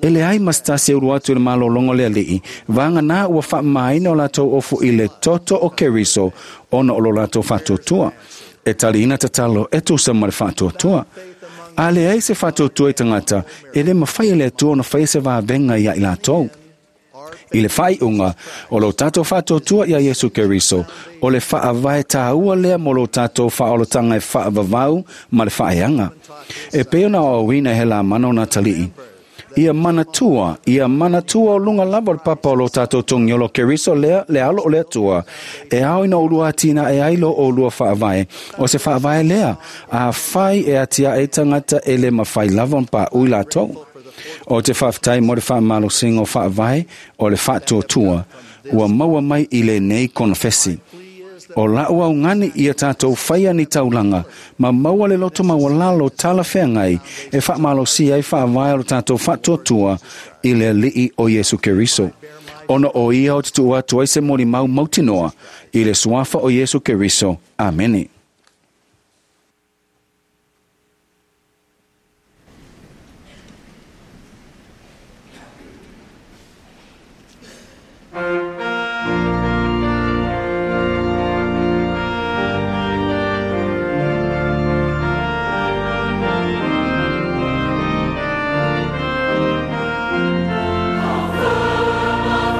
E le ai mastasi e uru atu le malolongo le alii, vanga nā ua whaamaina o lātou ofu i le toto o Keriso, ona o lo lātou whatuatua. E tali ina tatalo e tusa ma le whatuatua. A le ai se whatuatua i tangata, e le mawhai le atua ona whai se vāvenga ia i lātou. I le whai unga, o lo tātou whatuatua ia Yesu Keriso, o le whaavae tāua lea mo lo tātou whaolotanga e whaavavau ma le whaeanga. E peona o awina he la mana o nā talii. Ia manatua, ia manatua o lunga lava o le papa o lo tātou tongiolo Keriso lea, le alo o le atua. E ao ina ulua tina e ailo o ulua whaavae. O se whaavae lea, a whai e atia e tangata e le mawhai lava pa ui lātou. O te whawhtai mo le whaamalo singo whaavae o le whaatuatua, ua maua mai i le nei konofesi. O lau au ngani ia tātou whaia ni taulanga, ma maua le loto mawalalo tala wheangai, e whaamalo si ai whaavae o le tātou whaatuatua i le alii o Yesu Keriso. Ona o ia o te tua atu ai se mori mau mautinoa, i le suafa o Yesu Keriso. Amene.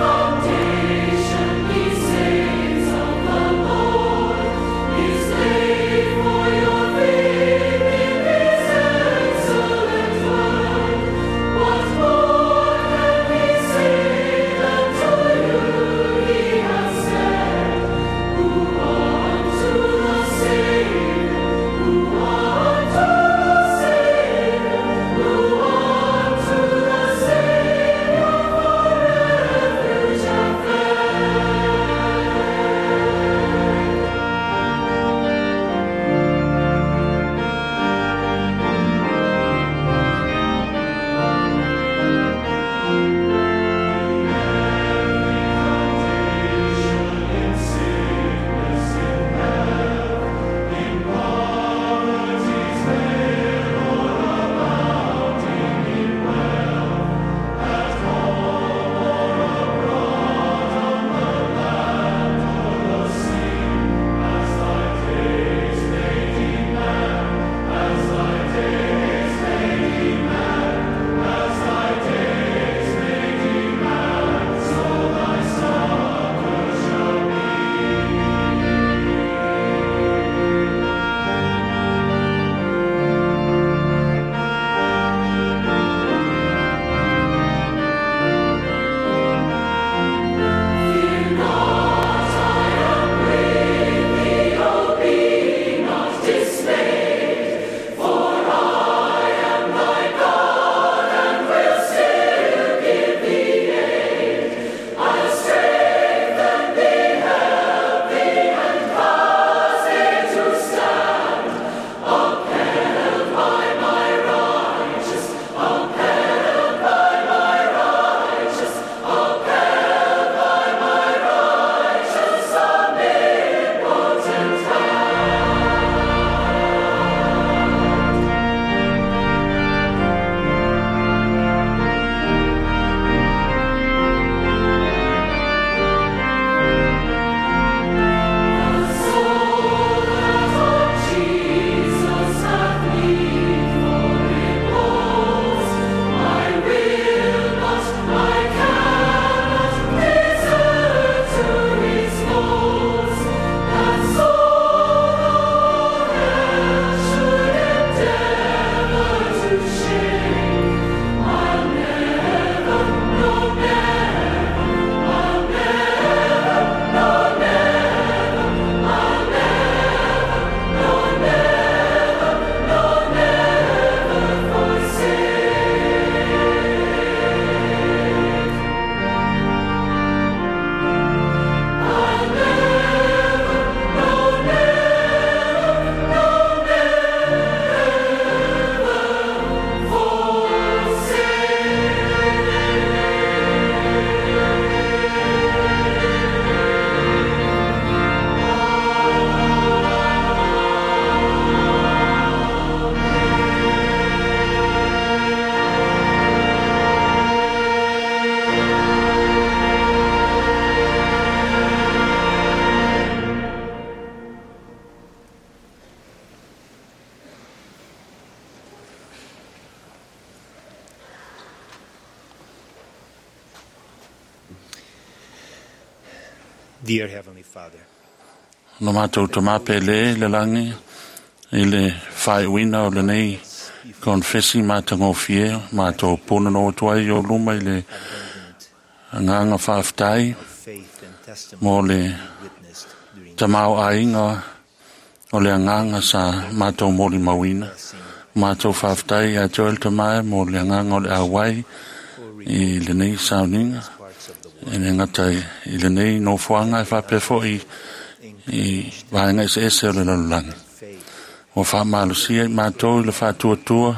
Foundation, he saves of the Lord, is there. Dear Heavenly Father, Lo mātou tamā pele le langi i le whaiuina o le nei konfesi mātangofie mātou pōna no atu ai o luma i le ngānga whaaftai mō le tamau ainga o le anganga sa mātou mōli mauina. Mātou whaaftai a Joel Tamae mō le anganga o le awai i le nei sauninga. E le ngata i le nei nofoanga e whapefo i i vaenga ese ese o le lalolagi. Ua faamalosia i matou i le faatuatua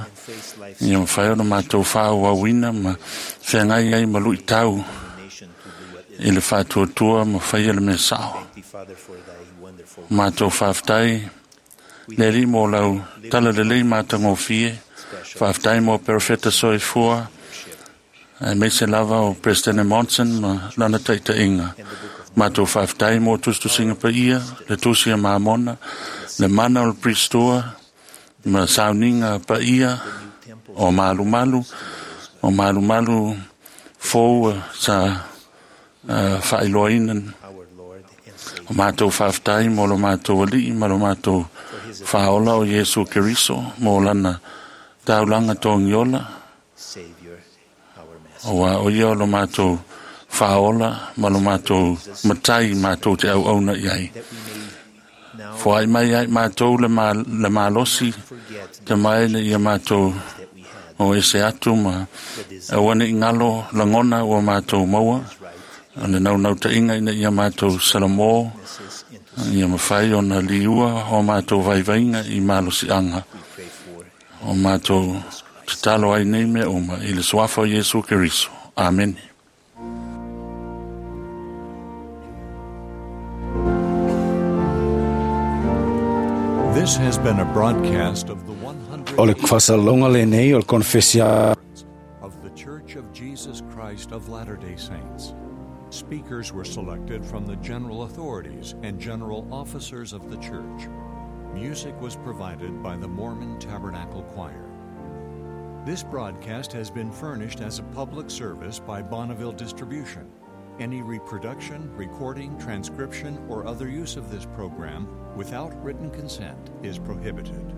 ia mafai ona matou faaauauina ma feagai ai ma luitau i le faatuatua ma faia le mea sao. Matou faafetai le Alii mo lau tala lelei matagofie, faafetai mo perofeta soifua, aemaise lava o President Monson ma lana taitaiga. Matou faafetai mo tusitusiga paia, le tusi a Mamona, le mana o le Pristoa, ma sauniga paia o malumalu, o malumalu fou sa uh, faailoaina. O matou faafetai mo lo matou alii ma lo matou faaola o Iesu Keriso mo lana taulaga togiola. Aua o ia o lo matou faaola ma lo matou matai matou te auauna i ai. Foai mai ai matou le, ma, le malosi te mai le ia matou o ese atu ma aua ne i ngalo lagona ua matou maua. O le naunauta-inga ina ia matou salamo ia mafai ona liua o matou vaivaiga i malosiaga. O matou tatalo ai nei mea uma i le suafa o Iesu Keriso. Amene. This has been a broadcast of the one hundred O le faasaloga lenei o le konfesia of the Church of Jesus Christ of Latter-day Saints. Speakers were selected from the general authorities and general officers of the church. Music was provided by the Mormon Tabernacle Choir. This broadcast has been furnished as a public service by Bonneville Distribution. Any reproduction, recording, transcription, or other use of this program without written consent is prohibited.